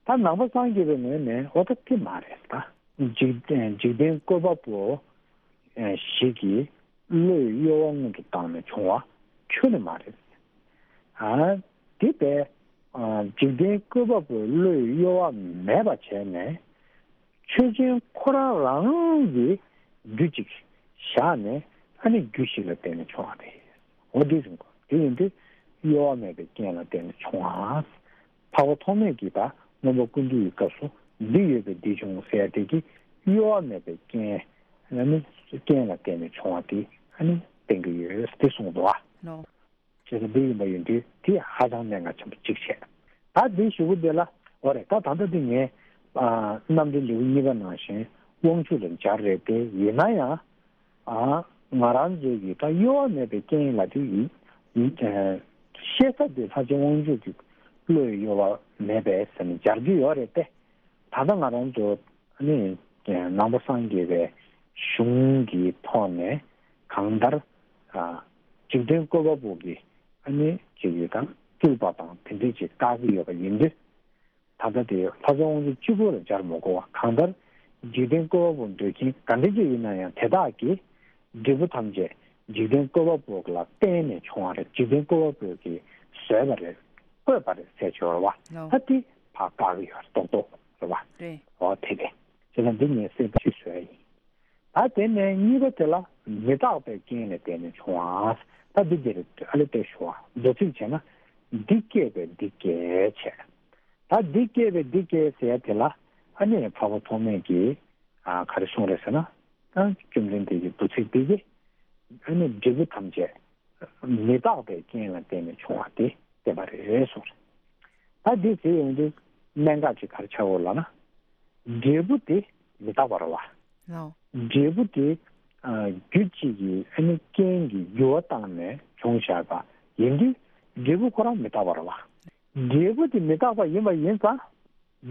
ད་ནང་པ་སངས་རྒྱས་པའི་ངོས་ནས་འོ་ད་དེ་མ་རེད། ད་འཇིག་རྟེན་འཇིག་རྟེན་བཀོད་པ་པོ་ཞིག་གིས་བློའི་གཡོ་བ་སྔོན་དུ་བཏང་ནས་བྱུང་བ་ཁྱོན་ནས་མ་རེད། ཨ་དེ་བས་འཇིག་རྟེན་བཀོད་པ་པོའི་བློའི་གཡོ་བ་མེད་པ་བྱས་ནས། ཆོས་ཅན་ཁོ་རང་རང་གི་རྒྱུ་གཅིག་བཞག་ནས། ཨ་ནི་རྒྱུ་ཞིག་ལ་བརྟེན་ནས་བྱུང་བ་རེད། འོ་དེ་བཞིན་གོ། དེ་ཡིན་དུས་གཡོ་བ་མེད་པའི་རྐྱེན་ལ་བརྟེན་ནས་བྱུང་བ། འཕགས་པ་ཐོགས་མེད་ཀྱིས་ད་མངོན་པ་ཀུན་བཏུས་ཀྱི་སྐབས་སུ་འདི་ཡོད་པས་འདི་བྱུང་ཟེར་དེ་གི་གཡོ་བ་མེད་པའི་རྐྱེན། ཨ་ནི་རྐྱེན་ལ་བརྟེན་ནས་བྱུང་བ་དེ་ཨ་ནི་བསྟན་གྱི་ཡོད་དེ་གསུངས་འདུག་བ། ལོ། བྱས་ཙང་འདི་ཡིན་པ་ཡིན་དུས་དེ་ཧ་ཅང་གནད་འགག་ཆེན་པོ་གཅིག་བྱས། ད་འདི་ཞུ་གི་འདི་ལ། འོ་རེད། ད་ད་ལྟ་འདི་ངས་ཨ་རྣམ་འགྲེལ་ལེའུ་གཉིས་པ་ནང་བཞིན་དབང་ཕྱུག་ལ་སྦྱར་རེད་དེ། ཡིན་ན་ཡང་ཨ་ང་རང་ཚོའི་གི་ད་གཡོ་བ་མེད་པའི་རྐྱེན་ལ་དེ་ཡིན། ཡིན་ཨ་ཤེས་ས་དེ་ལྷ་ཆེན་དབང་ཕྱུག་གི་བློའི་གཡོ་བ་མེད་པས་ཟེར་ནས་སྦྱར་རྒྱུ་ཡོད་རེད་དེ། ད་ལྟ་ང་རང་ཚོ་ནི་ནང་པ་སངས་རྒྱས་པའི་གཞུང་གི་ཐོག་ནས་གང་ལྟར་ཨ་འཇིག་རྟེན་བཀོད་པ་པོ་གི་ཨ་ནི་ཅིག་གི་དང་སྤྲུལ་པ་དང་དེ་འདྲས་ཅིག་བཀག་གི་ཡོད་པ་ཡིན་དུས། ད་ལྟ་དེ་ལྷ་ཆེན་དབང་ཕྱུག་གཅིག་པོ་ལ་སྦྱར་མི་དགོས་པ། གང་ལྟར་འཇིག་རྟེན་བཀོད་པ་པོ་འདོད་མཁན་ག་འདྲ་ཅིག་ཡིན་ན་ཡང་དེ་དག་གིས་འབྲས་བུ་ཐམས་ཅད་འཇིག་རྟེན་བཀོད་པ་པོ་ལ་བརྟེན་ནས་བྱུང་བ་རེད། འཇིག་རྟེན་བཀོད་པ་པོ་གིས་བཟོས་པ་རེད། བཀོད་པ་རེད་ཟེར་ཆོག་རེད་བ། ལོ། ད་དེ་ཕར་བཀག་གི་ཡོད་རེད། རྡོག་རྡོག་རེད་བ། རེད། འོ་དེ་རེད། བྱས་ཙང་འདི་ངས་གསལ་པོ་ཞིག་བཟོས་ཡིན། ད་དེ་ནས་གཉིས་པ་དེ་ལ་མི་རྟག་པའི་རྐྱེན་ལ་བརྟེན་ནས་བྱུང་བ། ད་འདི་འདིར་ཨ་ལེ་བལྟས་ཞུ་བ། མདོ་ཚིག་བྱས་ན། འདི་སྐྱེས་པས་འདི་སྐྱེ་བྱས། ད་འདི་སྐྱེས་པས་འདི་སྐྱེ་ཟེར་ཡ་དེ་ལ་ཨ་ནི་འཕགས་པ་ཐོགས་མེད་ཀྱིས་ཨ་ག་རེ་གསུངས་རེད་ཟེར་ན། ད་བཅོམ་ལྡན་འདས་ཀྱི་མདོ་ཚིག་འདི་གིས་ཨ་ནི་འབྲས་བུ་ཐམས་ཅད་མི་རྟག་པའི་རྐྱེན་ལ་བརྟེན་ནས་བྱུང་བ་དེ་བསྟན་པ་རེད་གསུངས་རེད། ད་འདི་ཟེར་ཡོང་དུས་གནད་འགག་ཅིག་ག་རེ་ཆགས་ཡོད་ལབ་ན། འབྲས་བུ་དེ་མི་རྟག་པ་རེད་བ། ལོ། འབྲས་བུ་དེ་ཨ་རྒྱུ་གཅིག་གིས་ཨ་ནི་རྐྱེན་གྱིས་འགྱུར་བ་བཏང་ནས་བྱུང་བཞག་པ་ཡིན་དུས། འབྲས་བུ་ཁོ་རང་མི་རྟག་པ་རེད་བ། འབྲས་བུ་དེ་མི་རྟག་པ་ཡིན་པ་ཡིན་ཙང་།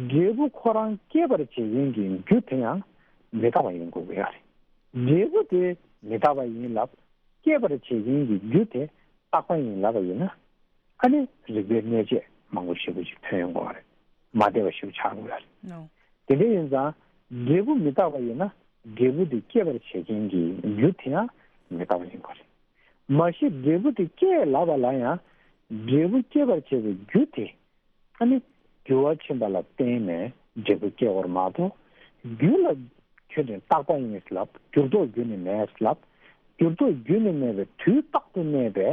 འབྲས་བུ་ཁོ་རང་སྐྱེད་པར་བྱེད་མཁན་གྱི་རྒྱུ་དེ་ཡང་མི་རྟག་པ་ཡིན་དགོས་ཀྱི་ཡོད་རེད། འབྲས་བུ་དེ་མི་རྟག་པ་ཡིན་ལབ། སྐྱེད་པར་བྱེད་མཁན་གྱི་རྒྱུ་དེ་རྟག་པ་ཡིན་ལབ་པ་ཡིན་ན། ཨ་ནི་རིགས་པའི་གནས་བཅས་མང་པོ་ཞེ་པོ་ཅིག་ཐོན་ཡོང་གི་ཡོད་རེད། མ་བདེ་བ་ཞེ་པོ་ཆགས་ཀྱི་ཡོད་རེད། ལོ། དེ་འདྲ་ཡིན་ཙང་། འབྲས་བུ་མི་རྟག་པ་ཡིན་ན་འབྲས་བུ་དེ་སྐྱེད་པར་བྱེད་མཁན་གྱི་རྒྱུ་དེ་ཡང་མི་རྟག་པ་ཡིན་དགོས་རེད། མ་གཞི་འབྲས་བུ་དེ་སྐྱེད་ལབ་པ་ལ་ཡང་། འབྲས་བུ་སྐྱེད་པར་བྱེད་པའི་རྒྱུ་དེ་ཨ་ནི་འགྱུར་བ་ཕྱིན་པ་ལ་བརྟེན་ནས་འབྲས་བུ་སྐྱེ་བར་མ་གཏོགས། རྒྱུ་ལ་ཁྱོད་ནི་རྟག་པ་ཡིན་ལབ། འགྱུར་ལྡོག་རྒྱུ་ནི་མེད་ལབ། འགྱུར་ལྡོག་རྒྱུ་ནི་མེད་པའི་དུས་རྟག་ཏུ་གནས་པའི་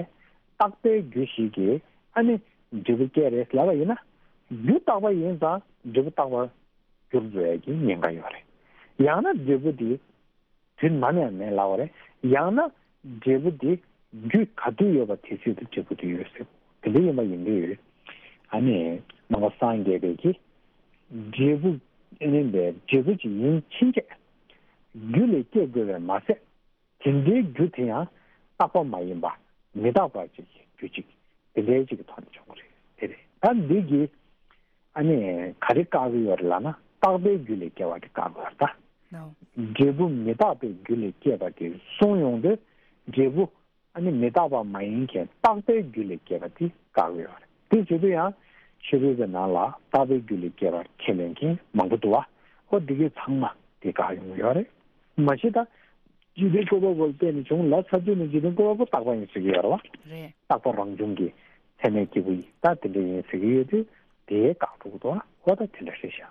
རྟག་པའི་རྒྱུ་ཞིག་གིས་ཨ་ནི་འབྲས་བུ་སྐྱེ་རེད་ལབ་པ་ཡིན་ན། རྒྱུ་རྟག་པ་ཡིན་ཙང་འབྲས་བུ་རྟག་པར་འགྱུར་འགྲོ་ཡ་གི་ཉེན་ཁ་ཡོད་རེད། ཡང་ན་འབྲས་བུ་དེ་དུས་ནམ་ཡང་མེད་ལབ་པ་རེད། ཡང་ན་འབྲས་བུ་དེ་རྒྱུ་ག་དུས་ཡོད་པ་དེ་ཚོད་དུ་འབྲས་བུ་དེ་ཡོད་ཟེར། དེ་འདྲ་ཡིན་པ་ཡིན་དུས། ཨ་ནི་ནང་པ་སངས་རྒྱས་པའི་གི་འབྲས་བུ་ཨ་ནི་འབྲས་བུ་ཅིག་ཡིན་ཕྱིན་ཆད་རྒྱུ་ལས་སྐྱེ་དགོས་པས་མ་ཟད། དེ་འདྲའི་རྒྱུ་དེ་ཡང་རྟག་པ་མ་ཡིན་པ། མི་རྟག་པ་ཅིག་གི་རྒྱུ་ཅིག་དེ་འདྲའི་ཅིག་གི་ཐོག་ནས་བྱུང་གི་རེད། དེ་རེད། ད་འདི་གིས་ཨ་ནི་ག་རེ་བཀག་གི་ཡོད་རེད་ལབ་ན། རྟག་པའི་རྒྱུ་ལས་སྐྱེ་བ་དེ་བཀག་གི་ཡོད་རེད་ད། ལོ། འབྲས་བུ་མི་རྟག་པའི་རྒྱུ་ལས་སྐྱེས་པ་དེ་གསུངས་ཡོང་དུས། འབྲས་བུ་ཨ་ནི་མི་རྟག་པ་མ་ཡིན་མཁན་རྟག་པའི་རྒྱུ་ལས་སྐྱེས་པ་དེ་བཀག་གི་ཡོད་རེད། དེ་བྱེད་དུས་ཡང་ཕྱི་རོལ་པའི་ནང་ལ་རྟག་པའི་རྒྱུ་ལས་སྐྱེས་པར་ཁས་ལེན་མཁན་མང་པོ་འདུག་བ། ཨོ་འདི་གའི་ཚང་མ་དེ་བཀག་ཡོང་གི་ཡོད་རེད། མ་གཞི་ད། འཇིག་རྟེན་བཀོད་པ་པོ་ལ་བརྟེན་ནས་བྱུང་ལ། ས་བཅུ་ནི་འཇིག་རྟེན་བཀོད་པ་པོ་རྟག་པ་ཡིན་ཟེར་གྱི་ཡོད་རེད་བ། རེད། རྟག་པ་རང་བྱུང་གི་ཚད་མའི་སྐྱེས་བུ་ཡིན། ད་དེ་འདྲ་ཡིན་ཟེར་གྱི་ཡོད་དུས་དེའི་བཀག་འགྲོ་གི་འདུག་བ། འོ་ད་དེ་འདྲ་རེད་ཤག་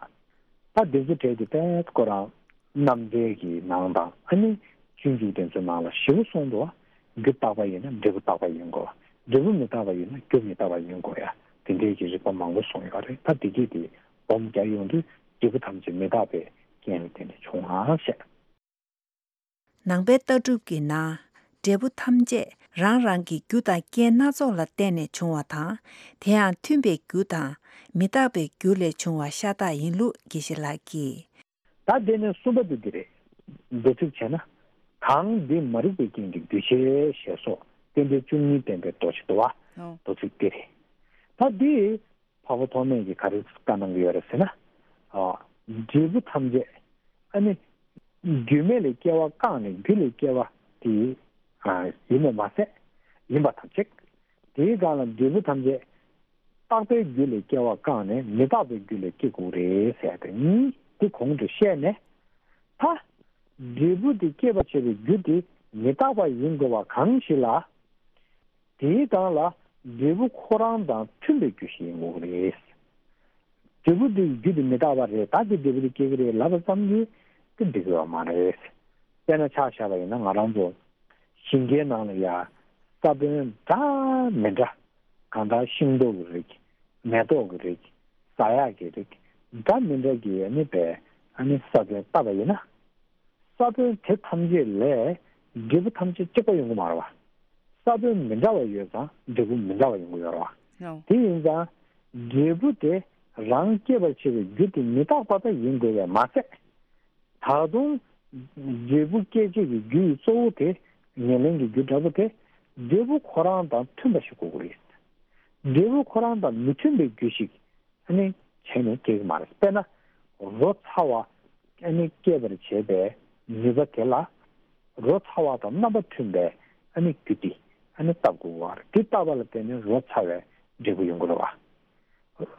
ད་འདི་ཚོ་གྲས་དེ་དཔེ་ཁོ་རང་རྣམ་འགྲེལ་གྱི་ནང་དང་ཨ་ནི་སྤྱོད་འཇུག་དེ་ཚོའི་ནང་ལ་ཞེ་པོ་གསུངས་འདུག་བ། རྒྱུ་རྟག་པ་ཡིན་ན་འབྲས་བུ་རྟག་པ་ཡིན་དགོས་བ། འབྲས་བུ་མི་རྟག་པ་ཡིན་ན་རྒྱུ་མི་རྟག་པ་ཡིན་དགོས་ཡ། དེ་འདྲའི་གི་རིགས་པ་མང་པོ་གསུངས་ཡོད་རེད། ད་དེ་གས་དེ་སྦོམ་རྒྱག་ཡོང་དུས་འབྲས་བུ་ཐམས་ཅད་མི་རྟག་པའི་རྐྱེན་ལ་བརྟེན་ནས་བྱུང་བ་ཞེས། ནང་པའི་ལྟ་གྲུབ་ཀྱི་ནང་འབྲས་བུ་ཐམས་ཅད་རང་རང་གི་རྒྱུ་དང་རྐྱེན་སྣ་ཚོགས་ལ་བརྟེན་ནས་བྱུང་བ་དང་། དེ་ཡང་མཐུན་པའི་རྒྱུ་དང་མི་རྟག་པའི་རྒྱུ་ལས་བྱུང་བ་ཤ་སྟག་ཡིན་ལུགས་དགེ་བཤེས་ལགས་ཀྱིས། ད་དེ་ནས་གསུམ་པ་དེ་འདི་རེད། མདོ་ཚིག་བྱས་ན། གང་འདི་མ་རིག་པའི་རྐྱེན་གྱིས་འདུས་བྱས་ཞེས་སོགས་རྟེན་འབྲེལ་བཅུ་གཉིས་བསྟན་པའི་མདོ་ཞིག་འདུག་བ། ཨོ། མདོ་ཚིག་དེ་རེད། ད་འདི་འཕགས་པ་ཐོགས་མེད་ཀྱིས་ག་རེ་བཀའ་གནང་གི་ཡོད་རེད་ཟེར་ན། ཨ། འབྲས་བུ་ཐམས་ཅད་ཨ་ནི་རྒྱུ་མེད་ལས་སྐྱེ་བ་བཀག་ནས་རྒྱུ་ལས་སྐྱེ་བ་དེ་ཨ་ཡིན་པ་མ་ཟད། ཡིན་པ་ཐམས་ཅད། དེའི་སྒང་ལ་འབྲས་བུ་ཐམས་ཅད་རྟག་པའི་རྒྱུ་ལས་སྐྱེ་བ་བཀག་ནས་མི་རྟག་པའི་རྒྱུ་ལས་སྐྱེ་དགོས་རེད་ཟེར་ཏེ་གཉིས་དེ་གོང་དུ་བཤད་ནས། ད་འབྲས་བུ་དེ་སྐྱེད་པར་བྱེད་པའི་རྒྱུ་དེ་མི་རྟག་པ་ཡིན་དགོས་པ་གང་ཞིག་ལ། དེའི་སྒང་ལ་འབྲས་བུ་ཁོ་རང་དང་མཐུན་པའི་རྒྱུ་ཞིག་ཡིན་དགོས་རེད། འབྲས་བུ་དེ་རྒྱུ་དེ་མི་རྟག་པ་རེད། ད་དེ་འབྲས་བུ་དེ་སྐྱེ་གི་རེད་ལབ་པ་ཙམ་གྱིས་དེ་འགྲིག་གི་ཡོད་མ་རེད། དཔེར་ན་ཆ་བཞག་པ་ཡིན་ན་ང་རང་ཚོ་ཞིང་ཁའི་ནང་ལ་ཡ་ས་བོན་འདྲ་མི་འདྲ། གང་ལྟར་ཤིང་ཏོག་གི་རིགས། མེ་ཏོག་གི་རིགས། ཟ་ཡག་གི་རིགས། འདྲ་མི་འདྲ་གི་ཨ་ནི་པའི་ཨ་ནི་ས་བོན་བཏབ་པ་ཡིན་ན། ས་བོན་དེ་ཐམས་ཅད་ལས་འབྲས་བུ་ཐམས་ཅད་གཅིག་པ་ཡོང་གི་མ་རེད་བ། ས་བོན་མི་འདྲ་བ་ཡོད་ཙང་འབྲས་བུ་མི་འདྲ་བ་ཡོང་གི་ཡོད་རེད་བ། ཨོ། དེ་ཡིན་ཙང་འབྲས་བུ་དེ་རང་སྐྱེད་པར་བྱེད་པའི་རྒྱུ་དེ་མི་རྟག་པ་ད་ཡིན་དགོས་པས་མ་ཟད། ད་དུང་འབྲས་བུ་སྐྱེད་བྱེད་ཀྱི་རྒྱུ་ཡི་གཙོ་བོ་དེ་ཉེར་ལེན་གྱི་རྒྱུ་འདྲ་པོ་དེ་འབྲས་བུ་ཁོ་རང་དང་མཐུན་པ་ཞིག་དགོས་ཀྱི་རེད། འབྲས་བུ་ཁོ་རང་དང་མི་མཐུན་པའི་རྒྱུ་ཞིག་ཨ་ནི་བྱས་ནས་སྐྱེ་གི་མ་རེད། དཔེར་ན་རོ་ཚ་བ་ཨ་ནི་སྐྱེད་པར་བྱེད་པའི་ནུས་པ་དེ་ལ་རོ་ཚ་བ་དང་རྣམ་པ་མཐུན་པའི་ཨ་ནི་རྒྱུ་དེ་ཨ་ནི་བཏབ་དགོས་པ་རེད། དེ་བཏབ་པ་ལ་བརྟེན་ནས་རོ་ཚ་བའི་འབྲས་བུ་ཡོང་གི་རེད་བ།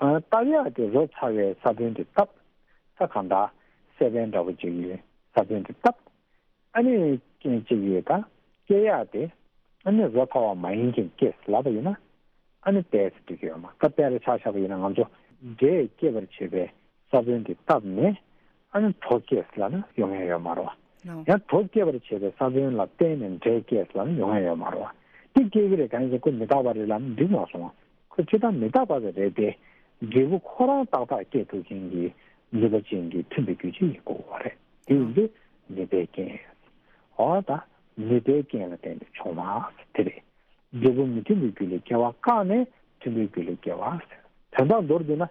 ཨ། བཏབ་ཡག་དེ་རོ་ཚ་བའི་ས་བོན་དེ་བཏབ། ད་གང་ལྟར་སེ་བན་འདྲ་པོ་ཅིག་ཡོད་ས་བོན་དེ་བཏབ། ཨ་ནི་རྐྱེན་གཅིག་ཡོད་ད། སྐྱེ་ཡག་དེ་ཨ་ནི་རོ་ཚ་བ་མ་ཡིན་མཁན་སྐྱེས་ལབ་པ་ཡིན་ན་ཨ་ནི་བལྟས་ཚེ་འགྲིག་གི་ཡོད་མ་རེད། ད་དཔེར་ཆ་བཞག་པ་ཡིན་ན་ང་ཚོ་འབྲས་སྐྱེད་པར་བྱེད་པའི་ས་བོན་དེ་བཏབ་ནས་ཨ་ནི་གྲོ་སྐྱེས་ལབ་ན་ཡོང་ཡག་ཡོད་མ་རེད་བ། ལོ། ཡང་གྲོ་སྐྱེད་པར་བྱེད་པའི་ས་བོན་ལ་བརྟེན་ནས་འབྲས་སྐྱེས་ལབ་ན་ཡོང་ཡག་ཡོད་མ་རེད་བ། དེ་སྐྱེ་གི་རེད། གང་ཡིན་ཟེར་ཁོ་མི་རྟག་པ་རེད་ལབ་ན་འགྲིག་མ་སོང་བ། ཁོ་ཅི་ལྟར་མི་རྟག་པ་དེ་རེད་དེ། འབྲས་བུ་ཁོ་རང་ཏག་ཏག་སྐྱེ་ཐུབ་མཁན་གྱི་ནུས་པ་ཅན་གྱི་མཐུན་པའི་རྒྱུ་ཅིག་ཡིན་དགོས་པ་རེད། དེ་ཡིན་དུས་ནུས་པའི་རྐྱེན། འོ་ད་ནུས་པའི་རྐྱེན་ལ་བརྟེན་ནས་བྱུང་བ་དེ་རེད། འབྲས་བུ་མི་མཐུན་པའི་རྒྱུ་ལས་སྐྱེ་བ་བཀག་ནས་མཐུན་པའི་རྒྱུ་ལས་སྐྱེ་བ་ཟེར། དོན་དག་མདོར་བསྡུས་ན།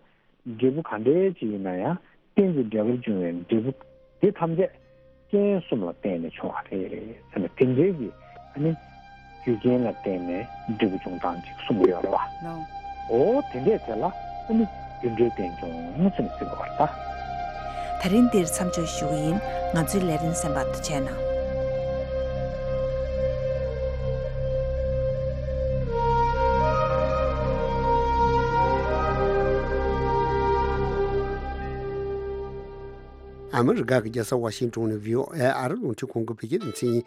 འབྲས་བུ་ག་འདྲའི་ཅིག་ཡིན་ན་ཡང་རྟེན་ཅིང་འབྲེལ་བར་འབྱུང་བའི་འབྲས་བུ་དེ་ཐམས་ཅད་རྐྱེན་གསུམ་ལ་བརྟེན་ནས་བྱུང་བ་རེད་ཟེར་ནས་དེ་འདྲའི་གི་ཨ་ནི་རྒྱུ་རྐྱེན་ལ་བརྟེན་ནས་འབྲས་བུ་འབྱུང་སྟངས་ཅིག་གསུང་གི་ཡོད་རེད་བ། ལོ། འོ་དེ་འདྲས་དེ་ལ་ཨ་ནི་རྒྱུ་འབྲས་རྟེན་འབྱུང་ཟེར་ནས་ཟེར་གི་བ་རེད་ད། ད་རིང་འདིར་མཚམས་འཇོག་ཞུ་གི་ཡིན། ང་ཚོའི་ལས་རིམ་གསན་པར་ཐུགས་རྗེ་གནང་། ཨ་མི་རི་ཀ་གི་རྒྱལ་ས་ཝ་ཤིང་ཏོན་ནས་བྷི་ཨོ་ཨེ་ཨ་རི་རླུང་འཕྲིན་ཁང་གི་བོད་སྐད་སྡེ་ཚན་ཡིན།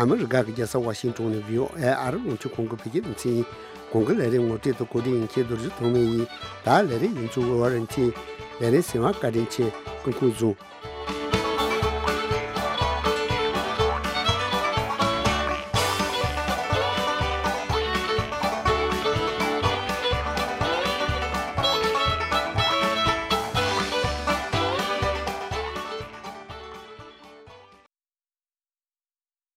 ཨ་མི་རི་ཀ་གི་རྒྱལ་ས་ཝ་ཤིང་ཏོན་ནས་བྷི་ཨོ་ཨེ་ཨ་རི་རླུང་འཕྲིན་ཁང་གི་བོད་སྐད་སྡེ་ཚན་ཡིན། གོང་གི་ལས་རིམ་ངོ་སྤྲོད་དང་གོ་སྒྲིག་ཡིན་མཁན་རྡོ་རྗེ་ཐོགས་མེད་ཡིན། ད་ལས་རིམ་ཡིན་ཚུལ་ཝར་ཨན་ཆི། ལས་རིམ་གསན་པར་བཀའ་དྲིན་ཆེ། སྐུ་ཁམས་བཟང་།